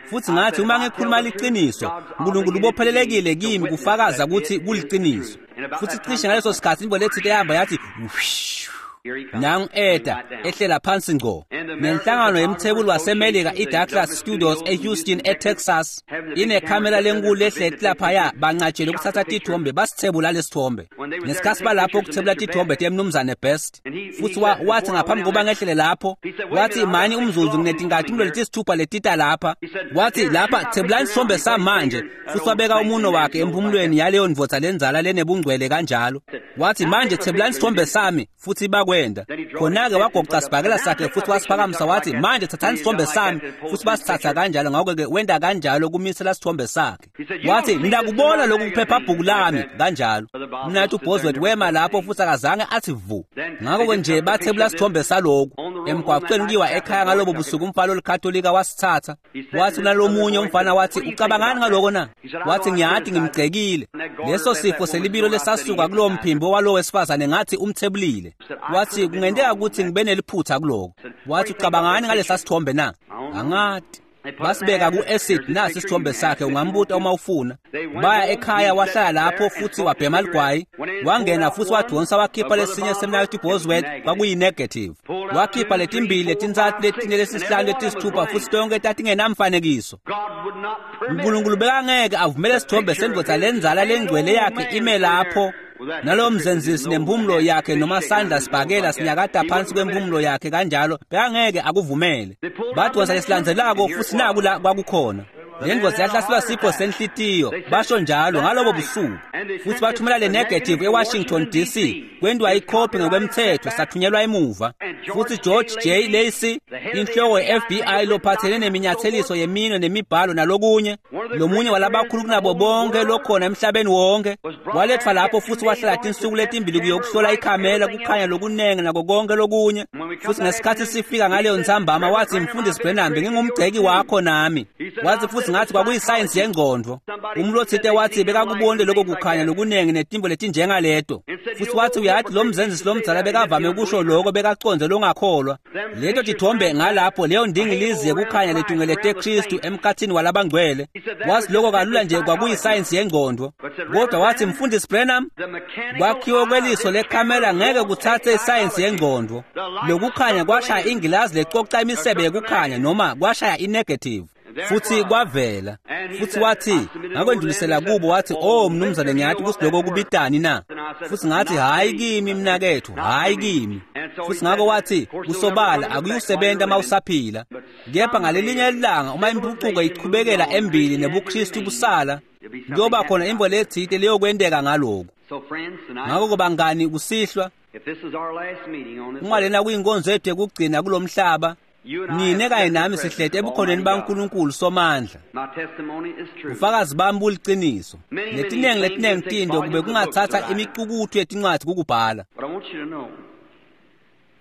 A: Futhi ngathi uma ngikhuluma liqiniso, uNkulunkulu ubophelelekile kimi kufakaza ukuthi kuliqiniso. Futhi cishe ngaleso sikhathi imvo letsite yahamba yathi nangu eda ehlela phansi ngco. Nenhlangano yemthebuli waseMelika iDouglas Studios eHouston eTexas inekhamera lenkulu ehleti laphaya, bancatshele ukuthatha tithombe basithebula lesithombe. Ngesikhathi balapho ukuthebula tithombe temnumzane Best. Futhi wathi ngaphambi kokuba ngehlele lapho, wathi mani umzuzu nginetinkathi letisithupha letita lapha. Wathi lapha thebulani isithombe samanje. Futhi wabeka umuno wakhe emphumulweni yaleyo ndvodza lenzala lenebungcwele kanjalo. Wathi manje thebulani isithombe sami futhi bakwe wakwenda. Khona-ke wagoca sibhakela sakhe futhi wasiphakamisa wathi, manje thathani isithombe sami, futhi basithatha kanjalo. Ngakho-ke wenda kanjalo kumisela isithombe sakhe. Wathi, ngiyakubona lokhu kuphephabhuku lami kanjalo. Mnathu Bosworth wema lapho futhi akazange athi vu. Ngakho-ke nje bathebula isithombe saloku emgwaqweni kuyiwa ekhaya ngalobo busuku. Umfana olikatolika wasithatha. Wathi nalomunye umfana wathi, ucabangani ngaloko na? Wathi, ngiyathi ngimgcekile. Leso sifo selibilo lesasuka kulowo mphimbo walowo wesifazane ngathi umthebulile. Wathi, kungenteka ukuthi ngibe neliphutha kuloko. Wathi, ucabangani ngalesa sithombe na? Angati. Basibeka ku-acid, nasi isithombe sakhe, ungambuta uma ufuna. Baya ekhaya, wahlala lapho futhi wabhema ligwayi. Wangena futhi wadonsa wakhipha lesinye semnakethu Bosworth, kwakuyi-negative. Wakhipha letimbili, letintsatfu, letine, lesisihlanu, letisithupha, futhi tonke tatingenamfanekiso. Unkulunkulu bekangeke avumele isithombe sendvodza lenzala lengcwele yakhe ime lapho nalowo mzenzisi nempumulo yakhe noma sandla sibhakela sinyakada phansi kwempumulo yakhe kanjalo, bekangeke akuvumele. Badonsa lesilandzelako futhi naku la kwakukhona. Le ndvodza yahlaselwa sifo senhlitiyo, basho njalo ngalobo busuku. Futhi bathumela le negative eWashington D C, kwentiwa ikhophi ngokwemthetho, sathunyelwa emuva. Futhi George J. Lacy, inhloko ye-F B I lophathene neminyatheliso yeminwe nemibhalo nalokunye, lomunye walabakhulu kunabo bonke lokhona emhlabeni wonke, walethwa lapho futhi wahlala tinsuku letimbili kuyokuhlola ikhamera, kukhanya lokunengi nako konke lokunye. Futhi ngesikhathi sifika ngaleyo ntsambama wathi, Mfundisi Branham, ngingumgceki wakho nami. Wathi futhi ngathi kwakuyisayensi yengqondo. Umlothite wathi bekakubonile lokho kukhanya lokunengi netimbo letinjengaleto. Futhi wathi, uyathi lo mzenzisi lomdzala bekavame ukusho lokho bekaconze longakholwa. Leto tithombe ngalapho, leyo ndingilizi yekukhanya letungelete Kristu emkhathini walabangcwele. Wathi lokho kalula nje kwakuyisayensi yengqondo. Kodwa wathi, Mfundisi Branham, kwakhiwo kweliso lekhamera ngeke kuthathe isayensi yengqondo. Lokukhanya kwashaya ingilazi lecoca imisebe yekukhanya noma kwashaya inegative. Futhi kwavela. Futhi wathi, ngakwendlulisela kubo, wathi, oh mnumzane, ngiyathi ukuthi lokho kubitani na? Futhi ngathi, hhayi kimi mnakethu, hhayi kimi. Futhi ngakho wathi, kusobala akuyusebenza uma usaphila. Kepha ngalelinye ilanga uma impucuko iqhubekela embili nebuKristu busala, kuyoba khona imvo lethile leyokwenteka ngalokhu. Ngakho bangani, kusihlwa uma lena kuyinkonzo yethu yokugcina kulomhlaba, nine kanye nami sihlete ebukhoneni baNkulunkulu Somandla. Ubufakazi bami buliqiniso. Letinengi letinengi tinto kube kungathatha imicukuthu yetincwadi kukubhala.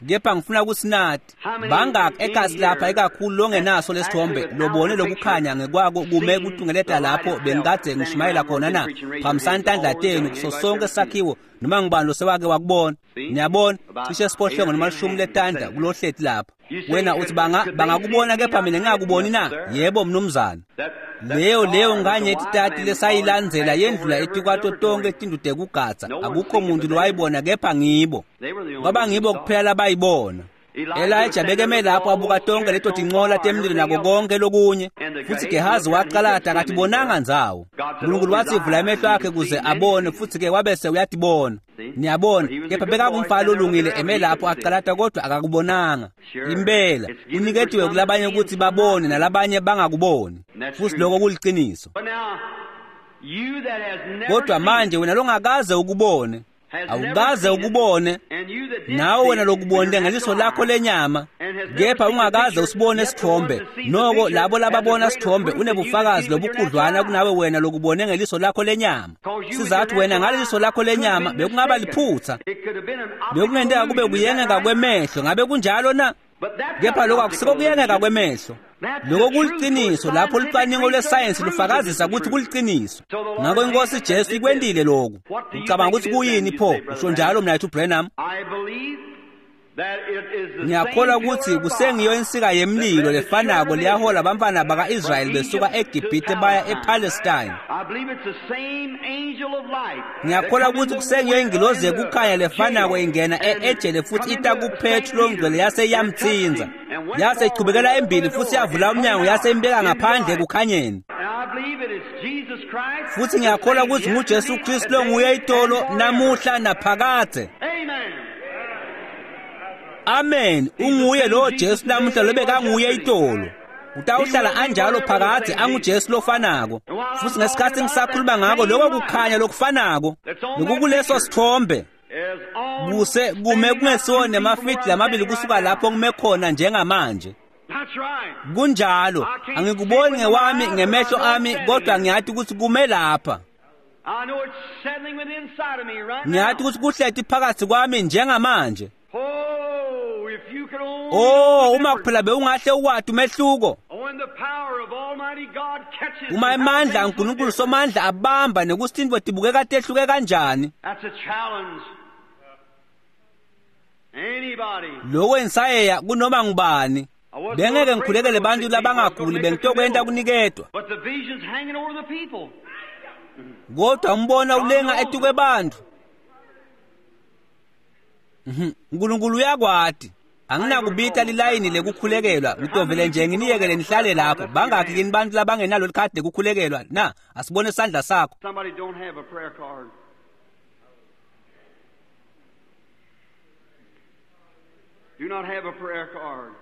A: Kepha ngifuna ukuthi nathi bangaki ekasi lapha ikakhulu longenaso lesithombe lobone lokukhanya ngekwako kume kutungeleta lapho bengikade ngishumayela khona na? Phambisani tandla tenu kuso sonke sakhiwo noma ngubani losewake wakubona. Niyabona, cishe siphohlongo noma lishumi letandla kulohleti lapha. Wena uthi banga bangakubona kepha mina ngingakuboni na? Yebo mnumzane. Leyo leyo nganye titati lesayilandzela yendlula etikwato tonke tindlu tekugadza. Akukho muntu lowayibona kepha ngibo. Kwaba ngibo kuphela labayibona. Elijah bekeme lapho abuka tonke leto tincola temlilo nako konke lokunye. Futhi Gehazi waqalada akatibonanga ndzawo. Unkulunkulu wathi vula amehlo akhe kuze abone, futhi ke wabese uyatibona. Niyabona, kepha bekakumfana olungile eme lapho aqalada kodwa akakubonanga. Impela uniketiwe kulabanye ukuthi babone nalabanye bangakuboni. Futhi lokho kuliqiniso. Kodwa manje wena longakaze ukubone, awukaze ukubone, nawe wena lokubonile ngeliso lakho lenyama, kepha ungakaze usibone isithombe. Noko labo lababona isithombe unebufakazi lobukhudlwana kunawe wena lokubone ngeliso lakho lenyama. Sizathu wena ngaleliso lakho lenyama bekungaba liphutha, bekungenteka kube kuyengeka kwemehlo. Ngabe kunjalo na? Kepha lokho akusiko kuyengeka kwemehlo. Lokho kuliqiniso lapho lucwaningo lwesayensi lufakazisa ukuthi kuliqiniso. Ngakho inkosi Jesu ikwentile lokhu. Ucabanga ukuthi kuyini pho? Usho njalo mnakethu Branham. Ngiyakholwa ukuthi kusengiyo insika yemlilo lefanako leyahola abantwana baka-Israyeli besuka eGibhithe baya ePalestine. Ngiyakholwa ukuthi kusengiyo ingilozi yekukhanya lefanako ingena e-Ejele futhi ita kuPetru longcwele yase iyamthinza. Yase ichubekela embili futhi yavula umnyango yase imbeka ngaphandle ekukhanyeni. Futhi ngiyakholwa ukuthi nguJesu Kristu longuye itolo namuhla naphakade. Amen. Unguye lo Jesu namuhla lobekanguye itolo. Utawuhlala anjalo phakade anguJesu lofanako. Futhi ngesikhathi ngisakhuluma ngako lokho kukhanya lokufanako lokukuleso sithombe Kuse kume kungesiwo nemafidi lamabili kusuka lapho ngime khona njengamanje. Kunjalo, angikuboni ngewami ngemehlo ami kodwa ngiyati ukuthi kume lapha. Ngiyati ukuthi kuhleti phakathi kwami njengamanje. Oh, uma kuphela bewungahle ukwati umehluko. Uma emandla aNkulunkulu somandla abamba nekuthi tintfo tibukeka tehluke kanjani. Lokho insayeya kunoma ngubani. Bengeke ngikhulekele bantu labangaguli bengitokwenta kuniketwa. Kodwa umbona ulenga etukwe bantu. uNkulunkulu uyakwati. Anginakubita lilayini lekukhulekelwa, ngitovele nje nginiyekele nihlale lapho. Bangakhi kini bantu labangenalo likhadi lekukhulekelwa na? Asibone isandla sakho.
B: Somebody don't have a prayer card. Do not have a prayer card.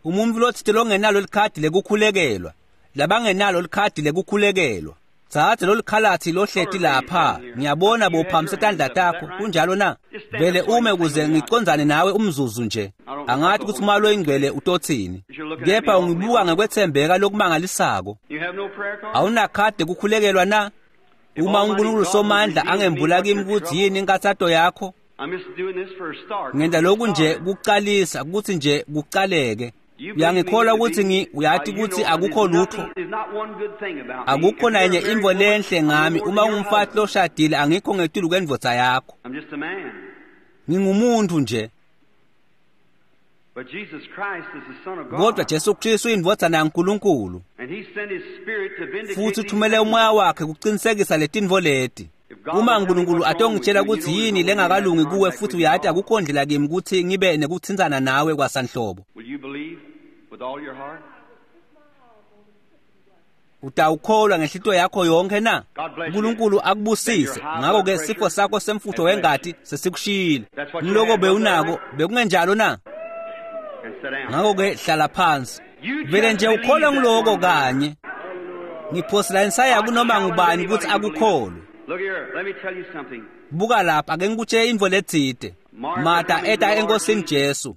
A: Umuntu lotsite longenalo likhadi lekukhulekelwa, labangenalo likhadi lekukhulekelwa. Tsatsa lolukhalathi lohleti lapha. Ngiyabona bophakamisa tandla takho. Kunjalo na? Vele ume kuze ngicondzane nawe umzuzu nje. Angathi ukuthi uma loyingcwele utothini. Kepha ungibuka ngekwethembeka lokumangalisako. Awunakhadi ekukhulekelwa na? Uma uNkulunkulu somandla angembula kimi ukuthi yini inkathato yakho. Ngenza lokhu nje kuqalisa ukuthi nje kuqaleke. Uyangikholwa ukuthi ngi uyati ukuthi akukho lutho. Akukho nanye intfo lenhle ngami. Uma ungumfati loshadile angikho ngetulu kwendvodza yakho. Ngingumuntu nje. Kodwa Jesu Kristu uyindvodzana yaNkulunkulu. Futhi uthumele umoya wakhe kuqinisekisa letintfo leti. Uma uNkulunkulu atongitshela ukuthi yini lengakalungi kuwe futhi uyati akukho ndlela kimi ukuthi ngibe nekuthintsana nawe kwasanhlobo. Utawukholwa ngenhlitiyo yakho yonke na? uNkulunkulu akubusise. Ngakho-ke sifo sakho semfutho wengati sesikushiyile. Ngiloko bewunako bekungenjalo na? Ngakho-ke hlala phansi. Vele nje ukholwa ngiloko kanye. Ngiphosela insaya kunoma ngubani ukuthi akukholwe. Buka lapha ake ngikutshele intfo letsite. Martha eta enkosini Jesu.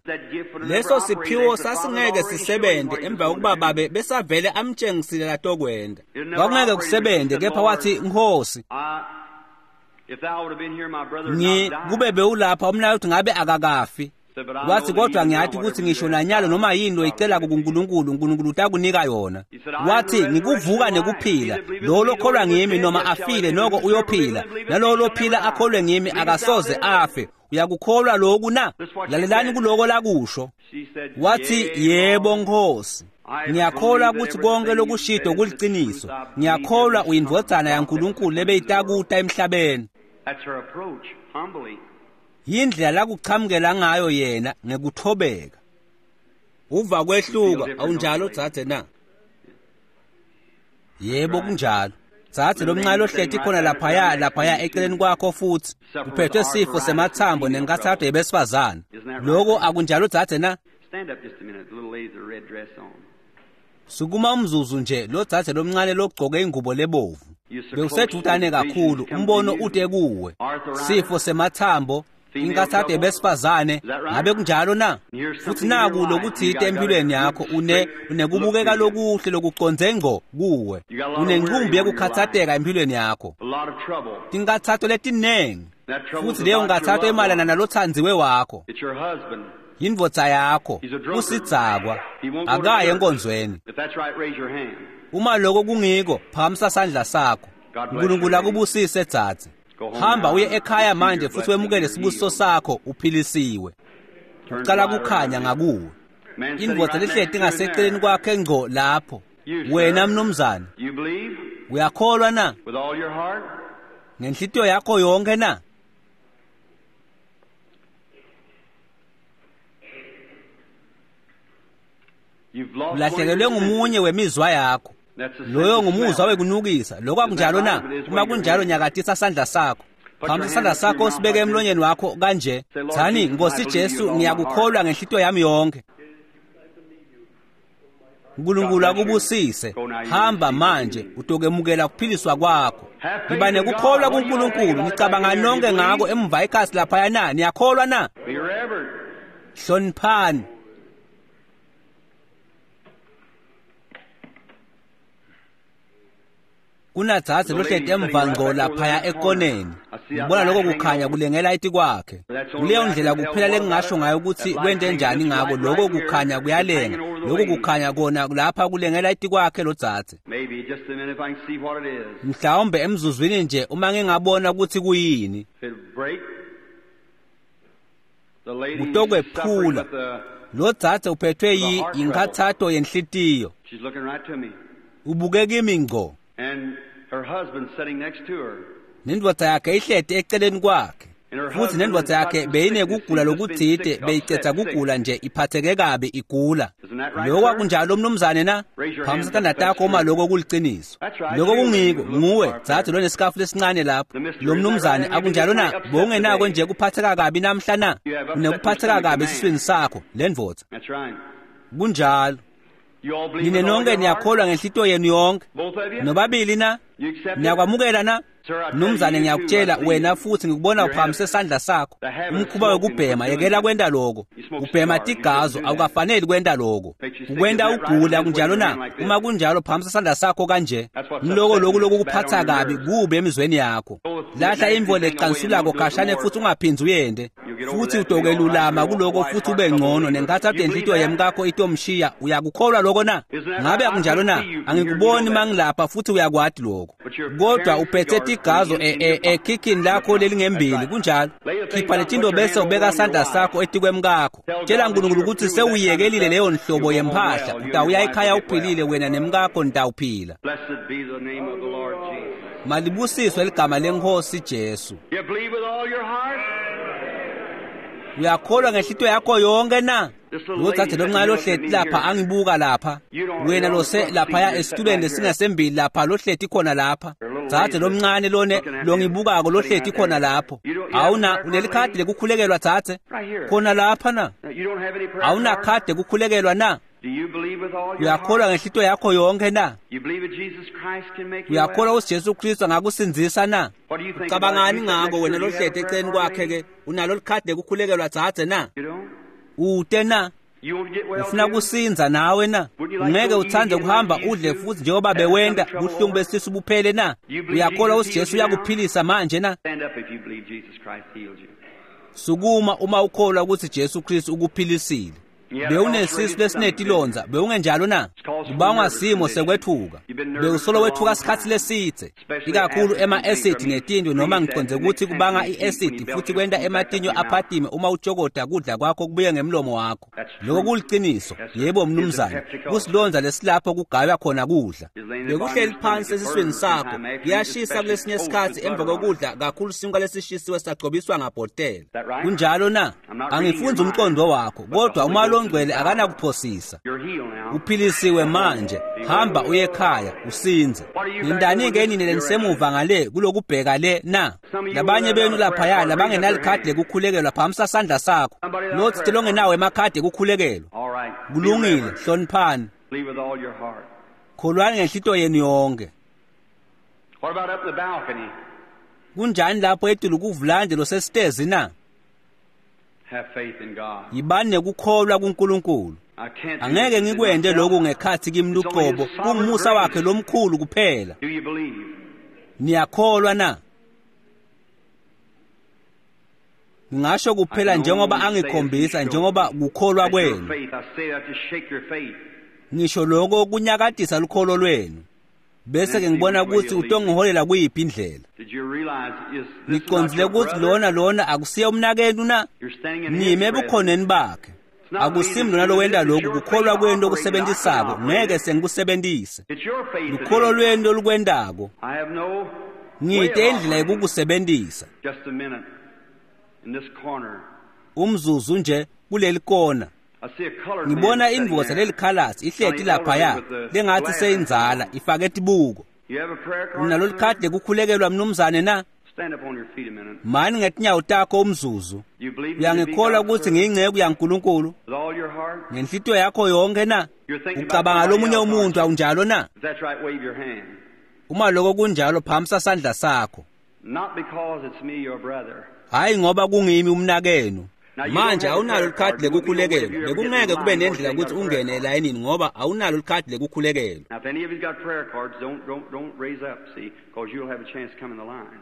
A: Leso siphiwo sasingeke sisebenze emva kokuba babe besavele amtshengisile latokwenda. Kwakungeke kusebenze kepha wathi Nkosi ngi kube bewulapha umnakethu ngabe akakafi. Wathi kodwa ngiyati ukuthi ngisho nanyalo noma yini loyicela kuNkulunkulu uNkulunkulu utakunika yona. Wathi ngikuvuka nekuphila, lo lokholwa ngimi noma afile noko uyophila, nalowo lophila akholwe ngimi akasoze afe. Uyakukholwa lokhu na? Lalelani kuloko lakusho. Wathi yebo Nkosi. Ngiyakholwa ukuthi konke lokushido kuliciniso. Ngiyakholwa uyindvodzana yaNkulunkulu lebeyitakuta emhlabeni. Yindlela lakuchamukela ngayo yena ngekuthobeka. Uva kwehluka awunjalo dzadze na? Yebo kunjalo. Dzadze lomncane lohleti khona laphaya laphaya eceleni kwakho futhi uphethwe sifo semathambo nenkathato yebesifazane. Lokho akunjalo dzadze na? Sukuma umzuzu nje lo dzadze lomncane logcoke ingubo lebovu. Bewusedvutane kakhulu umbono ute kuwe. Sifo semathambo inkathato yebesifazane ngabe kunjalo na? Futhi naku lokuthite empilweni yakho une unekubukeka lokuhle lokuconze ngco kuwe. Unenqumbi yekukhathateka empilweni yakho. Tinkathato letinengi. Futhi leyo nkathato emalana nalothandziwe wakho. Yindvodza yakho usidzakwa akaye enkonzweni. Uma lokho kungiko phakamisa sandla sakho. uNkulunkulu akubusise dzadze. Hamba uye ekhaya manje futhi wemukele sibusiso sakho uphilisiwe. Uqala kukhanya ngakuwe. Indvodza lehleti ngaseceleni kwakhe ngco lapho. Wena mnumzane, uyakholwa na? Ngenhlitiyo yakho yonke na? Ulahlekelwe ngumunye wemizwa yakho. Loyo ngumuzwa wekunukisa. Lokho akunjalo na? Uma kunjalo nyakatisa sandla sakho. Phakamisa isandla sakho usibeke emlonyeni wakho kanje. Thani Nkosi Jesu ngiyakukholwa ngenhlitiyo yami yonke. Nkulunkulu akubusise. Hamba manje utokemukela kuphiliswa kwakho. Ngiba nekukholwa kuNkulunkulu. Nicabanga nonke ngako emva ekhasi laphaya na? Niyakholwa na? Hloniphani. Kunadzadze lohleti emva ngco laphaya ekoneni. Ngibona lokho kukhanya kulengela etikwakhe. Kuleyo ndlela kuphela lengingasho ngayo ukuthi kwente njani ngako. Lokho kukhanya kuyalenga. Lokho kukhanya kona lapha kulengela etikwakhe lodzadze. Mhlawumbe emzuzwini nje uma ngingabona ukuthi kuyini. Kutokwephula. Lodzadze uphethwe yinkhathato yenhlitiyo. Ubuke kimi ngco. Nendvodza yakhe ihleti eceleni kwakhe. Futhi nendvodza yakhe beyinekugula lokutsite, beyicetha kugula nje iphatheke kabi igula. Lokho akunjalo mnumzane na? Phakamisa tandla takho uma lokho kuliciniso. Lokho kungiko, nguwe dzadze lonesikafu lesincane lapho. Lo mnumzane akunjalo na? Bowungenako nje kuphatheka kabi namhla na? Unekuphatheka kabi esiswini sakho lendvodza. Kunjalo. Nine nonke niyakholwa ngenhlitiyo yenu yonke. Nobabili na? Niyakwamukela na? Mnumzane ngiyakutshela wena futhi ngikubona uphakamise sandla sakho. Umkhuba wekubhema, yekela kwenta lokho. Ubhema tigazo, awukafaneli kwenta lokho. Ukwenta ugula kunjalo na? Uma kunjalo phakamisa sandla sakho kanje. Ngiloko lokhu lokukuphatha kabi kube emizweni yakho. Lahla imvo lecansulako khashane futhi ungaphindzi uyende. Futhi utokelulama kuloko futhi ube ngcono nenkathato yenhlitiyo yemkakho itomshiya. Uyakukholwa lokho na? Ngabe akunjalo na? Angikuboni mangilapha futhi uyakwati lokho. Kodwa uphethe tigazo ekhikhini lakho lelingembili kunjalo. Khipha letinto bese ubeka sandla sakho etikwemkakho. Tshela uNkulunkulu ukuthi sewuyekelile leyo nhlobo yemphahla. Utawuya ekhaya uphilile wena nemkakho nitawuphila. Malibusiswe ligama leNkosi Jesu. Uyakholwa ngenhlitiyo yakho yonke na? Lodzadze lomncane lohleti lapha angibuka lapha. Wena lose laphaya esitulweni lesingasembili lapha lohleti khona lapha. Dzadze lomncane lone longibukako lohleti khona lapho. Awuna unelikhadi lekukhulekelwa dzadze? Khona lapha na? Awuna khadi lekukhulekelwa na? Uyakholwa ngenhlitiyo yakho yonke na? Uyakholwa ukuthi Jesu Kristu angakusindzisa na? Ucabangani ngako wena lohleti eceleni kwakhe ke? Unalo likhadi lekukhulekelwa dzadze na? Ute na? Ufuna kusinza nawe na? Ungeke uthande kuhamba udle futhi njengoba bewenda buhlungu besisu buphele na? Uyakholwa ukuthi Jesu uyakuphilisa manje na? Sukuma uma ukholwa ukuthi Jesu Kristu ukuphilisile. Bewunesisu lesinetilonza, bewungenjalo na? Kubangwa simo sekwethuka. Bewusolo wethuka sikhatsi lesitse, ikakhulu ema-acid netinto, noma ngiconze ukuthi kubanga i-acid futhi kwenta ematinyo aphatime uma utshokoda kudla kwakho kubuye ngemlomo wakho. Lokho kuliciniso. Yebo mnumzane, kusilonza lesilapho kugaywa khona kudla. Bekuhleli phansi esiswini sakho, kuyashisa kulesinye isikhatsi emva kokudla kakhulu sinkwa lesishisiwe sagcobiswa ngabhotela. Kunjalo na? Angifunzi umqondo wakho, kodwa uma longcwele akanakuphosisa. Uphilisiwe manje, hamba uye ekhaya usinze. Nindani-ke nini lenisemuva ngale kulokubheka le na? Labanye benu laphaya labangenalikhadi lekukhulekelwa, phakamisa sandla sakho. Lotsite longenawo emakhadi ekukhulekelwa. Kulungile, hloniphani. Kholwani ngenhlitiyo yenu yonke. Kunjani lapho etulu kuvulande losesitezi na? Yibani nekukholwa kuNkulunkulu. Angeke ngikwente lokhu ngekhathi kimi luqobo, kungumusa wakhe lomkhulu kuphela. Niyakholwa na? Ngingasho kuphela njengoba angikhombisa, njengoba kukholwa kwenu. Ngisho lokho kunyakatisa lukholo lwenu. Bese ke ngibona ukuthi utongiholela kuyiphi indlela. Ngicondzile ukuthi lona lona akusiye umnakenu na? Nime ebukhoneni bakhe. Akusimi lona lowenta lokhu, kukholwa kwenu lokusebenzisako, ngeke sengikusebenzise. Lukholo lwenu lolukwentako. Ngite indlela yokukusebenzisa. Umzuzu nje kuleli kona. Ngibona indvodza lelikhalasi ihleti laphaya lengathi seyindzala ifake tibuko. Unalo likhadi lekukhulekelwa mnumzane na?
B: Stand up on your feet a minute.
A: Mani ngetinyawo takho umzuzu.
B: You believe me to be
A: Uyangikholwa
B: God's
A: kutsi
B: servant
A: ngiyinceku yaNkulunkulu
B: with all your heart?
A: ngenhlitiyo yakho yonke na?
B: You're thinking about
A: Ucabanga
B: somebody
A: lomunye
B: else, aren't
A: umuntu
B: you?
A: awunjalo na?
B: If that's right, wave your hand.
A: Uma lokho kunjalo phamisa sandla sakho.
B: Not because it's me, your brother.
A: Hayi ngoba kungimi umnakenu.
B: Now, you don't
A: Manje
B: have a
A: awunalo
B: prayer card.
A: likhadi
B: You wouldn't be no way if
A: lekukhulekelwa.
B: you ever get in
A: Bekungeke kube
B: line because
A: nendlela
B: you ain't
A: ukuthi
B: got a prayer
A: ungene
B: card.
A: elayinini ngoba awunalo likhadi lekukhulekelwa.
B: Now, if any of you's got prayer cards, don't don't don't raise up, see, because you'll have a chance to come in the line.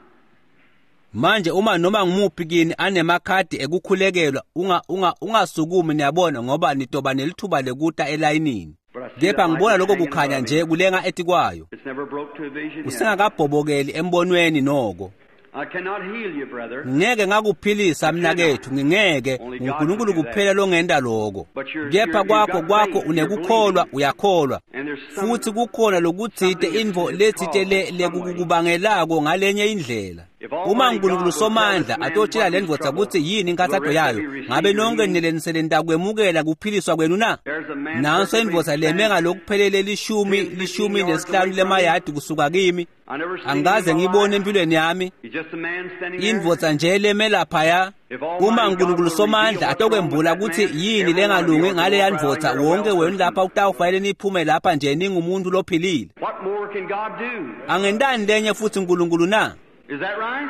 A: Manje uma noma ngumuphi kini anemakhadi ekukhulekelwa unga unga ungasukumi niyabona ngoba nitoba nelithuba lekuta elayinini.
B: But I see
A: Kepha
B: that light
A: ngibona
B: is
A: lokho
B: hanging
A: kukhanya
B: above me.
A: nje kulenga etikwayo.
B: It's never broke to a vision yet.
A: Usengakabhobokeli embonweni noko.
B: I cannot heal you, brother.
A: Ngeke ngakuphilisa mnakethu ngingeke
B: Only God can
A: uNkulunkulu
B: do that.
A: kuphela longenda lokho.
B: But you're,
A: Kepha
B: you're, you've
A: kwakho
B: got
A: kwakho
B: faith. You're
A: unekukholwa
B: believing.
A: uyakholwa.
B: And there's some
A: Futhi kukhona lokutsite
B: something that's,
A: intfo
B: that's
A: letsite
B: caused
A: le
B: some way.
A: lekukubangelako ngalenye indlela.
B: If
A: Uma
B: Almighty
A: uNkulunkulu
B: God will tell this
A: somandla
B: man
A: atotshela
B: what
A: le
B: his
A: ndvodza
B: trouble,
A: kutsi yini
B: will the
A: inkathato
B: rest of
A: yayo,
B: you receive
A: ngabe
B: your
A: nonke
B: healing?
A: nileniseleni takwemukela kuphiliswa kwenu na?
B: There's a man
A: Nanso
B: perfectly
A: indvodza leme
B: standing
A: ngalokuphelele lishumi
B: ten, fifteen
A: lishumi
B: yards
A: nesihlanu
B: away from me.
A: lemayadi kusuka kimi.
B: I never seen him in
A: Angikaze
B: my
A: ngibone
B: life.
A: empilweni yami.
B: He's just a man standing there.
A: Indvodza nje leme laphaya.
B: If
A: Uma
B: Almighty God
A: uNkulunkulu
B: will reveal
A: somandla
B: what's wrong with
A: atokwembula
B: that
A: kutsi
B: man,
A: yini
B: every one of you
A: lengalungi
B: ought to
A: ngaleya
B: walk right out
A: ndvodza,
B: here a
A: wonke
B: well
A: wenu
B: person.
A: lapha utawufanele niphume lapha nje ningumuntu lophilile.
B: What more can God do?
A: Angentani lenye futhi uNkulunkulu na?
B: Is that right?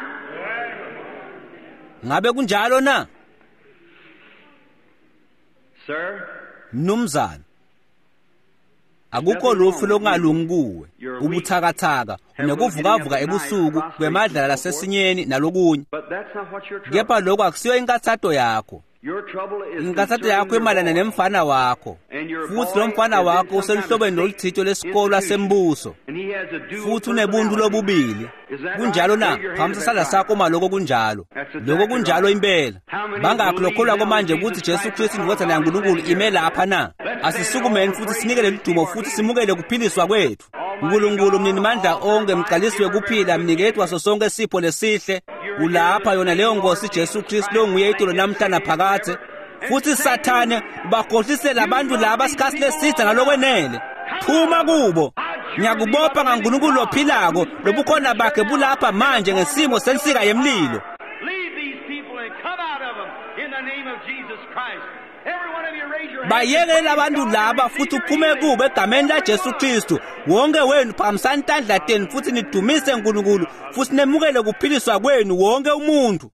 A: Ngabe kunjalo na?
B: Sir,
A: Mnumzane, akukho
B: nothing wrong
A: lufu
B: with you.
A: lokungalungi kuwe.
B: You're weak,
A: Ubuthakathaka,
B: have a little getting up
A: unokuvukavuka
B: at night,
A: ebusuku
B: prostration,
A: kwemadlala
B: and so forth.
A: lasesinyeni nalokunye.
B: But that's not what your
A: Kepha
B: trouble.
A: lokho akusiyo inkathato yakho.
B: Your trouble is
A: Inkathato
B: concerning
A: yakho
B: your
A: imayelana
B: boy.
A: nemfana wakho.
B: And your
A: Futhi lo
B: boy
A: mfana
B: is in
A: wakho
B: some kind of
A: useluhlobeni
B: state
A: loluthito lesikolwa
B: institution.
A: sembuso.
B: And he has a dual
A: Futhi unebuntu
B: personality.
A: lobubili.
B: Is that right?
A: Kunjalo na?
B: Wave your hand
A: Phamisa
B: if
A: sandla
B: that's right.
A: sakho uma lokho kunjalo.
B: That's
A: Lokho
B: exactly
A: kunjalo
B: right.
A: impela.
B: How many
A: Bangakhi
B: believe
A: lokholwako
B: now that
A: manje
B: Jesus
A: kutsi Jesu
B: Christ, the
A: Kristu
B: Son of
A: indvodzana
B: God, is
A: yaNkulunkulu
B: standing
A: ime
B: here?
A: lapha na?
B: Let's stand all
A: Asisukumeni
B: and
A: futhi
B: praise
A: sinikele
B: and receive
A: ludumo
B: our
A: futhi
B: healing.
A: simukele kuphiliswa kwethu.
B: Almighty
A: uNkulunkulu
B: God,
A: mninimandla
B: author
A: onke
B: of life,
A: mqalisi
B: giver of
A: wekuphila
B: every good
A: mniketi
B: gift.
A: waso sonke sipho lesihle.
B: You're here
A: Ulapha
B: the
A: yona
B: same
A: leyo
B: Lord
A: Nkosi Jesu
B: Jesus
A: Kristu
B: Christ,
A: longuye
B: same
A: itolo namhla
B: yesterday and
A: naphakadze.
B: forever. And
A: Futhi
B: Satan,
A: Sathane ubakhohlisela
B: you
A: abantu
B: run
A: laba
B: these
A: sikhathi
B: people
A: lesitha
B: all down.
A: ngalokwenele.
B: Come out
A: Phuma
B: of them.
A: kubo.
B: I adjure thee by
A: Ngiyakubopha
B: the living
A: ngaNkulunkulu
B: God,
A: lophilako,
B: whose presence
A: lobukhona
B: is here
A: bakhe
B: now
A: bulapha
B: in the
A: manje
B: form of
A: ngesimo
B: a
A: sensika
B: pillar of
A: yemlilo.
B: fire. Leave these people and come out of them in the name of Jesus Christ. Every one of you raise your hands and
A: Bayekele
B: praise
A: labantu
B: God and
A: laba
B: receive
A: futhi
B: your
A: uphume
B: healing.
A: kubo egameni
B: Every
A: laJesu
B: one.
A: Kristu. Wonke wenu phakamisani tandla tenu futhi nidumise uNkulunkulu futhi nemukele kuphiliswa kwenu wonke umuntu.